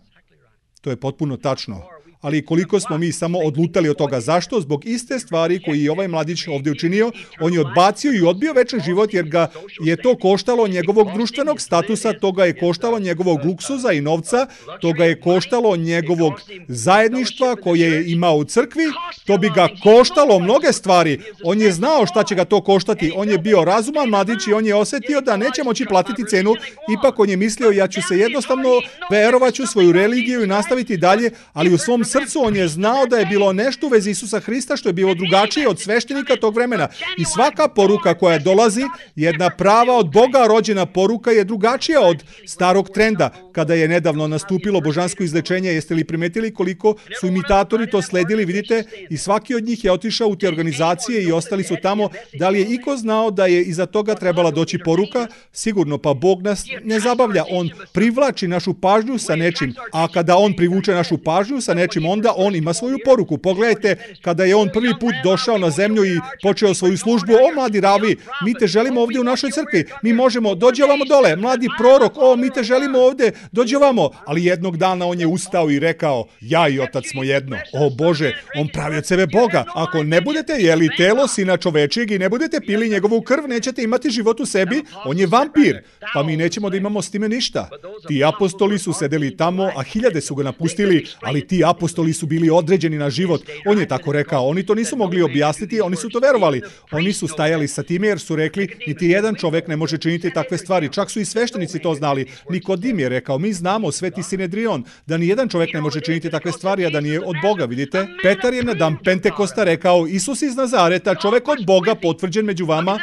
To je potpuno tačno. Ali koliko smo mi samo odlutali od toga. Zašto? Zbog iste stvari koji je ovaj mladić ovdje učinio. On je odbacio i odbio večni život jer ga je to koštalo njegovog društvenog statusa, to ga je koštalo njegovog luksuza i novca, to ga je koštalo njegovog zajedništva koje je imao u crkvi, to bi ga koštalo mnoge stvari. On je znao šta će ga to koštati. On je bio razuman mladić i on je osjetio da neće moći platiti cenu. Ipak on je mislio, ja ću se jednostavno verovaću svoju religiju i nastaviti dalje, ali u svom srcu on je znao da je bilo nešto u vezi Isusa Hrista što je bilo drugačije od sveštenika tog vremena. I svaka poruka koja dolazi, jedna prava od Boga rođena poruka je drugačija od starog trenda. Kada je nedavno nastupilo božansko izlečenje, jeste li primetili koliko su imitatori to sledili, vidite? I svaki od njih je otišao u te organizacije i ostali su tamo. Da li je iko znao da je iza toga trebala doći poruka? Sigurno, pa Bog nas ne zabavlja. On privlači našu pažnju sa nečim, a kada on privuče našu pažnju sa nečim, Međutim, onda on ima svoju poruku. Pogledajte, kada je on prvi put došao na zemlju i počeo svoju službu, o mladi ravi, mi te želimo ovdje u našoj crkvi, mi možemo, dođi ovamo dole, mladi prorok, o mi te želimo ovdje, dođi ovamo. Ali jednog dana on je ustao i rekao, ja i otac smo jedno. O Bože, on pravi od sebe Boga. Ako ne budete jeli telo sina čovečijeg i ne budete pili njegovu krv, nećete imati život u sebi, on je vampir. Pa mi nećemo da imamo s time ništa. Ti apostoli su sedeli tamo, a hiljade su ga napustili, ali ti apostoli su bili određeni na život. On je tako rekao, oni to nisu mogli objasniti, oni su to verovali. Oni su stajali sa time jer su rekli, niti jedan čovek ne može činiti takve stvari. Čak su i sveštenici to znali. Nikodim je rekao, mi znamo, sveti Sinedrion, da ni jedan čovek ne može činiti takve stvari, a da nije od Boga, vidite? Petar je na dan Pentekosta rekao, Isus iz Nazareta, čovek od Boga, potvrđen među vama,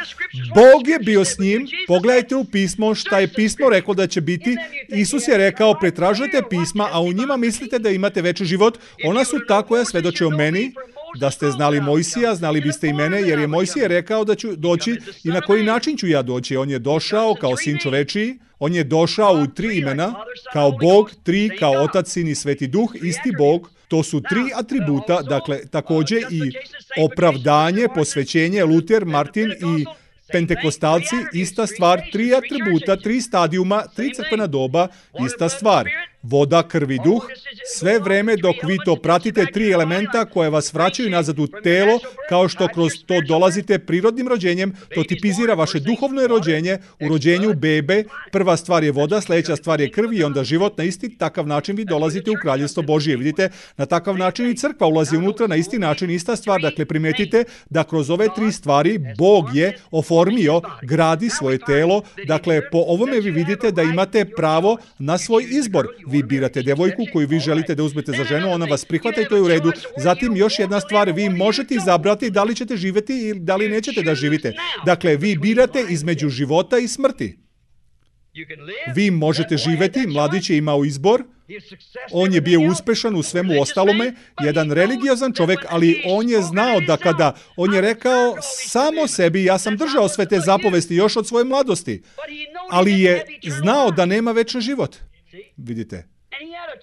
Bog je bio s njim, pogledajte u pismo šta je pismo reklo da će biti. Isus je rekao, pretražujete pisma, a u njima mislite da imate večni život. Ona su ta koja svedoče o meni. Da ste znali Mojsija, znali biste i mene, jer je Mojsije rekao da ću doći i na koji način ću ja doći. On je došao kao sin čovečiji, on je došao u 3 imena, kao Bog, 3 kao Otac, Sin i Sveti Duh, isti Bog. To su 3 atributa, dakle također i opravdanje, posvećenje, Luter, Martin i Pentekostalci, ista stvar, 3 atributa, 3 stadijuma, 3 crkvena doba, ista stvar. Voda, krv i duh, sve vreme dok vi to pratite, 3 elementa koje vas vraćaju nazad u telo, kao što kroz to dolazite prirodnim rođenjem, to tipizira vaše duhovno rođenje. U rođenju bebe, prva stvar je voda, sljedeća stvar je krv i onda život. Na isti takav način vi dolazite u kraljevstvo Božije. Vidite, na takav način i crkva ulazi unutra, na isti način, ista stvar. Dakle, primetite da kroz ove 3 stvari Bog je oformio, gradi svoje telo. Dakle, po ovome vi vidite da imate pravo na svoj izbor. Vi birate devojku koju vi želite da uzmete za ženu, ona vas prihvata i to je u redu. Zatim još jedna stvar, vi možete izabrati da li ćete živjeti ili da li nećete da živite. Dakle, vi birate između života i smrti. Vi možete živjeti, mladić je imao izbor, on je bio uspešan u svemu ostalome, jedan religiozan čovjek, ali on je znao da kada, on je rekao samo sebi, ja sam držao sve te zapovesti još od svoje mladosti, ali je znao da nema večni život. Vidite.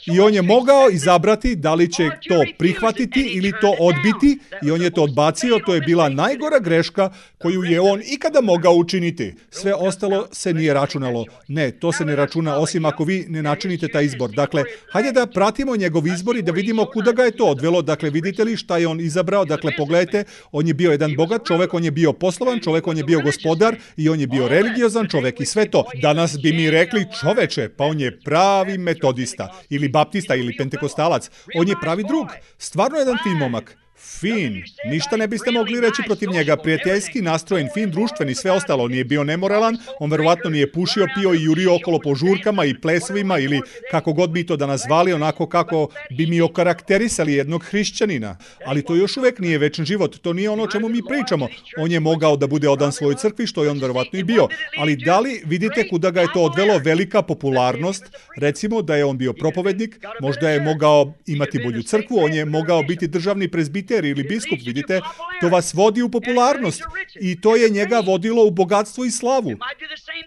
I on je mogao izabrati da li će to prihvatiti ili to odbiti i on je to odbacio. To je bila najgora greška koju je on ikada mogao učiniti. Sve ostalo se nije računalo. Ne, to se ne računa osim ako vi ne načinite taj izbor. Dakle, hajde da pratimo njegov izbor i da vidimo kuda ga je to odvelo. Dakle, vidite li šta je on izabrao? Dakle, pogledajte, on je bio jedan bogat čovjek, on je bio poslovan čovjek, on je bio gospodar i on je bio religiozan čovjek i sve to. Danas bi mi rekli, čoveče, pa on je pravi metodista ili baptista ili pentekostalac. On je pravi drug. Stvarno jedan fin momak. Fin. Ništa ne biste mogli reći protiv njega. Prijateljski nastrojen, fin, društveni, sve ostalo. Nije bio nemoralan, on verovatno nije pušio, pio i jurio okolo po žurkama i plesovima ili kako god bi to da nazvali, onako kako bi mi okarakterisali jednog hrišćanina. Ali to još uvek nije večni život. To nije ono o čemu mi pričamo. On je mogao da bude odan svojoj crkvi, što je on verovatno i bio. Ali da li vidite kuda ga je to odvelo? Velika popularnost. Recimo da je on bio propovednik, možda je mogao imati bolju crkvu, on je mogao biti državni prezbiter ili biskup, vidite, to vas vodi u popularnost i to je njega vodilo u bogatstvo i slavu.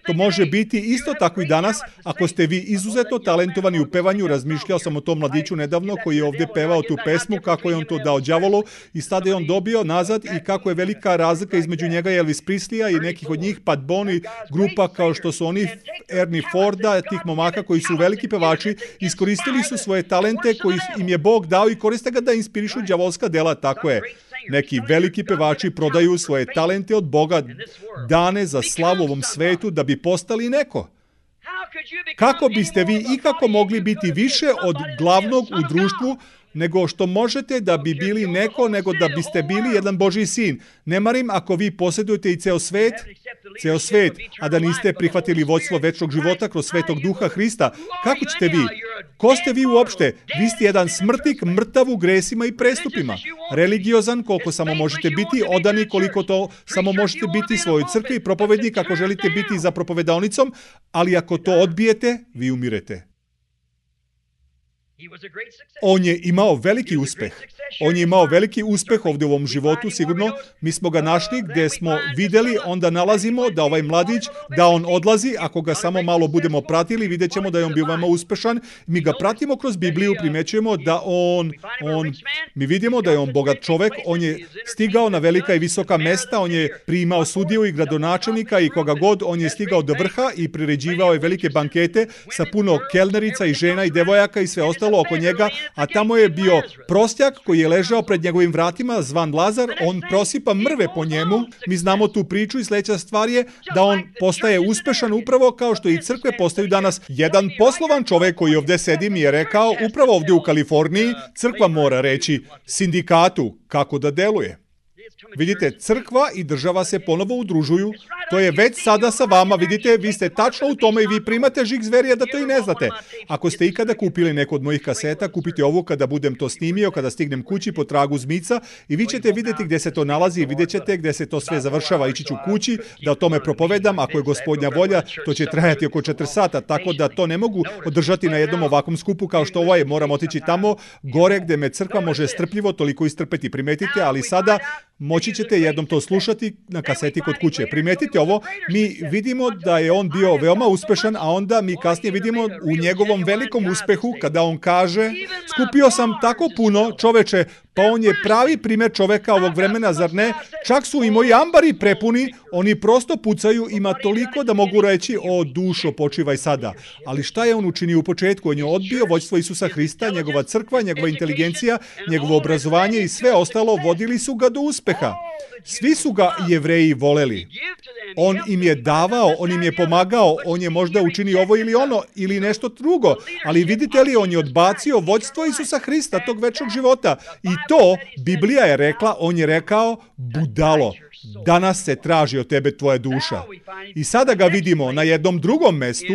To može biti isto tako i danas, ako ste vi izuzetno talentovani u pevanju. Razmišljao sam o tom mladiću nedavno koji je ovdje pevao tu pesmu, kako je on to dao đavolu i sada je on dobio nazad i kako je velika razlika između njega i Elvis Preslija i nekih od njih, Pat Boone, grupa kao što su oni, Ernie Forda, tih momaka koji su veliki pevači, iskoristili su svoje talente koji im je Bog dao i koriste ga da inspirišu đavolska dela. Tako je. Neki veliki pevači prodaju svoje talente od Boga dane za slavu ovom svetu da bi postali neko. Kako biste vi ikako mogli biti više od glavnog u društvu nego što možete da bi bili neko, nego da biste bili jedan Božji sin? Ne marim ako vi posjedujete i ceo svet, a da niste prihvatili vođstvo večnog života kroz Svetog Duha Hrista. Kako ćete vi? Ko ste vi uopšte? Vi ste jedan smrtnik, mrtav u gresima i prestupima. Religiozan koliko samo možete biti, odani koliko to samo možete biti svojoj crkvi i propovednik ako želite biti za propovedaonicom, ali ako to odbijete, vi umirete. On je imao veliki uspeh. On je imao veliki uspeh ovdje u ovom životu, sigurno. Mi smo ga našli gdje smo vidjeli, onda nalazimo da ovaj mladić, da on odlazi, ako ga samo malo budemo pratili, vidjet ćemo da je on bio veoma uspešan. Mi ga pratimo kroz Bibliju, primećujemo da mi vidimo da je on bogat čovek, on je stigao na velika i visoka mesta, on je primao sudiju i gradonačelnika i koga god, on je stigao do vrha i priređivao je velike bankete sa puno kelnerica i žena i devojaka i sve ostalo oko njega, a tamo je bio prostjak koji je ležao pred njegovim vratima, zvan Lazar, on prosipa mrve po njemu. Mi znamo tu priču i sljedeća stvar je da on postaje uspešan upravo kao što i crkve postaju danas. Jedan poslovan čovjek koji ovdje sedi mi je rekao, upravo ovdje u Kaliforniji, crkva mora reći sindikatu kako da deluje. Vidite, crkva i država se ponovo udružuju. To je već sada sa vama. Vidite, vi ste tačno u tome i vi primate žig zverija da to i ne znate. Ako ste ikada kupili neku od mojih kaseta, kupite ovu kada budem to snimio, kada stignem kući po tragu zmica i vi ćete vidjeti gdje se to nalazi i vidjet ćete gdje se to sve završava. Ići ću kući da o tome propovedam. Ako je Gospodnja volja, to će trajati oko 4 sata, tako da to ne mogu održati na jednom ovakvom skupu kao što ovo je. Moram otići tamo gore gdje me crkva može strpljivo toliko istrpeti. Primetite, ali sada moći ćete jednom to slušati na kaseti kod kuće. Primetite ovo, mi vidimo da je on bio veoma uspešan, a onda mi kasnije vidimo u njegovom velikom uspehu kada on kaže, skupio sam tako puno, čoveče, pa on je pravi primjer čoveka ovog vremena, zar ne? Čak su i moji ambari prepuni, oni prosto pucaju, ima toliko da mogu reći, o dušo, počivaj sada. Ali šta je on učinio u početku? On je odbio vođstvo Isusa Hrista, njegova crkva, njegova inteligencija, njegovo obrazovanje i sve ostalo vodili su ga do uspeha. Svi su ga Jevreji voleli. On im je davao, on im je pomagao, on je možda učinio ovo ili ono, ili nešto drugo. Ali vidite li, on je odbacio vođstvo Isusa Hrista, tog večnog života. I to, Biblija je rekla, on je rekao, budalo, danas se traži od tebe tvoja duša. I sada ga vidimo na jednom drugom mestu,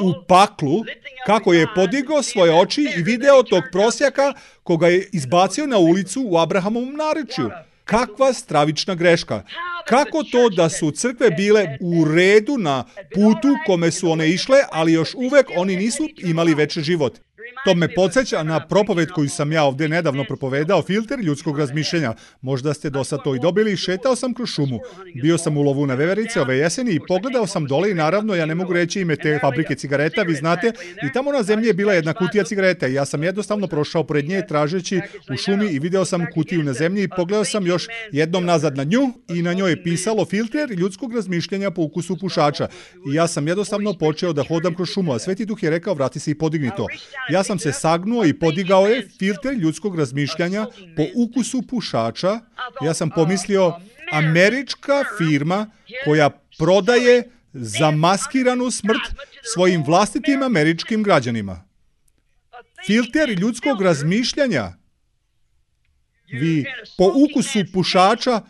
u paklu, kako je podigao svoje oči i video tog prosjaka koga je izbacio na ulicu u Abrahamovom narečju. Kakva stravična greška. Kako to da su crkve bile u redu na putu kome su one išle, ali još uvek oni nisu imali veći život. To me podsjeća na propoved koju sam ja ovdje nedavno propovedao, filter ljudskog razmišljenja. Možda ste do sad to i dobili. Šetao sam kroz šumu. Bio sam u lovu na veverice ove jeseni i pogledao sam dole i naravno ja ne mogu reći ime te fabrike cigareta, vi znate, i tamo na zemlji je bila jedna kutija cigareta i ja sam jednostavno prošao pored nje tražeći u šumi i video sam kutiju na zemlji i pogledao sam još jednom nazad na nju i na njoj je pisalo filter ljudskog razmišljanja po ukusu pušača. I ja sam jednostavno počeo da hodam kroz šumu, a Sveti Duh je rekao vrati se i podigni to. Ja sam se sagnuo i podigao je filter ljudskog razmišljanja po ukusu pušača. Ja sam pomislio, američka firma koja prodaje zamaskiranu smrt svojim vlastitim američkim građanima. Filter ljudskog razmišljanja. Vi po ukusu pušača.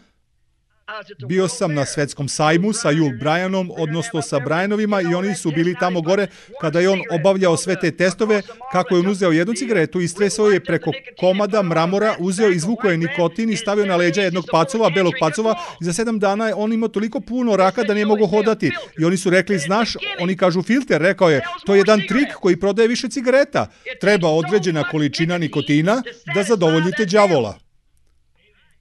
Bio sam na svetskom sajmu sa Yul Bryanom, odnosno sa Bryanovima i oni su bili tamo gore kada je on obavljao sve te testove, kako je on uzeo jednu cigaretu, istresao je preko komada mramora, uzeo, izvukao je nikotin i stavio na leđa jednog pacova, belog pacova i za 7 dana on imao toliko puno raka da nije mogao hodati. I oni su rekli, znaš, oni kažu filter, rekao je, to je jedan trik koji prodaje više cigareta. Treba određena količina nikotina da zadovoljite đavola.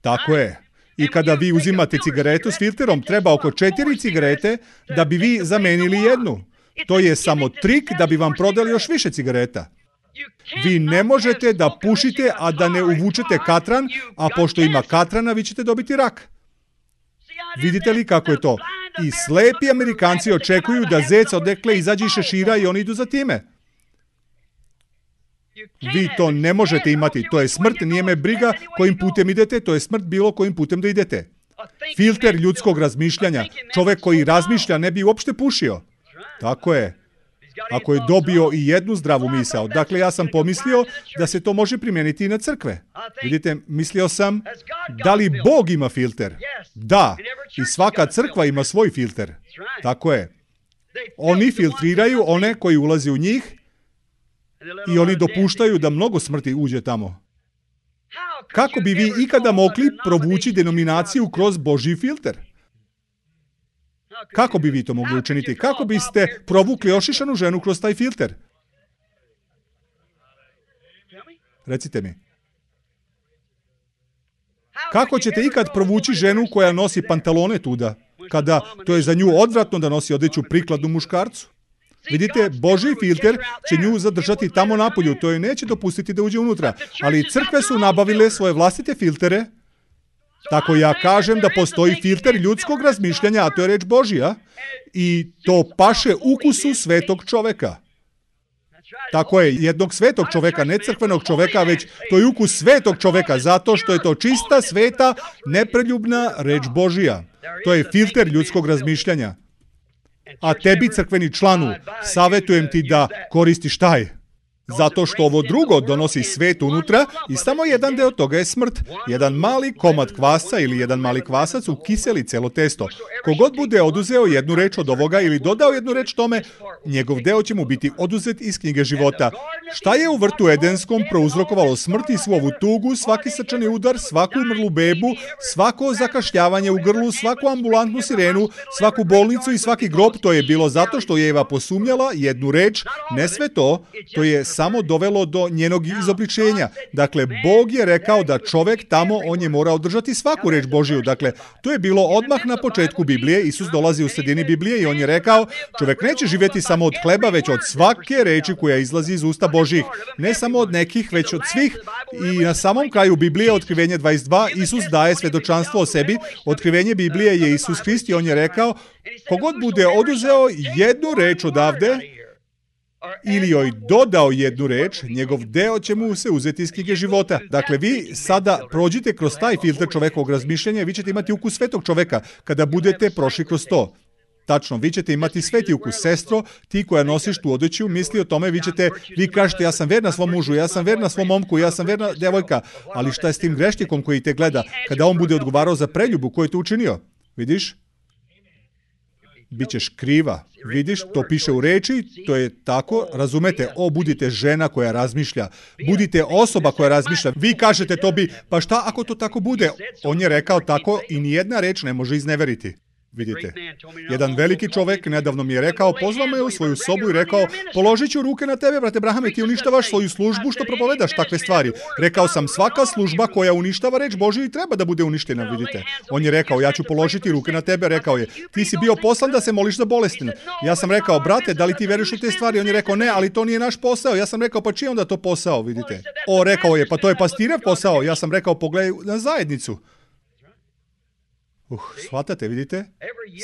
Tako je. I kada vi uzimate cigaretu s filterom, treba oko 4 cigarete da bi vi zamenili jednu. To je samo trik da bi vam prodali još više cigareta. Vi ne možete da pušite, a da ne uvučete katran, a pošto ima katrana, vi ćete dobiti rak. Vidite li kako je to? I slepi Amerikanci očekuju da zec odekle izađe iz šešira i oni idu za time. Vi to ne možete imati, to je smrt, nije me briga kojim putem idete, to je smrt bilo kojim putem da idete. Filter ljudskog razmišljanja, čovjek koji razmišlja ne bi uopšte pušio. Tako je. Ako je dobio i jednu zdravu misao. Dakle, ja sam pomislio da se to može primijeniti i na crkve. Vidite, mislio sam, da li Bog ima filter? Da, i svaka crkva ima svoj filter. Tako je. Oni filtriraju one koji ulaze u njih i oni dopuštaju da mnogo smrti uđe tamo. Kako bi vi ikada mogli provući denominaciju kroz Božji filter? Kako bi vi to mogli učiniti? Kako biste provukli ošišanu ženu kroz taj filter? Recite mi. Kako ćete ikad provući ženu koja nosi pantalone tuda, kada to je za nju odvratno da nosi odeću prikladnu muškarcu? Vidite, Božji filter će nju zadržati tamo napolju, to je neće dopustiti da uđe unutra. Ali crkve su nabavile svoje vlastite filtere. Tako ja kažem da postoji filter ljudskog razmišljanja, a to je reč Božja, i to paše ukusu svetog čoveka. Tako je, jednog svetog čoveka, ne crkvenog čoveka, već to je ukus svetog čoveka, zato što je to čista, sveta, nepreljubna reč Božja. To je filter ljudskog razmišljanja. A tebi, crkveni članu, savjetujem ti da koristiš taj. Zato što ovo drugo donosi svet unutra i samo jedan deo toga je smrt. Jedan mali komad kvasca ili jedan mali kvasac ukiseli celo testo. Kogod bude oduzeo jednu reč od ovoga ili dodao jednu reč tome, njegov deo će mu biti oduzet iz knjige života. Šta je u vrtu Edenskom prouzrokovalo smrt i svu ovu tugu, svaki srčani udar, svaku umrlu bebu, svako zakašljavanje u grlu, svaku ambulantnu sirenu, svaku bolnicu i svaki grob? To je bilo zato što je Eva posumnjala jednu reč, ne sve to, to je samo dovelo do njenog izobličenja. Dakle, Bog je rekao da čovek tamo, on je morao držati svaku reč Božiju. Dakle, to je bilo odmah na početku Biblije. Isus dolazi u sredini Biblije i on je rekao, čovek neće živjeti samo od hleba, već od svake reči koja izlazi iz usta Božjih. Ne samo od nekih, već od svih. I na samom kraju Biblije, Otkrivenje 22, Isus daje svedočanstvo o sebi. Otkrivenje Biblije je Isus Hrist i on je rekao, kogod bude oduzeo jednu reč odavde, ili joj dodao jednu reč, njegov deo će mu se uzeti iz knjige života. Dakle, vi sada prođite kroz taj filter čovekovog razmišljanja i vi ćete imati ukus svetog čoveka kada budete prošli kroz to. Tačno, vi ćete imati sveti ukus. Sestro, ti koja nosiš tu odeću, misli o tome, vi kažete, ja sam verna svom mužu, ja sam verna svom momku, ja sam verna devojka, ali šta je s tim grešnikom koji te gleda kada on bude odgovarao za preljubu koju je to učinio? Vidiš? Bićeš kriva. Vidiš, to piše u reči, to je tako, razumete, budite žena koja razmišlja, budite osoba koja razmišlja. Vi kažete to bi, pa šta ako to tako bude? On je rekao tako i nijedna reč ne može izneveriti. Vidite, jedan veliki čovek nedavno mi je rekao, pozvao me u svoju sobu i rekao, položit ću ruke na tebe, brate Brahame, ti uništavaš svoju službu što propovedaš takve stvari. Rekao sam, svaka služba koja uništava reč Božju i treba da bude uništena, vidite. On je rekao, ja ću položiti ruke na tebe, rekao je, ti si bio poslan da se moliš za bolesne. Ja sam rekao, brate, da li ti veruješ u te stvari? On je rekao, ne, ali to nije naš posao. Ja sam rekao, pa čiji je onda to posao, vidite? Rekao je, pa to je pastirev posao. Ja sam rekao, pogledaj na zajednicu. Shvatate, vidite?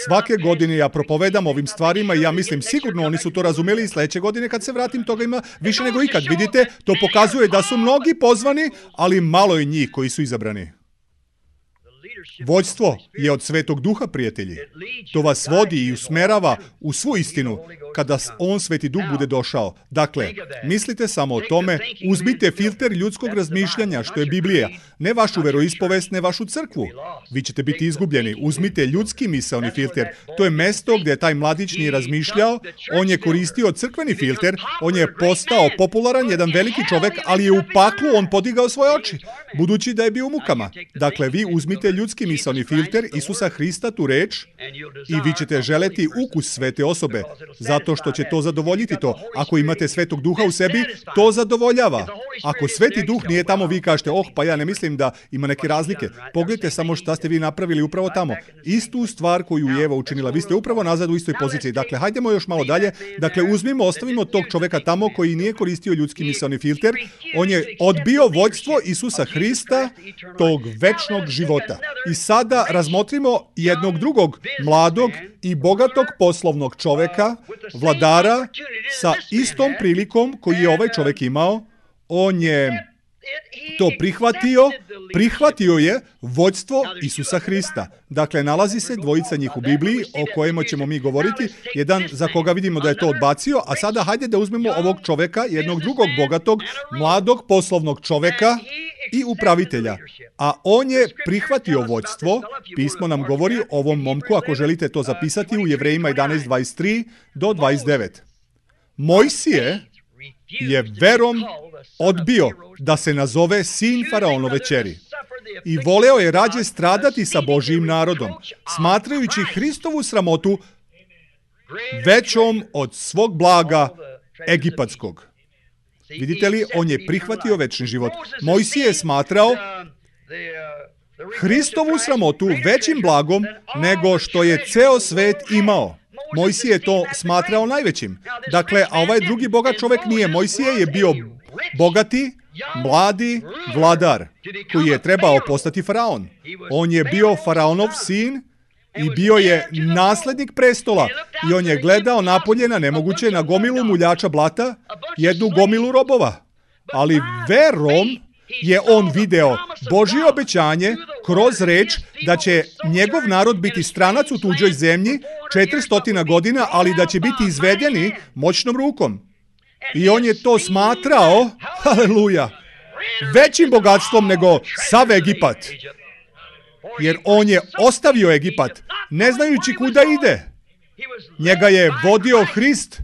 Svake godine ja propovedam ovim stvarima i ja mislim sigurno oni su to razumeli i sledeće godine kad se vratim toga ima više nego ikad. Vidite, to pokazuje da su mnogi pozvani, ali malo je njih koji su izabrani. Vođstvo je od Svetog Duha, prijatelji. To vas vodi i usmerava u svu istinu kada on, Sveti Duh, bude došao. Dakle, mislite samo o tome, uzmite filter ljudskog razmišljanja, što je Biblija. Ne vašu veroispovest, ne vašu crkvu. Vi ćete biti izgubljeni. Uzmite ljudski misaoni filter. To je mesto gdje taj mladić nije razmišljao. On je koristio crkveni filter. On je postao popularan, jedan veliki čovek, ali je u paklu on podigao svoje oči, budući da je bio u mukama. Dakle, vi uzmite ljudski misaoni filter Isusa Hrista, tu reč, i vi ćete želeti ukus svete osobe, zato što će to zadovoljiti to. Ako imate Svetog Duha u sebi, to zadovoljava. Ako Sveti Duh nije tamo, vi kažete, pa ja ne mislim da ima neke razlike. Pogledajte samo šta ste vi napravili upravo tamo. Istu stvar koju je Eva učinila. Vi ste upravo nazad u istoj poziciji. Dakle, hajdemo još malo dalje. Dakle, ostavimo tog čoveka tamo koji nije koristio ljudski misaoni filter. On je odbio vođstvo Isusa Hrista, tog večnog života. I sada razmotrimo jednog drugog mladog i bogatog poslovnog čoveka, vladara, sa istom prilikom koju je ovaj čovek imao. On je to prihvatio je vođstvo Isusa Hrista. Dakle, nalazi se dvojica njih u Bibliji o kojima ćemo mi govoriti, jedan za koga vidimo da je to odbacio, a sada hajde da uzmemo ovog čoveka, jednog drugog bogatog, mladog poslovnog čoveka i upravitelja. A on je prihvatio vođstvo. Pismo nam govori o ovom momku, ako želite to zapisati, u Jevrejima 11:23 do 29. Mojsije je verom odbio da se nazove sin faraonove ćeri i voleo je rađe stradati sa Božijim narodom, smatrajući Hristovu sramotu većom od svog blaga egipatskog. Vidite li, on je prihvatio večni život. Mojsije je smatrao Hristovu sramotu većim blagom nego što je ceo svet imao. Mojsije je to smatrao najvećim. Dakle, a ovaj drugi bogat čovjek nije. Mojsije je bio bogati, mladi vladar koji je trebao postati faraon. On je bio faraonov sin i bio je naslednik prestola. I on je gledao napolje na nemoguće, na gomilu muljača blata, jednu gomilu robova. Ali verom je on video Božje obećanje kroz reč da će njegov narod biti stranac u tuđoj zemlji 400 godina, ali da će biti izvedeni moćnom rukom. I on je to smatrao, haleluja, većim bogatstvom nego sav Egipat. Jer on je ostavio Egipat, ne znajući kuda ide. Njega je vodio Hrist.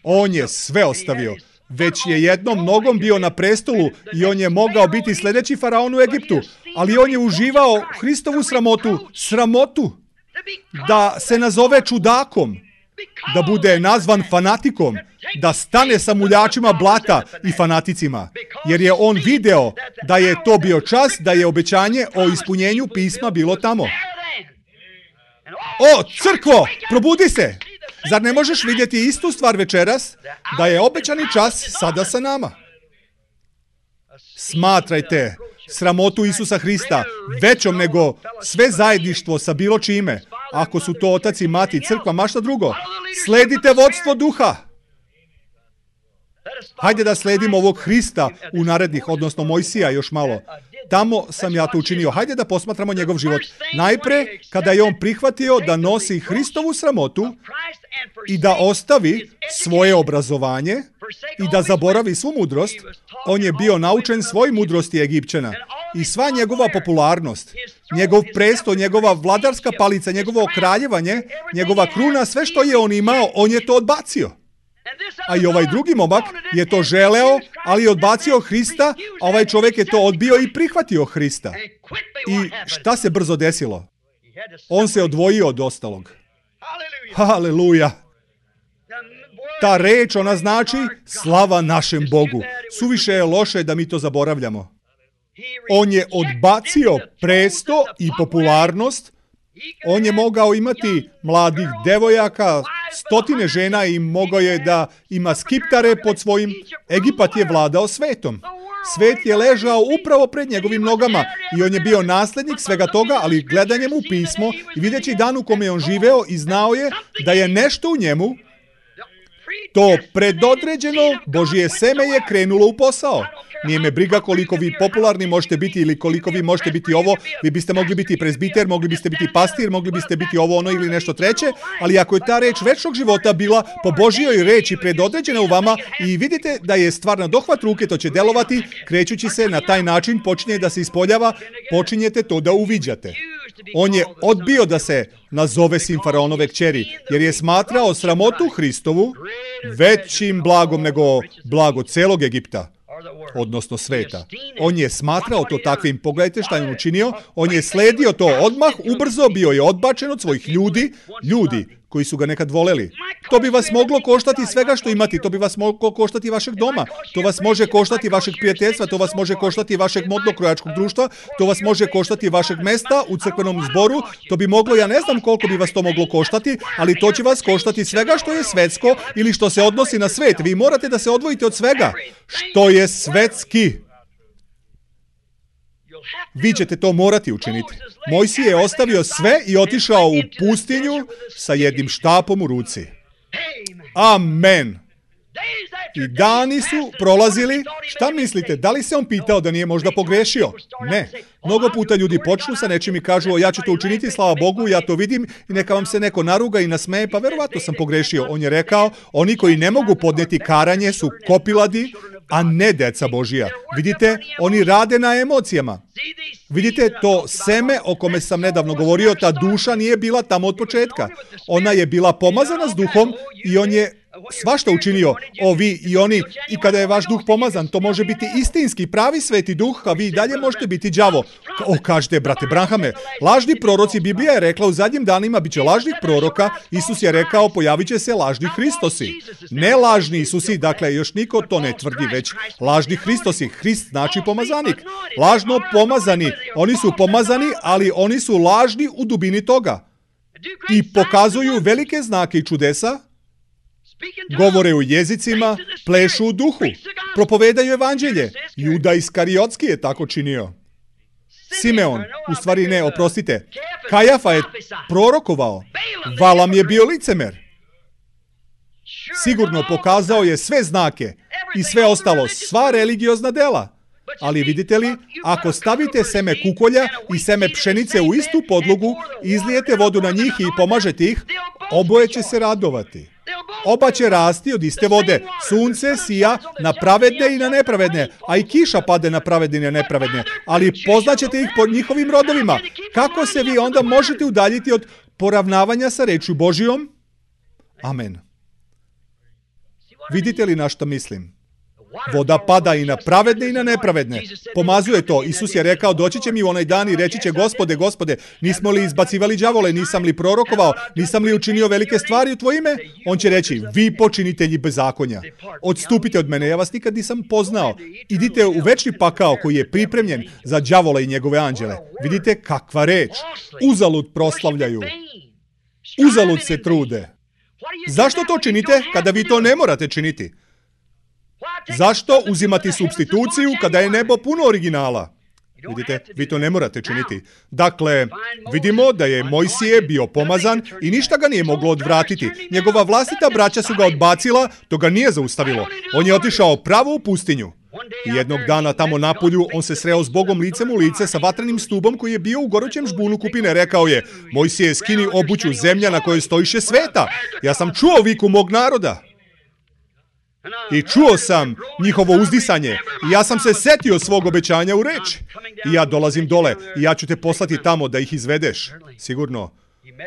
On je sve ostavio. Već je jednom nogom bio na prestolu i on je mogao biti sljedeći faraon u Egiptu. Ali on je uživao Hristovu sramotu. Da se nazove čudakom. Da bude nazvan fanatikom. Da stane sa muljačima blata i fanaticima. Jer je on video da je to bio čas, da je obećanje o ispunjenju pisma bilo tamo. O, crkvo, probudi se! Zar ne možeš vidjeti istu stvar večeras? Da je obećani čas sada sa nama. Smatrajte sramotu Isusa Hrista većom nego sve zajedništvo sa bilo čime. Ako su to otac i mati, crkva, ma šta drugo. Sledite vodstvo duha. Hajde da sledimo ovog Hrista u narednih, odnosno Mojsija još malo. Tamo sam ja to učinio. Hajde da posmatramo njegov život. Najpre, kada je on prihvatio da nosi Hristovu sramotu i da ostavi svoje obrazovanje i da zaboravi svu mudrost, on je bio naučen svoj mudrosti Egipćana. I sva njegova popularnost, njegov presto, njegova vladarska palica, njegovo kraljevanje, njegova kruna, sve što je on imao, on je to odbacio. A i ovaj drugi momak je to želeo, ali je odbacio Hrista, a ovaj čovjek je to odbio i prihvatio Hrista. I šta se brzo desilo? On se odvojio od ostalog. Haleluja! Ta reč, ona znači slava našem Bogu. Suviše je loše da mi to zaboravljamo. On je odbacio presto i popularnost. On je mogao imati mladih devojaka, stotine žena i mogao je da ima skiptare pod svojim. Egipat je vladao svetom. Svet je ležao upravo pred njegovim nogama i on je bio naslednik svega toga, ali gledanjem u pismo i videći dan u kome je on živeo i znao je da je nešto u njemu, to predodređeno Božje seme je krenulo u posao. Nije me briga koliko vi popularni možete biti ili koliko vi možete biti ovo. Vi biste mogli biti prezbiter, mogli biste biti pastir, mogli biste biti ovo, ono ili nešto treće, ali ako je ta reč večnog života bila po Božjoj reči predodređena u vama i vidite da je stvar na dohvat ruke, to će delovati, krećući se na taj način, počinje da se ispoljava, počinjete to da uviđate. On je odbio da se nazove sin faraonove kćeri, jer je smatrao sramotu Hristovu većim blagom nego blago celog Egipta, odnosno sveta. On je smatrao to takvim. Pogledajte šta je on učinio. On je sledio to odmah, ubrzo, bio je odbačen od svojih ljudi koji su ga nekad voleli. To bi vas moglo koštati svega što imati, to bi vas moglo koštati vašeg doma, to vas može koštati vašeg prijateljstva, to vas može koštati vašeg modno-krojačkog društva, to vas može koštati vašeg mesta u crkvenom zboru, to bi moglo, ja ne znam koliko bi vas to moglo koštati, ali to će vas koštati svega što je svetsko ili što se odnosi na svet. Vi morate da se odvojite od svega što je svetski. Vi ćete to morati učiniti. Mojsije je ostavio sve i otišao u pustinju sa jednim štapom u ruci. Amen. I dani su prolazili. Šta mislite? Da li se on pitao da nije možda pogrešio? Ne. Mnogo puta ljudi počnu sa nečim i kažu, ja ću to učiniti, slava Bogu, ja to vidim i neka vam se neko naruga i nasmeje, pa verovatno sam pogrešio. On je rekao, oni koji ne mogu podneti karanje su kopiladi, a ne deca Božija. Vidite, oni rade na emocijama. Vidite, to seme o kome sam nedavno govorio, ta duša nije bila tamo od početka. Ona je bila pomazana s duhom i on je svašta učinio, vi i oni, i kada je vaš duh pomazan, to može biti istinski, pravi sveti duh, a vi i dalje možete biti đavo. Kažete, brate Branhame, lažni proroci, Biblija je rekla u zadnjim danima bit će lažnih proroka, Isus je rekao pojavit će se lažni Hristosi. Ne lažni Isusi, dakle još niko to ne tvrdi, već lažni Hristosi. Hrist znači pomazanik. Lažno pomazani, oni su pomazani, ali oni su lažni u dubini toga. I pokazuju velike znake i čudesa, govore u jezicima, plešu u duhu, propovedaju evanđelje. Juda Iskariotski je tako činio. Simeon, u stvari ne, oprostite, Kajafa je prorokovao. Valam je bio licemer. Sigurno pokazao je sve znake i sve ostalo, sva religiozna dela. Ali vidite li, ako stavite seme kukolja i seme pšenice u istu podlogu, izlijete vodu na njih i pomažete ih, oboje će se radovati. Oba će rasti od iste vode. Sunce sija na pravedne i na nepravedne, a i kiša pade na pravedne i na nepravedne. Ali poznaćete ih po njihovim rodovima. Kako se vi onda možete udaljiti od poravnavanja sa rečju Božijom? Amen. Vidite li na što mislim? Voda pada i na pravedne i na nepravedne. Pomazuje to. Isus je rekao, doći će mi u onaj dan i reći će, Gospode, Gospode, nismo li izbacivali đavole, nisam li prorokovao, nisam li učinio velike stvari u tvoje ime? On će reći, vi počinitelji bezakonja, odstupite od mene, ja vas nikad nisam poznao. Idite u večni pakao koji je pripremljen za đavola i njegove anđele. Vidite kakva reč. Uzalud proslavljaju. Uzalud se trude. Zašto to činite kada vi to ne morate činiti? Zašto uzimati supstituciju kada je nebo puno originala? Vidite, vi to ne morate činiti. Dakle, vidimo da je Mojsije bio pomazan i ništa ga nije moglo odvratiti. Njegova vlastita braća su ga odbacila, to ga nije zaustavilo. On je otišao pravo u pustinju. I jednog dana tamo napolju on se sreo s Bogom licem u lice sa vatrenim stubom koji je bio u gorućem žbunu kupine. Rekao je, Mojsije, skini obuću, zemlja na kojoj stojiše sveta. Ja sam čuo viku mog naroda. I čuo sam njihovo uzdisanje i ja sam se setio svog obećanja u reči. I ja dolazim dole i ja ću te poslati tamo da ih izvedeš. Sigurno.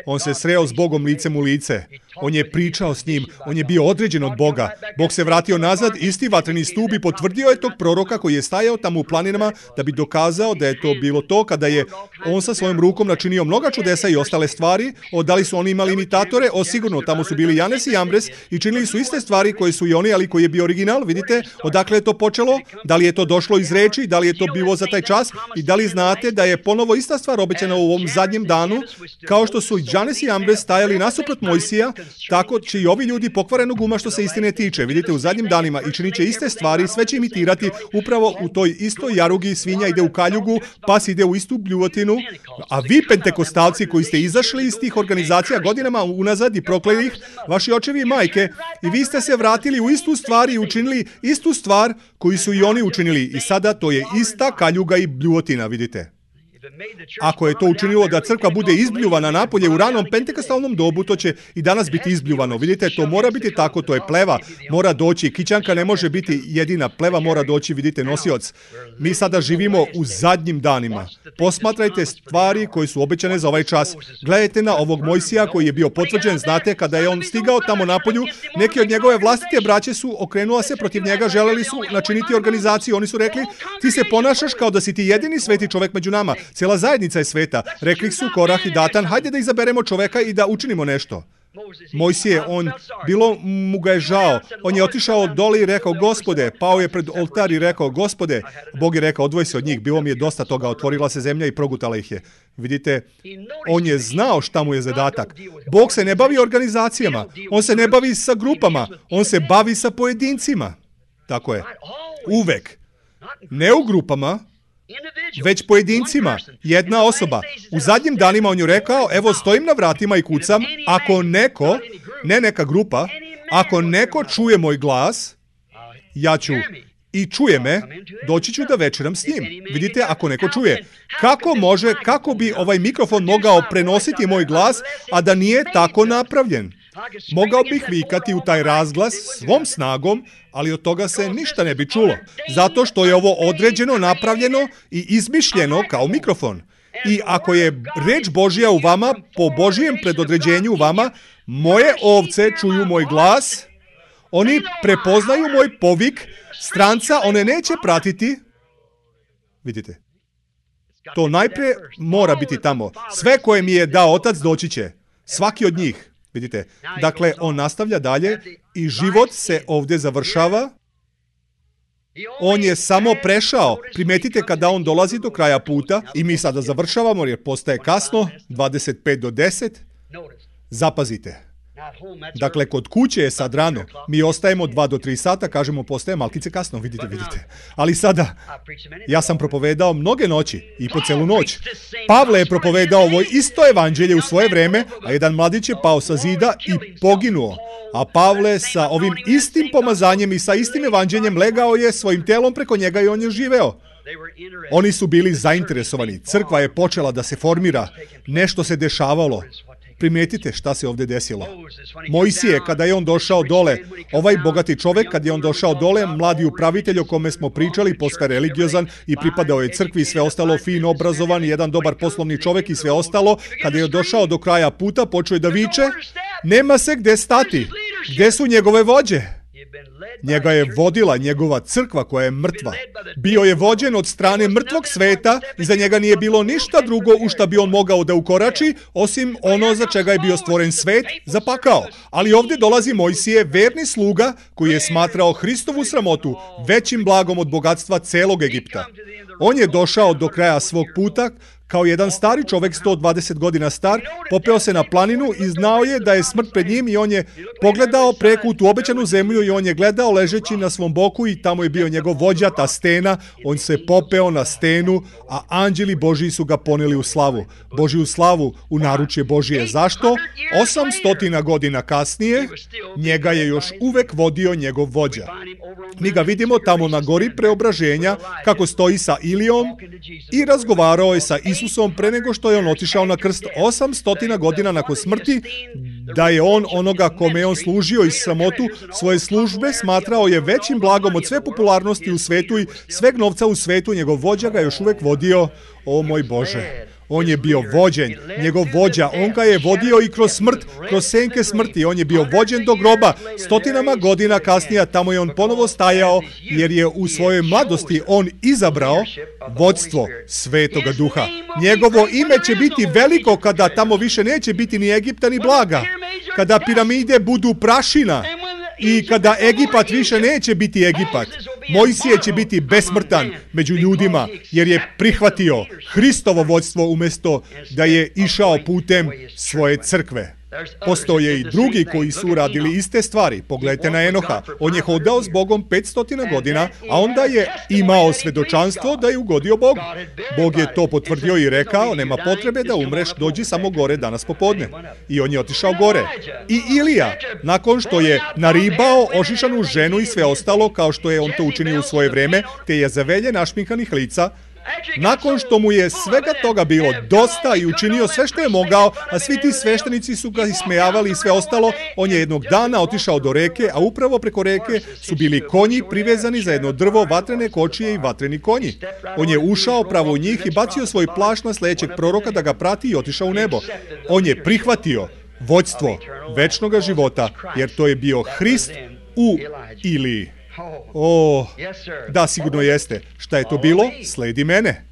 On se sreo s Bogom licem u lice. On je pričao s njim. On je bio određen od Boga. Bog se vratio nazad, isti vatreni stup i potvrdio je tog proroka koji je stajao tamo u planinama da bi dokazao da je to bilo to kada je on sa svojom rukom načinio mnoga čudesa i ostale stvari. Da li su oni imali imitatore? Sigurno, tamo su bili Janes i Jambres i činili su iste stvari koje su i oni, ali koji je bio original. Vidite, odakle je to počelo? Da li je to došlo iz reči? Da li je to bilo za taj čas? I da li znate da je ponovo ista stvar obećana u ovom zadnjem danu, kao što su Janes i Jambres stajali nasuprot Mojsija, tako će i ovi ljudi pokvarenog uma što se istine tiče. Vidite, u zadnjim danima i činit će iste stvari, sve će imitirati upravo u toj istoj jarugi, svinja ide u kaljugu, pas ide u istu bljuvotinu, a vi pentekostalci koji ste izašli iz tih organizacija godinama unazad i prokleli ih, vaši očevi i majke, i vi ste se vratili u istu stvar i učinili istu stvar koju su i oni učinili. I sada to je ista kaljuga i bljuvotina, vidite. Ako je to učinilo da crkva bude izbljuvana napolje u ranom pentekostalnom dobu, to će i danas biti izbljuvano. Vidite, to mora biti tako, to je pleva, mora doći. Kićanka ne može biti jedina, pleva mora doći, vidite, nosioc. Mi sada živimo u zadnjim danima. Posmatrajte stvari koje su obećane za ovaj čas. Gledajte na ovog Mojsija koji je bio potvrđen, znate, kada je on stigao tamo napolju, neki od njegove vlastite braće su okrenula se protiv njega, želeli su načiniti organizaciju. Oni su rekli, ti se ponašaš kao da si ti jedini sveti čovek među nama. Cijela zajednica je sveta. Rekli su Korah i Datan, hajde da izaberemo čoveka i da učinimo nešto. Mojsije, bilo mu ga je žao. On je otišao dole i rekao, Gospode, pao je pred oltar i rekao, Gospode, Bog je rekao, odvoji se od njih, bilo mi je dosta toga, otvorila se zemlja i progutala ih je. Vidite, on je znao šta mu je zadatak. Bog se ne bavi organizacijama, on se ne bavi sa grupama, on se bavi sa pojedincima. Tako je. Uvek. Ne u grupama, već pojedincima, jedna osoba. U zadnjim danima on je rekao, evo stojim na vratima i kucam, ako neko, ne neka grupa, ako neko čuje moj glas, ja ću i čuje me, doći ću da večeram s njim. Vidite, ako neko čuje. Kako bi ovaj mikrofon mogao prenositi moj glas, a da nije tako napravljen? Mogao bih vikati u taj razglas svom snagom, ali od toga se ništa ne bi čulo. Zato što je ovo određeno, napravljeno i izmišljeno kao mikrofon. I ako je reč Božja u vama, po Božijem predodređenju u vama, moje ovce čuju moj glas Oni prepoznaju moj povik, stranca one neće pratiti. Vidite, to najprije mora biti tamo. Sve koje mi je dao Otac doći će. Svaki od njih. Vidite, dakle, on nastavlja dalje i život se ovdje završava. On je samo prešao. Primetite kada on dolazi do kraja puta i mi sada završavamo jer postaje kasno, 25 do 10. Zapazite. Dakle, kod kuće je sad rano. Mi ostajemo 2 do 3 sata, kažemo postaje malkice kasno, vidite. Ali sada, ja sam propovedao mnoge noći i po celu noć. Pavle je propovedao ovo isto evanđelje u svoje vreme, a jedan mladić je pao sa zida i poginuo. A Pavle sa ovim istim pomazanjem i sa istim evanđeljem legao je svojim telom preko njega i on je živeo. Oni su bili zainteresovani. Crkva je počela da se formira. Nešto se dešavalo. Primijetite šta se ovdje desilo. Mojsije, kada je on došao dole, ovaj bogati čovjek, kad je on došao dole, mladi upravitelj o kome smo pričali, posve religiozan i pripadao je crkvi i sve ostalo, fin obrazovan, jedan dobar poslovni čovjek i sve ostalo, kada je došao do kraja puta, počeo je da viče, nema se gdje stati. Gdje su njegove vođe? Njega je vodila njegova crkva koja je mrtva. Bio je vođen od strane mrtvog sveta i za njega nije bilo ništa drugo u šta bi on mogao da ukorači, osim ono za čega je bio stvoren svet, za pakao. Ali ovdje dolazi Mojsije, verni sluga, koji je smatrao Hristovu sramotu većim blagom od bogatstva celog Egipta. On je došao do kraja svog puta, kao jedan stari čovjek, 120 godina star, popeo se na planinu i znao je da je smrt pred njim i on je pogledao preko tu obećanu zemlju i on je gledao ležeći na svom boku i tamo je bio njegov vođa, ta stena. On se popeo na stenu, a anđeli Božji su ga poneli u slavu. Božju slavu u naručje Božije. Zašto? 800 godina kasnije njega je još uvek vodio njegov vođa. Mi ga vidimo tamo na gori preobraženja kako stoji sa Ilijom i razgovarao je sa Isusom pre nego što je on otišao na krst 800 godina nakon smrti, da je on onoga kome je on služio i sramotu svoje službe smatrao je većim blagom od sve popularnosti u svetu i sveg novca u svetu. Njegov vođa ga još uvek vodio. O moj Bože, on je bio vođen, njegov vođa, on ga je vodio i kroz smrt, kroz senke smrti, on je bio vođen do groba. 100 godina kasnije tamo je on ponovo stajao, jer je u svojoj mladosti on izabrao vodstvo Svetoga Duha. Njegovo ime će biti veliko kada tamo više neće biti ni Egipta ni blaga, kada piramide budu prašina i kada Egipat više neće biti Egipat. Mojsije će biti besmrtan među ljudima jer je prihvatio Hristovo vodstvo umjesto da je išao putem svoje crkve. Postoje i drugi koji su uradili iste stvari. Pogledajte na Enoha. On je hodao s Bogom 500 godina, a onda je imao svedočanstvo da je ugodio Bogu. Bog je to potvrdio i rekao, nema potrebe da umreš, dođi samo gore danas popodne. I on je otišao gore. I Ilija, nakon što je naribao ošišanu ženu i sve ostalo, kao što je on to učinio u svoje vreme, te je zavelje našminkanih lica, nakon što mu je svega toga bilo dosta i učinio sve što je mogao, a svi ti sveštenici su ga ismejavali i sve ostalo, on je jednog dana otišao do reke, a upravo preko reke su bili konji privezani za jedno drvo, vatrene kočije i vatreni konji. On je ušao pravo u njih i bacio svoj plašt na sledećeg proroka da ga prati i otišao u nebo. On je prihvatio vođstvo večnoga života, jer to je bio Hrist u Iliji. O, da, sigurno jeste. Šta je to bilo? Sledi mene.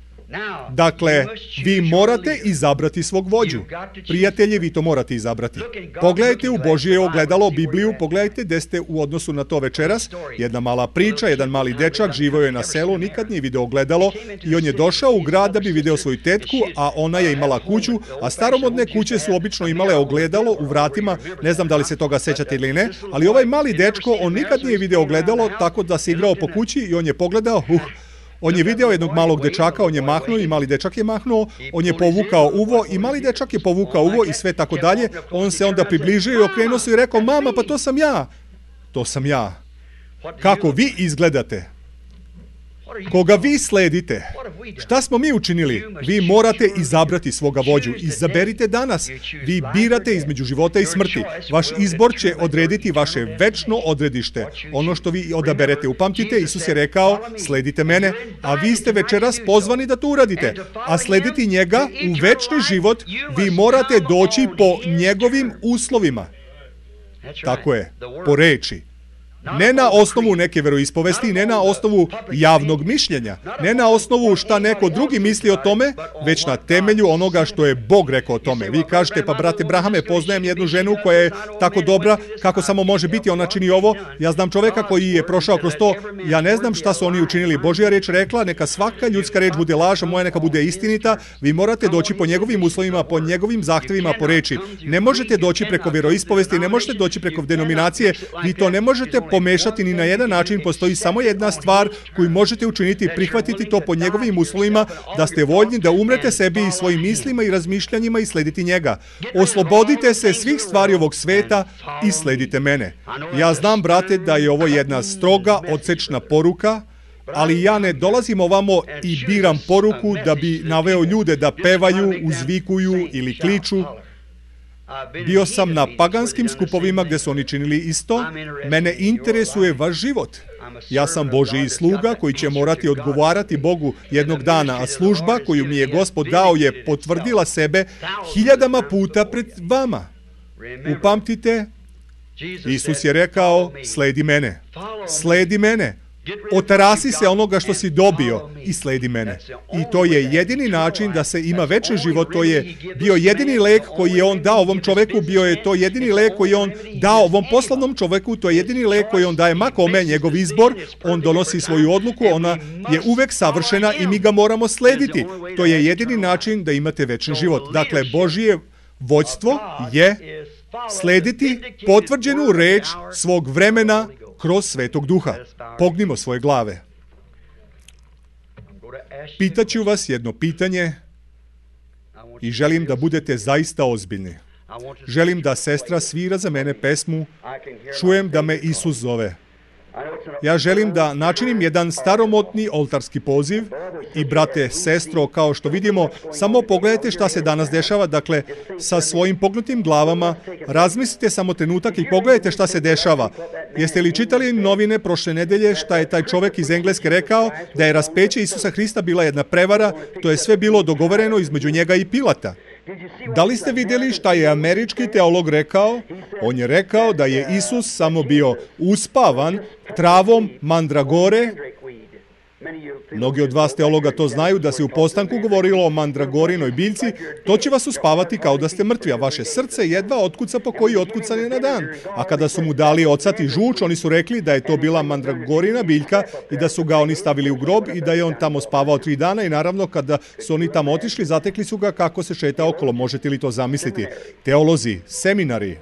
Dakle, vi morate izabrati svog vođu. Prijatelji, vi to morate izabrati. Pogledajte u Božje ogledalo, Bibliju, pogledajte gde ste u odnosu na to večeras. Jedna mala priča, jedan mali dečak živio je na selu, nikad nije video ogledalo i on je došao u grad da bi video svoju tetku, a ona je imala kuću, a staromodne kuće su obično imale ogledalo u vratima, ne znam da li se toga sećate ili ne, ali ovaj mali dečko, on nikad nije video ogledalo, tako da se igrao po kući i on je pogledao, on je video jednog malog dečaka, on je mahnuo i mali dečak je mahnuo, on je povukao uvo i mali dečak je povukao uvo i sve tako dalje. On se onda približio i okrenuo se i rekao, mama, pa to sam ja. To sam ja. Kako vi izgledate? Koga vi sledite? Šta smo mi učinili? Vi morate izabrati svoga vođu. Izaberite danas. Vi birate između života i smrti. Vaš izbor će odrediti vaše večno odredište. Ono što vi odaberete. Upamtite, Isus je rekao, sledite mene, a vi ste večeras pozvani da to uradite. A slediti njega u večni život, vi morate doći po njegovim uslovima. Tako je, po reči. Ne na osnovu neke veroispovesti, ne na osnovu javnog mišljenja, ne na osnovu šta neko drugi misli o tome, već na temelju onoga što je Bog rekao o tome. Vi kažete, pa brate Brahame, poznajem jednu ženu koja je tako dobra, kako samo može biti, ona čini ovo. Ja znam čoveka koji je prošao kroz to, ja ne znam šta su oni učinili. Božja reč rekla, neka svaka ljudska reč bude laž, a moja neka bude istinita. Vi morate doći po njegovim uslovima, po njegovim zahtevima, po reči. Ne možete doći preko veroispovesti, ne možete doći preko denominacije, vi to ne možete pomešati ni na jedan način. Postoji samo jedna stvar koju možete učiniti, prihvatiti to po njegovim uslovima, da ste voljni da umrete sebi i svojim mislima i razmišljanjima i slediti njega. Oslobodite se svih stvari ovog sveta i sledite mene. Ja znam, brate, da je ovo jedna stroga, odsečna poruka, ali ja ne dolazim ovamo i biram poruku da bi naveo ljude da pevaju, uzvikuju ili kliču. Bio sam na paganskim skupovima gdje su oni činili isto. Mene interesuje vaš život. Ja sam Božji sluga koji će morati odgovarati Bogu jednog dana, a služba koju mi je Gospod dao je potvrdila sebe 1000 puta pred vama. Upamtite, Isus je rekao, sledi mene. Sledi mene. Otarasi se onoga što si dobio i sledi mene. I to je jedini način da se ima večni život. To je bio jedini lek koji je on dao ovom čoveku, bio je to jedini lek koji je on dao ovom poslovnom čoveku, to je jedini lek koji on daje ma kome, njegov izbor, on donosi svoju odluku, ona je uvek savršena i mi ga moramo slediti. To je jedini način da imate večni život. Dakle, Božje vođstvo je slediti potvrđenu reč svog vremena kroz Svetog Duha. Pognimo svoje glave. Pitaću vas jedno pitanje i želim da budete zaista ozbiljni. Želim da sestra svira za mene pesmu Čujem da me Isus zove. Ja želim da načinim jedan staromodni oltarski poziv i brate, sestro, kao što vidimo, samo pogledajte šta se danas dešava, dakle, sa svojim pognutim glavama, razmislite samo trenutak i pogledajte šta se dešava. Jeste li čitali novine prošle nedelje šta je taj čovek iz Engleske rekao, da je raspeće Isusa Hrista bila jedna prevara, to je sve bilo dogovoreno između njega i Pilata. Da li ste vidjeli šta je američki teolog rekao? On je rekao da je Isus samo bio uspavan travom mandragore. Mnogi od vas teologa to znaju, da se u postanku govorilo o mandragorinoj biljci, to će vas uspavati kao da ste mrtvi, a vaše srce jedva otkuca po koji otkucanje na dan. A kada su mu dali ocati žuč, oni su rekli da je to bila mandragorina biljka i da su ga oni stavili u grob i da je on tamo spavao 3 dana i naravno kada su oni tamo otišli, zatekli su ga kako se šeta okolo. Možete li to zamisliti? Teolozi, seminari,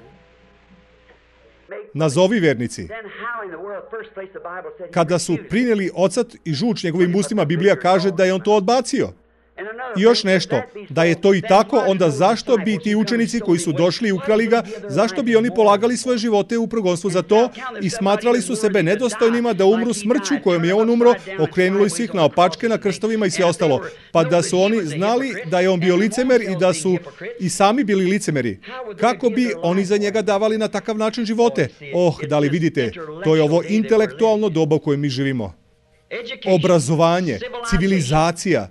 nazovi vernici. Kada su prinijeli ocat i žuč njegovim ustima, Biblija kaže da je on to odbacio. I još nešto, da je to i tako, onda zašto bi ti učenici koji su došli i ukrali ga, zašto bi oni polagali svoje živote u progonstvu za to i smatrali su sebe nedostojnima da umru smrću kojom je on umro, okrenuli su ih na opačke, na krstovima i sve ostalo. Pa da su oni znali da je on bio licemer i da su i sami bili licemeri. Kako bi oni za njega davali na takav način živote? Da li vidite, to je ovo intelektualno doba u kojem mi živimo. Obrazovanje, civilizacija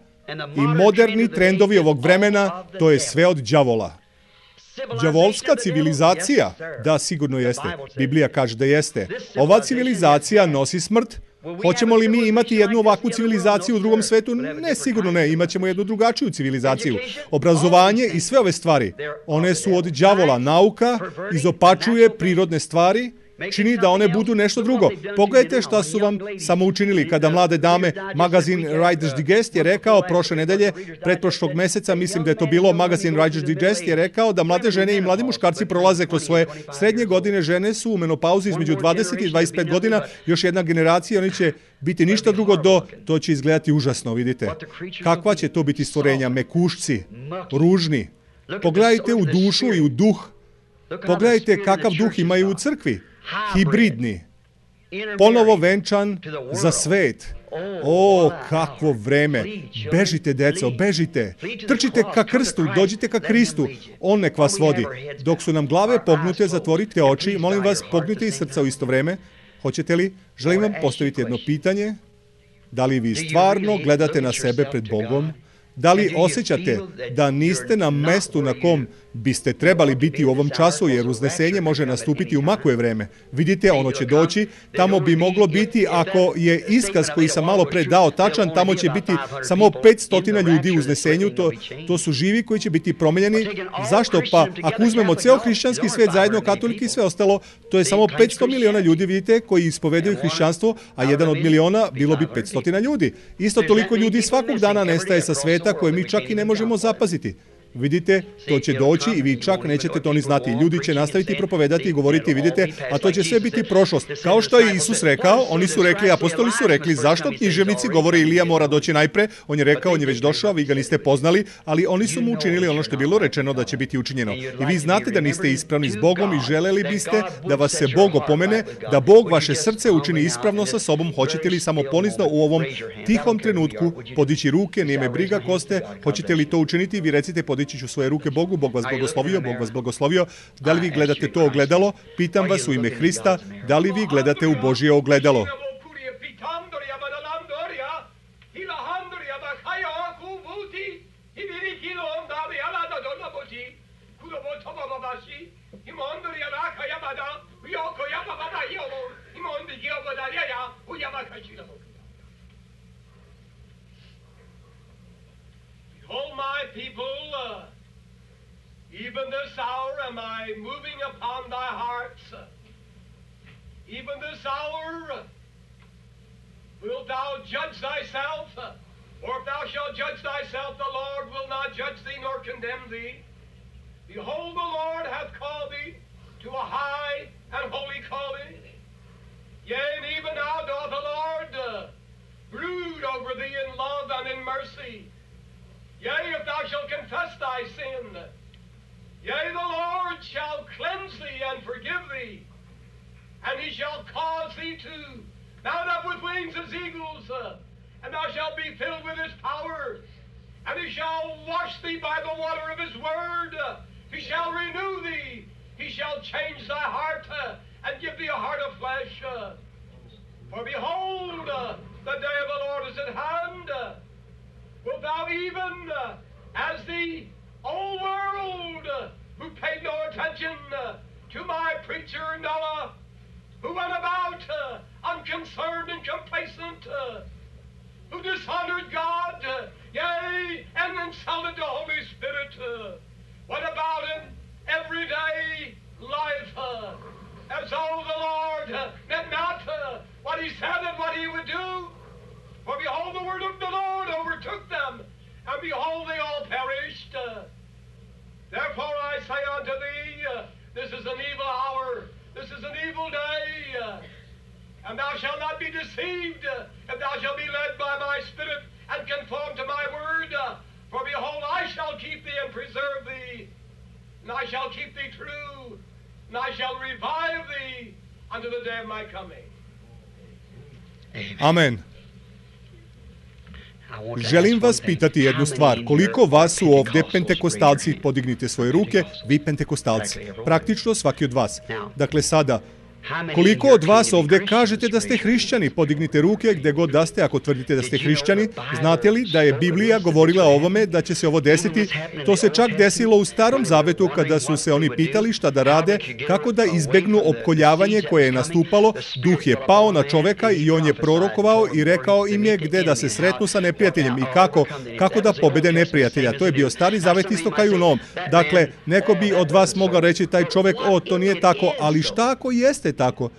i moderni trendovi ovog vremena, to je sve od đavola. Đavolska civilizacija? Da, sigurno jeste. Biblija kaže da jeste. Ova civilizacija nosi smrt. Hoćemo li mi imati jednu ovakvu civilizaciju u drugom svetu? Ne, sigurno ne. Imaćemo jednu drugačiju civilizaciju. Obrazovanje i sve ove stvari, one su od đavola. Nauka izopačuje prirodne stvari, čini da one budu nešto drugo. Pogledajte šta su vam samo učinili kada mlade dame, magazin Riders Digest je rekao prošle nedelje, pretprošlog meseca, mislim da je to bilo, magazin Riders Digest je rekao da mlade žene i mladi muškarci prolaze kroz svoje srednje godine, žene su u menopauzi između 20 i 25 godina, još jedna generacija, oni će biti ništa drugo to će izgledati užasno, vidite. Kakva će to biti stvorenja, mekušci, ružni. Pogledajte u dušu i u duh. Pogledajte kakav duh imaju u crkvi. Hibridni, ponovo venčan za svet. Kakvo vreme. Bežite, deco, bežite. Trčite ka krstu, dođite ka Kristu. On nek vas vodi. Dok su nam glave pognute, zatvorite oči. Molim vas, pognite i srca u isto vreme. Hoćete li? Želim vam postaviti jedno pitanje. Da li vi stvarno gledate na sebe pred Bogom? Da li osjećate da niste na mestu na kom biste trebali biti u ovom času, jer uznesenje može nastupiti u makuje vreme? Vidite, ono će doći, tamo bi moglo biti, ako je iskaz koji sam malo pre dao tačan, tamo će biti samo 500 ljudi u uznesenju, to su živi koji će biti promenjeni. Zašto? Pa ako uzmemo ceo hrišćanski svet zajedno, katoliki i sve ostalo, to je samo 500 miliona ljudi, vidite, koji ispovedaju hrišćanstvo, a 1 od miliona bilo bi 500 ljudi. Isto toliko ljudi svakog dana nestaje sa sveta koje mi čak i ne možemo zapaziti. Vidite, to će doći i vi čak nećete to ni znati. Ljudi će nastaviti propovedati i govoriti, vidite, a to će sve biti prošlost. Kao što je Isus rekao, oni su rekli, apostoli su rekli, zašto književnici govore Ilija mora doći najpre? On je rekao, on je već došao, vi ga niste poznali, ali oni su mu učinili ono što je bilo rečeno da će biti učinjeno. I vi znate da niste ispravni s Bogom i želeli biste da vas se Bog opomene, da Bog vaše srce učini ispravno sa sobom. Hoćete li samo ponizno u ovom tihom trenutku podići ruke, nije me briga ko ste, hoćete li to učiniti? Vi recite, podići ću svoje ruke Bogu, Bog vas blagoslovio, Bog vas blagoslovio. Da li vi gledate to ogledalo? Pitam vas u ime Hrista, da li vi gledate u Božje ogledalo? Behold, my people, even this hour am I moving upon thy hearts. Even this hour wilt thou judge thyself, or if thou shalt judge thyself, the Lord will not judge thee nor condemn thee. Behold, the Lord hath called thee to a high and holy calling. Yea, and even now doth the Lord brood over thee in love and in mercy. Yea, if thou shalt confess thy sin, yea, the Lord shall cleanse thee and forgive thee, and he shall cause thee to mount up with wings as eagles, and thou shalt be filled with his power, and he shall wash thee by the water of his word, he shall renew thee, he shall change thy heart, and give thee a heart of flesh. For behold, the day of the Lord is at hand. Wilt thou even, as the old world, who paid no attention to my preacher Noah, who went about unconcerned and complacent, who dishonored God, yea, and insulted the Holy Spirit, went about in everyday life as though the Lord meant not what he said and what he would do. For behold, the word of the Lord overtook them, and behold, they all perished. Therefore I say unto thee, this is an evil hour, this is an evil day, and thou shalt not be deceived, if thou shalt be led by my Spirit, and conform to my word. For behold, I shall keep thee and preserve thee, and I shall keep thee true, and I shall revive thee unto the day of my coming. Amen. Želim vas pitati jednu stvar. Koliko vas su ovde pentekostalci? Podignite svoje ruke, vi pentekostalci. Praktično svaki od vas. Dakle, sada, koliko od vas ovde kažete da ste hrišćani? Podignite ruke gde god da ste ako tvrdite da ste hrišćani. Znate li da je Biblija govorila o ovome, da će se ovo desiti? To se čak desilo u Starom Zavetu kada su se oni pitali šta da rade, kako da izbegnu opkoljavanje koje je nastupalo. Duh je pao na čoveka i on je prorokovao i rekao im je gde da se sretnu sa neprijateljem i kako da pobede neprijatelja. To je bio Stari Zavet isto kao i u Novom. Dakle, neko bi od vas mogao reći taj čovek, to nije tako, ali šta ako jeste tako?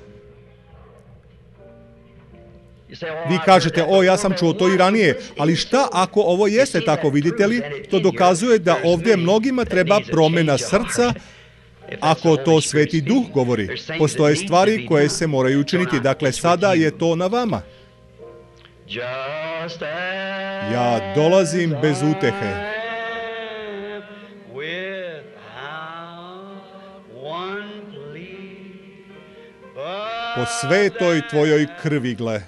Vi kažete, ja sam čuo to i ranije, ali šta ako ovo jeste tako, vidite li? To dokazuje da ovdje mnogima treba promena srca, ako to Sveti Duh govori. Postoje stvari koje se moraju učiniti, dakle sada je to na vama. Ja dolazim bez utehe. Po svetoj tvojoj krvi, gle.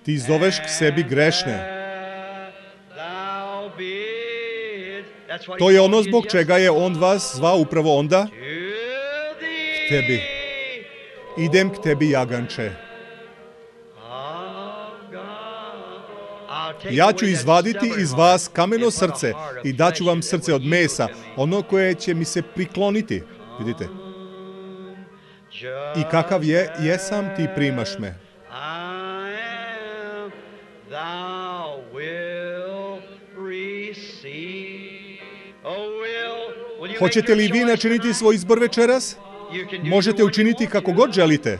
Ti zoveš k sebi grešne. To je ono zbog čega je on vas zvao upravo onda k tebi. Idem k tebi, jaganče. Ja ću izvaditi iz vas kameno srce i daću vam srce od mesa, ono koje će mi se prikloniti. Vidite? I kakav jesam, ti primaš me. Hoćete li vi načiniti svoj izbor večeras? Možete učiniti kako god želite.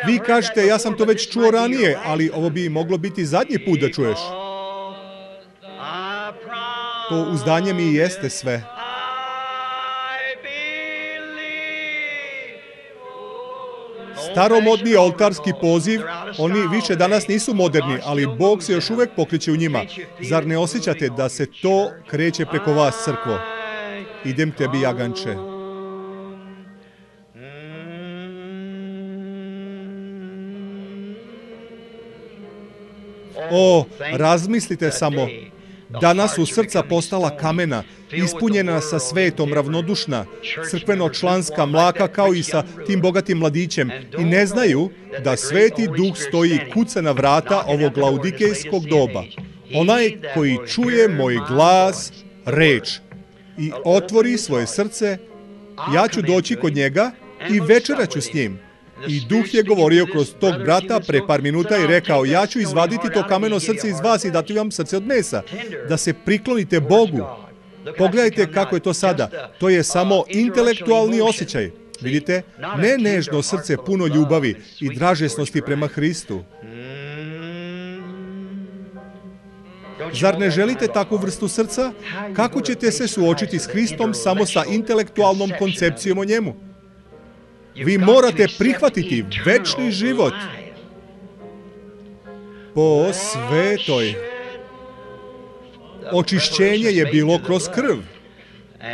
Vi kažete, ja sam to već čuo ranije, ali ovo bi moglo biti zadnji put da čuješ. To uzdanje mi jeste sve. Staromodni oltarski poziv, oni više danas nisu moderni, ali Bog se još uvek pokreće u njima. Zar ne osjećate da se to kreće preko vas, crkvo? Idem tebi, jaganče. O, razmislite samo. Danas su srca postala kamena, ispunjena sa svetom, ravnodušna, crkveno-članska, mlaka kao i sa tim bogatim mladićem i ne znaju da Sveti Duh stoji i kuca na vrata ovog laudikejskog doba. Onaj koji čuje moj glas, reč, i otvori svoje srce, ja ću doći kod njega i večeraću s njim. I Duh je govorio kroz tog brata pre par minuta i rekao, ja ću izvaditi to kameno srce iz vas i dati vam srce od mesa, da se priklonite Bogu. Pogledajte kako je to sada. To je samo intelektualni osjećaj. Vidite? Ne nežno srce puno ljubavi i dražesnosti prema Hristu. Zar ne želite takvu vrstu srca? Kako ćete se suočiti s Hristom samo sa intelektualnom koncepcijom o njemu? Vi morate prihvatiti večni život po svetoj. Očišćenje je bilo kroz krv.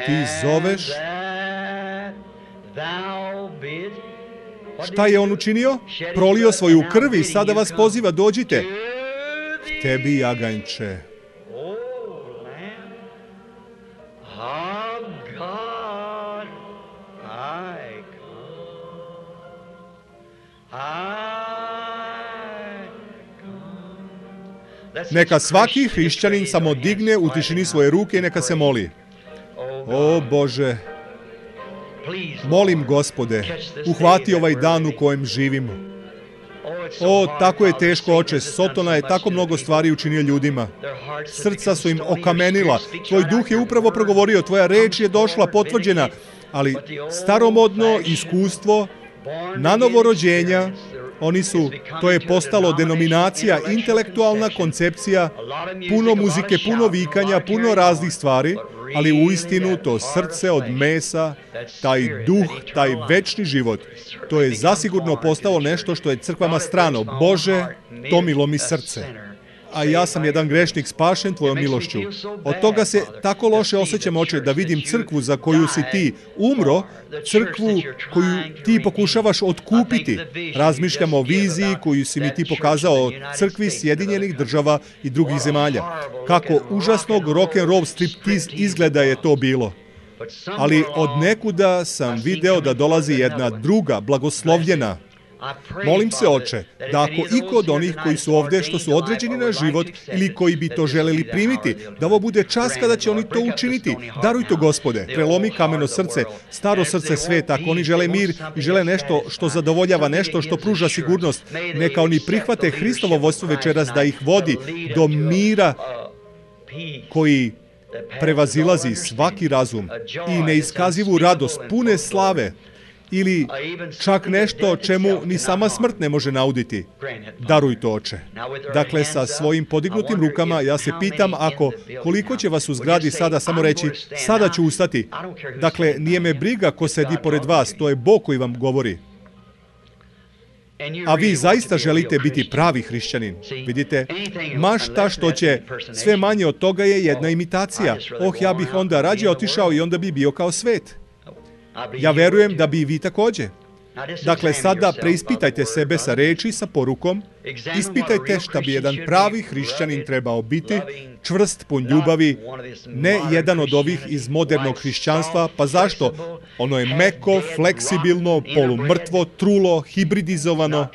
Ti zoveš. Šta je on učinio? Prolio svoju krv i sada vas poziva, dođite. K tebi, jaganče. Neka svaki hrišćanin samo digne u tišini svoje ruke i neka se moli. O Bože, molim Gospode, uhvati ovaj dan u kojem živimo. O, tako je teško, Oče, Sotona je tako mnogo stvari učinio ljudima. Srca su im okamenila, tvoj duh je upravo progovorio, tvoja reč je došla, potvrđena, ali staromodno iskustvo, nanovo rođenja, to je postalo denominacija, intelektualna koncepcija, puno muzike, puno vikanja, puno raznih stvari, ali uistinu to srce od mesa, taj duh, taj večni život, to je zasigurno postalo nešto što je crkvama strano. Bože, tomilo mi srce. A ja sam jedan grešnik spašen tvojom milošću. Od toga se tako loše osjećam, Oče, da vidim crkvu za koju si ti umro, crkvu koju ti pokušavaš otkupiti. Razmišljam o viziji koju si mi ti pokazao o crkvi Sjedinjenih država i drugih zemalja. Kako užasnog rock'n'roll striptiz izgleda je to bilo. Ali od nekuda sam video da dolazi jedna druga, blagoslovljena. Molim se, Oče, da ako iko od onih koji su ovde, što su određeni na život ili koji bi to želeli primiti, da ovo bude čas kada će oni to učiniti. Daruj to, Gospode, prelomi kameno srce, staro srce sveta, ako oni žele mir i žele nešto što zadovoljava, nešto što pruža sigurnost, neka oni prihvate Hristovo vodstvo večeras da ih vodi do mira koji prevazilazi svaki razum i neiskazivu radost, pune slave, ili čak nešto čemu ni sama smrt ne može nauditi. Daruj to, Oče. Dakle, sa svojim podignutim rukama ja se pitam koliko će vas u zgradi sada samo reći, sada ću ustati. Dakle, nije me briga ko sedi pored vas, to je Bog koji vam govori. A vi zaista želite biti pravi hrišćanin. Vidite, mašta što će sve manje od toga je jedna imitacija. Ja bih onda rađe otišao i onda bi bio kao svet. Ja verujem da bi i vi takođe. Dakle, sada preispitajte sebe sa reči, sa porukom. Ispitajte šta bi jedan pravi hrišćanin trebao biti, čvrst, pun ljubavi, ne jedan od ovih iz modernog hrišćanstva. Pa zašto? Ono je meko, fleksibilno, polumrtvo, trulo, hibridizovano.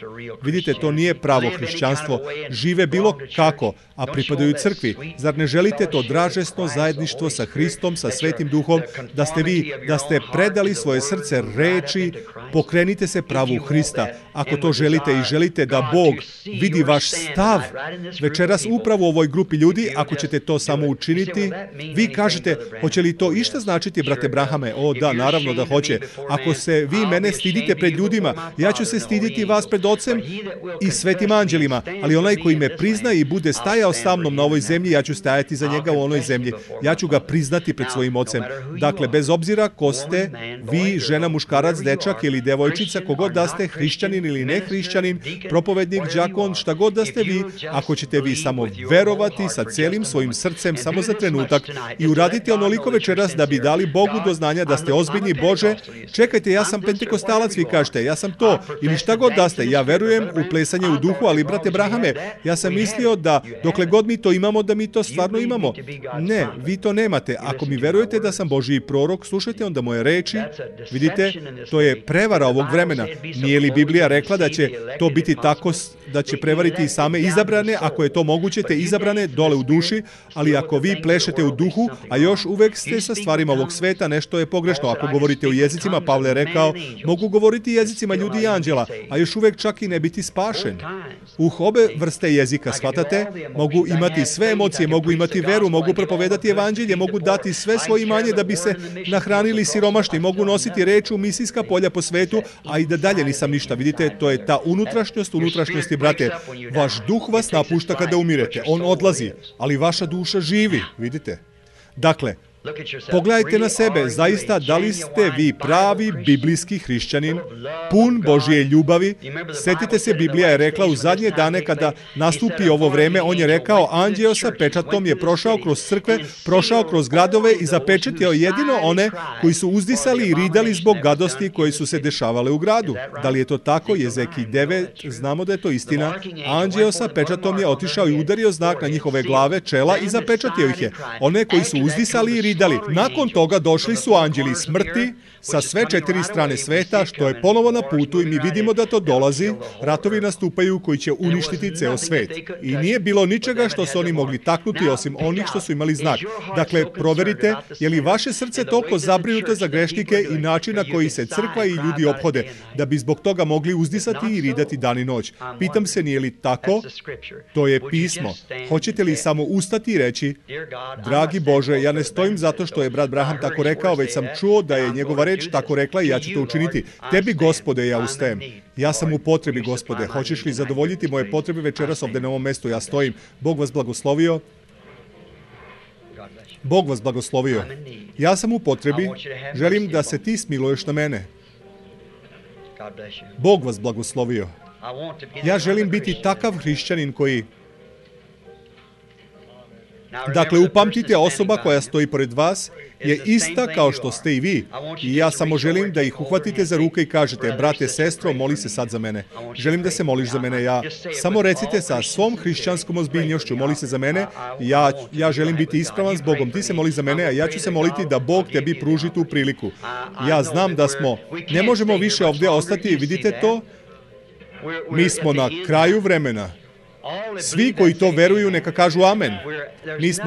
Vidite, to nije pravo hrišćanstvo. Žive bilo kako, a pripadaju crkvi. Zar ne želite to dražesno zajedništvo sa Hristom, sa Svetim Duhom, da ste predali svoje srce reči, pokrenite se pravu Hrista. Ako to želite i želite da Bog vidi vaš stav večeras upravo u ovoj grupi ljudi, ako ćete to samo učiniti, vi kažete, hoće li to išta značiti, brate Brahame? O, da, naravno da hoće. Ako se vi mene stidite pred ljudima, ja ću se stiditi vas pred Ocem i svetim anđelima, ali onaj koji me prizna i bude stajao sa mnom na ovoj zemlji, ja ću stajati za njega u onoj zemlji. Ja ću ga priznati pred svojim Ocem. Dakle, bez obzira ko ste, vi, žena, muškarac, dečak ili devojčica, kogod da ste, hrišćanin ili ne hrišćanin, propovednik, đakon, šta god da ste vi, ako ćete vi samo verovati sa celim svojim srcem samo za trenutak i uraditi onoliko večeras da bi dali Bogu do znanja da ste ozbiljni. Bože, čekajte, ja sam pentekostalac, vi kažete, ja sam to, ili šta god da ste, ja verujem u plesanje u duhu, ali brate Brahame, ja sam mislio da dokle god mi to imamo, da mi to stvarno imamo. Ne, vi to nemate. Ako mi verujete da sam Božji prorok, slušajte onda moje reči. Vidite, to je prevara ovog vremena. Nije li Biblija rekla da će to biti tako, da će prevariti i same izabrane, ako je to moguće, te izabrane dole u duši, ali ako vi plešete u duhu, a još uvek ste sa stvarima ovog sveta, nešto je pogrešno. Ako govorite u jezicima, Pavle je rekao, mogu govoriti jezicima ljudi i anđela, a još uvek čak i ne biti spašen. Obe vrste jezika, shvatate, mogu imati sve emocije, mogu imati veru, mogu propovedati evanđelje, mogu dati sve svoje imanje da bi se nahranili siromašni, mogu nositi reč u misijska polja po svetu, a i da dalje nisam ništa. Vidite, to je ta unutrašnjosti, brate. Vaš duh vas napušta kada umirete, on odlazi, ali vaša duša živi, vidite. Dakle, pogledajte na sebe, zaista, da li ste vi pravi biblijski hrišćanin, pun Božje ljubavi? Setite se, Biblija je rekla u zadnje dane kada nastupi ovo vreme, on je rekao, anđeo sa pečatom je prošao kroz crkve, prošao kroz gradove i zapečatio jedino one koji su uzdisali i ridali zbog gadosti koje su se dešavale u gradu. Da li je to tako? Jezekij 9, znamo da je to istina. Anđeo sa pečatom je otišao i udario znak na njihove glave, čela i zapečatio ih je. One koji su uzdisali i ridali. Nakon toga došli su anđeli smrti sa sve 4 strane sveta, što je ponovo na putu i mi vidimo da to dolazi. Ratovi nastupaju koji će uništiti ceo svet. I nije bilo ničega što su oni mogli taknuti osim onih što su imali znak. Dakle, proverite, je li vaše srce toliko zabrinuto za grešnike i način na koji se crkva i ljudi ophode, da bi zbog toga mogli uzdisati i ridati dan i noć. Pitam se, nije li tako? To je pismo. Hoćete li samo ustati i reći, dragi Bože, ja ne stojim zato što je brat Braham tako rekao, već sam čuo da je njegova reč tako rekla i ja ću to učiniti. Tebi, Gospode, ja ustajem. Ja sam u potrebi, Gospode. Hoćeš li zadovoljiti moje potrebe večeras ovde na ovom mestu? Ja stojim. Bog vas blagoslovio. Bog vas blagoslovio. Ja sam u potrebi. Želim da se ti smiluješ na mene. Bog vas blagoslovio. Ja želim biti takav hrišćanin koji... Dakle, upamtite, osoba koja stoji pored vas je ista kao što ste i vi. I ja samo želim da ih uhvatite za ruke i kažete, brate, sestro, moli se sad za mene. Želim da se moliš za mene. Samo recite sa svom hrišćanskom ozbiljnošću, moli se za mene. Ja želim biti ispravan s Bogom. Ti se moli za mene, a ja ću se moliti da Bog tebi pruži tu priliku. Ja znam da ne možemo više ovdje ostati. Vidite to? Mi smo na kraju vremena. Svi koji to veruju, neka kažu amen.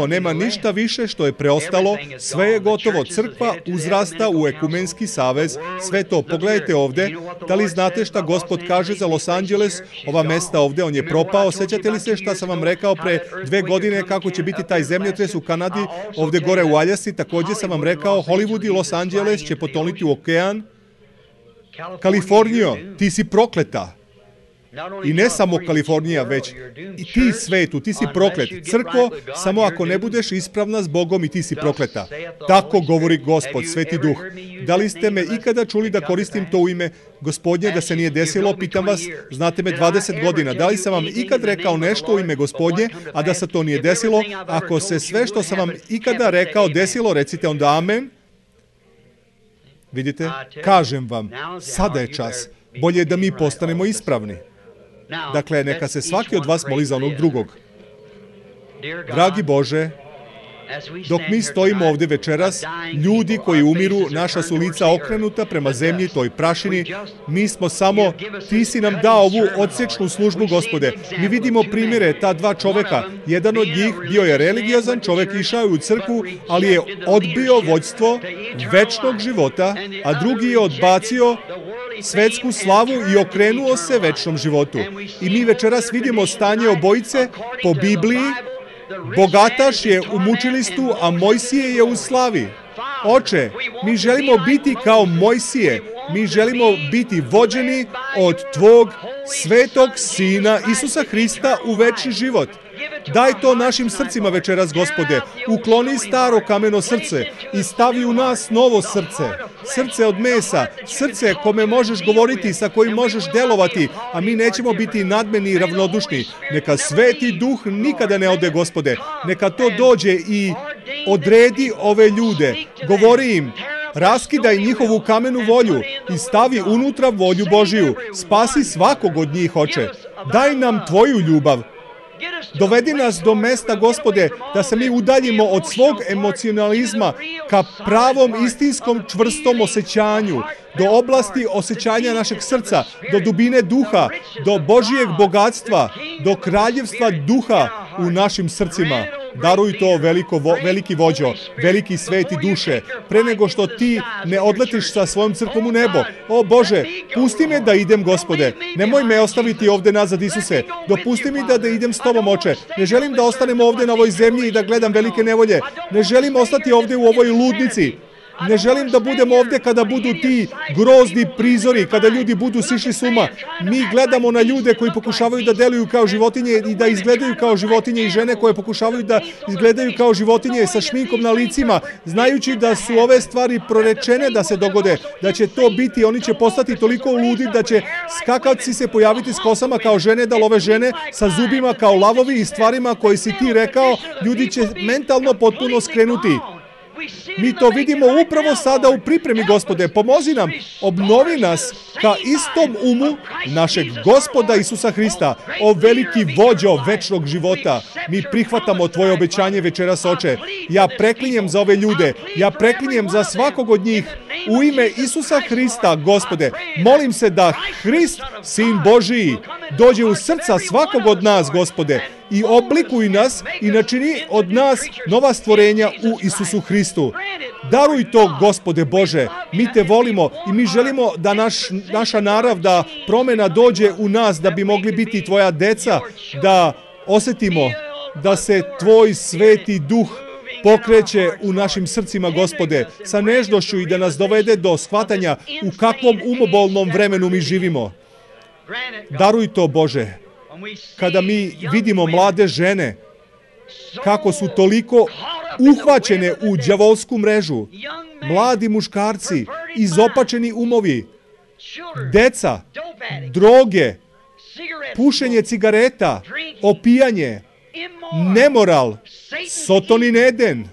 Nema ništa više što je preostalo, sve je gotovo. Crkva uzrasta u ekumenski savez, sve to. Pogledajte ovde, da li znate šta Gospod kaže za Los Angeles, ova mesta ovde, on je propao. Sećate li se šta sam vam rekao pre 2 godine, kako će biti taj zemljotres u Kanadi, ovde gore u Aljasci, takođe sam vam rekao, Hollywood i Los Angeles će potoniti u okean. Kalifornijo, ti si prokleta. I ne samo Kalifornija, već i ti svetu, ti si proklet. Crkvo, samo ako ne budeš ispravna s Bogom i ti si prokleta. Tako govori Gospod, Sveti Duh. Da li ste me ikada čuli da koristim to u ime Gospodnje, da se nije desilo? Pitam vas, znate me 20 godina. Da li sam vam ikad rekao nešto u ime Gospodnje, a da se to nije desilo? Ako se sve što sam vam ikada rekao desilo, recite onda amen. Vidite, kažem vam, sada je čas. Bolje je da mi postanemo ispravni. Dakle, neka se svaki od vas moli za onog drugog. Dragi Bože, dok mi stojimo ovdje večeras, ljudi koji umiru, naša su lica okrenuta prema zemlji, toj prašini, mi smo samo, Ti si nam dao ovu odsečnu službu, Gospode. Mi vidimo primjere ta dva čoveka. Jedan od njih bio je religiozan čovek, išao je u crkvu, ali je odbio vođstvo večnog života, a drugi je odbacio svetsku slavu i okrenuo se večnom životu. I mi večeras vidimo stanje obojice po Bibliji. Bogataš je u mučilištu, a Mojsije je u slavi. Oče, mi želimo biti kao Mojsije. Mi želimo biti vođeni od Tvog svetog Sina Isusa Hrista u večni život. Daj to našim srcima večeras, Gospode. Ukloni staro kameno srce i stavi u nas novo srce. Srce od mesa, srce kome možeš govoriti, sa kojim možeš delovati, a mi nećemo biti nadmeni i ravnodušni. Neka Sveti Duh nikada ne ode, Gospode. Neka to dođe i odredi ove ljude. Govori im, raskidaj njihovu kamenu volju i stavi unutra volju Božiju. Spasi svakog od njih, Oče. Daj nam Tvoju ljubav. Dovedi nas do mesta, Gospode, da se mi udaljimo od svog emocionalizma ka pravom, istinskom, čvrstom osjećanju, do oblasti osjećanja našeg srca, do dubine duha, do Božijeg bogatstva, do kraljevstva duha u našim srcima. Daruj to, veliki vođo, veliki sveti duše, pre nego što Ti ne odletiš sa svojom crkvom u nebo. O Bože, pusti me da idem, Gospode. Nemoj me ostaviti ovde nazad, Isuse. Dopusti mi da idem s Tobom, Oče. Ne želim da ostanem ovde na ovoj zemlji i da gledam velike nevolje. Ne želim ostati ovde u ovoj ludnici. Ne želim da budem ovde kada budu ti grozni prizori, kada ljudi budu sišli s uma. Mi gledamo na ljude koji pokušavaju da deluju kao životinje i da izgledaju kao životinje i žene koje pokušavaju da izgledaju kao životinje sa šminkom na licima, znajući da su ove stvari prorečene da se dogode, da će to biti, oni će postati toliko ludi da će skakavci se pojaviti s kosama kao žene, da love žene, sa zubima kao lavovi i stvarima koje si Ti rekao, ljudi će mentalno potpuno skrenuti. Mi to vidimo upravo sada u pripremi, Gospode. Pomozi nam, obnovi nas ka istom umu našeg Gospoda Isusa Hrista. O veliki vođo večnog života, mi prihvatamo Tvoje obećanje večeras, Oče. Ja preklinjem za ove ljude, ja preklinjem za svakog od njih. U ime Isusa Hrista, Gospode, molim se da Hrist, Sin Božiji, dođe u srca svakog od nas, Gospode, i oblikuj nas i načini od nas nova stvorenja u Isusu Hristu. Daruj to, Gospode Bože, mi Te volimo i mi želimo da naša narav, da promena dođe u nas, da bi mogli biti Tvoja deca, da osetimo da se Tvoj sveti duh pokreće u našim srcima, Gospode, sa nežnošću i da nas dovede do shvatanja u kakvom umobolnom vremenu mi živimo. Daruj to, Bože. Kada mi vidimo mlade žene, kako su toliko uhvaćene u đavolsku mrežu, mladi muškarci, izopačeni umovi, deca, droge, pušenje cigareta, opijanje, nemoral, Sotonin Eden.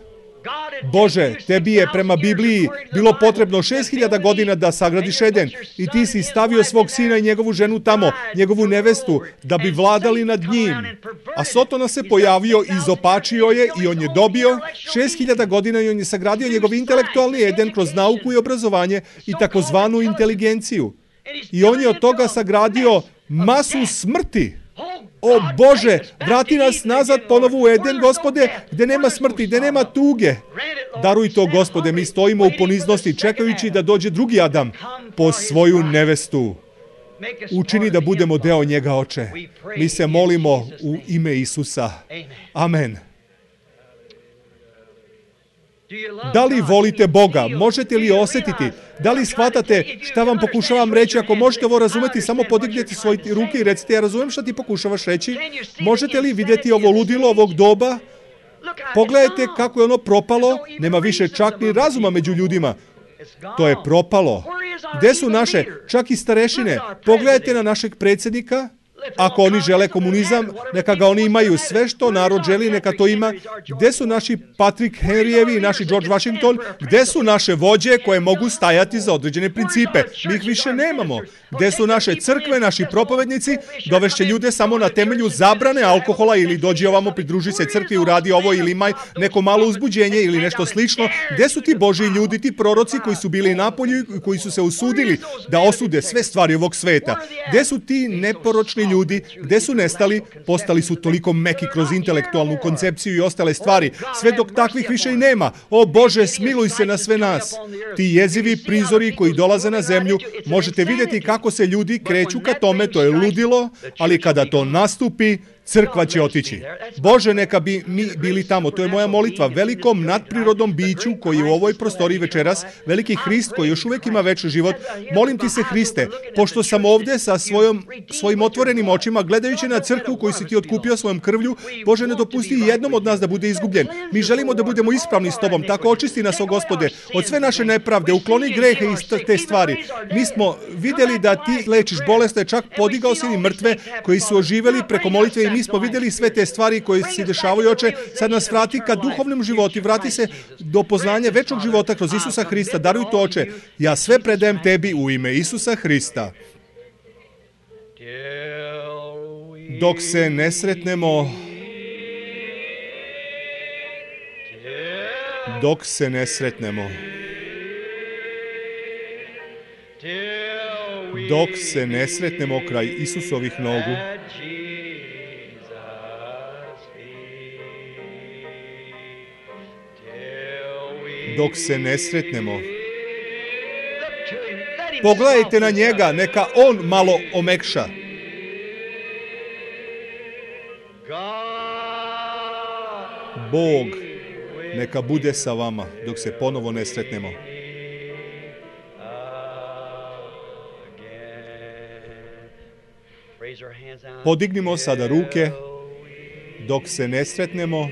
Bože, Tebi je prema Bibliji bilo potrebno 6000 godina da sagradiš Eden i Ti si stavio svog sina i njegovu ženu tamo, njegovu nevestu, da bi vladali nad njim. A Sotona se pojavio, izopačio je i on je dobio 6000 godina i on je sagradio njegov intelektualni Eden kroz nauku i obrazovanje i takozvanu inteligenciju. I on je od toga sagradio masu smrti. O Bože, vrati nas nazad ponovo u Eden, Gospode, gde nema smrti, gde nema tuge. Daruj to, Gospode, mi stojimo u poniznosti čekajući da dođe drugi Adam po svoju nevestu. Učini da budemo deo njega, Oče. Mi se molimo u ime Isusa. Amen. Da li volite Boga? Možete li osjetiti? Da li shvatate šta vam pokušavam reći? Ako možete ovo razumeti, samo podignete svoje ruke i recite, ja razumem šta ti pokušavaš reći. Možete li vidjeti ovo ludilo ovog doba? Pogledajte kako je ono propalo. Nema više čak ni razuma među ljudima. To je propalo. Gde su naše, čak i starešine? Pogledajte na našeg predsjednika. Ako oni žele komunizam, neka ga oni imaju. Sve što narod želi, neka to ima. Gde su naši Patrick Henryevi i naši George Washington? Gde su naše vođe koje mogu stajati za određene principe? Mi ih više nemamo. Gde su naše crkve, naši propovednici? Dovešće ljude samo na temelju zabrane alkohola ili dođi ovamo, pridruži se crkvi, uradi ovo ili imaj neko malo uzbuđenje ili nešto slično. Gde su ti Božji ljudi, ti proroci koji su bili napolju i koji su se usudili da osude sve stvari ovog sveta? Gde su ti neporočni ljudi? Gde su nestali? Postali su toliko meki kroz intelektualnu koncepciju i ostale stvari. Sve dok takvih više i nema. O Bože, smiluj se na sve nas. Ti jezivi prizori koji dolaze na zemlju, možete vidjeti kako se ljudi kreću ka tome, to je ludilo, ali kada to nastupi, crkva će otići. Bože, neka bi mi bili tamo. To je moja molitva velikom nadprirodnom biću koji je u ovoj prostoriji večeras, veliki Hrist koji još uvijek ima večni život. Molim ti se, Hriste, pošto sam ovdje sa svojim otvorenim očima, gledajući na crkvu koju si ti otkupio svojom krvlju, Bože, ne dopusti jednom od nas da bude izgubljen. Mi želimo da budemo ispravni s tobom, tako očisti nas, o Gospode, od sve naše nepravde, ukloni grehe i te stvari. Mi smo vidjeli da ti lečiš bolesne, čak podigao si i mrtve koji su oživeli preko molitve i mi smo vidjeli sve te stvari koje se dešavaju, Oče. Sad nas vrati ka duhovnom životu, vrati se do poznanja večnog života kroz Isusa Hrista. Daruj to, Oče. Ja sve predajem tebi u ime Isusa Hrista. Dok se ne sretnemo, dok se ne sretnemo, dok se ne sretnemo kraj Isusovih nogu, dok se ne sretnemo. Pogledajte na njega, neka on malo omekša. Bog neka bude sa vama dok se ponovo ne sretnemo. Podignimo sada ruke dok se ne sretnemo.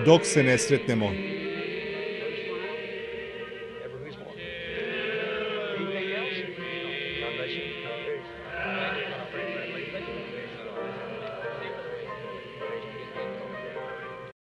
Dok se ne sretnemo.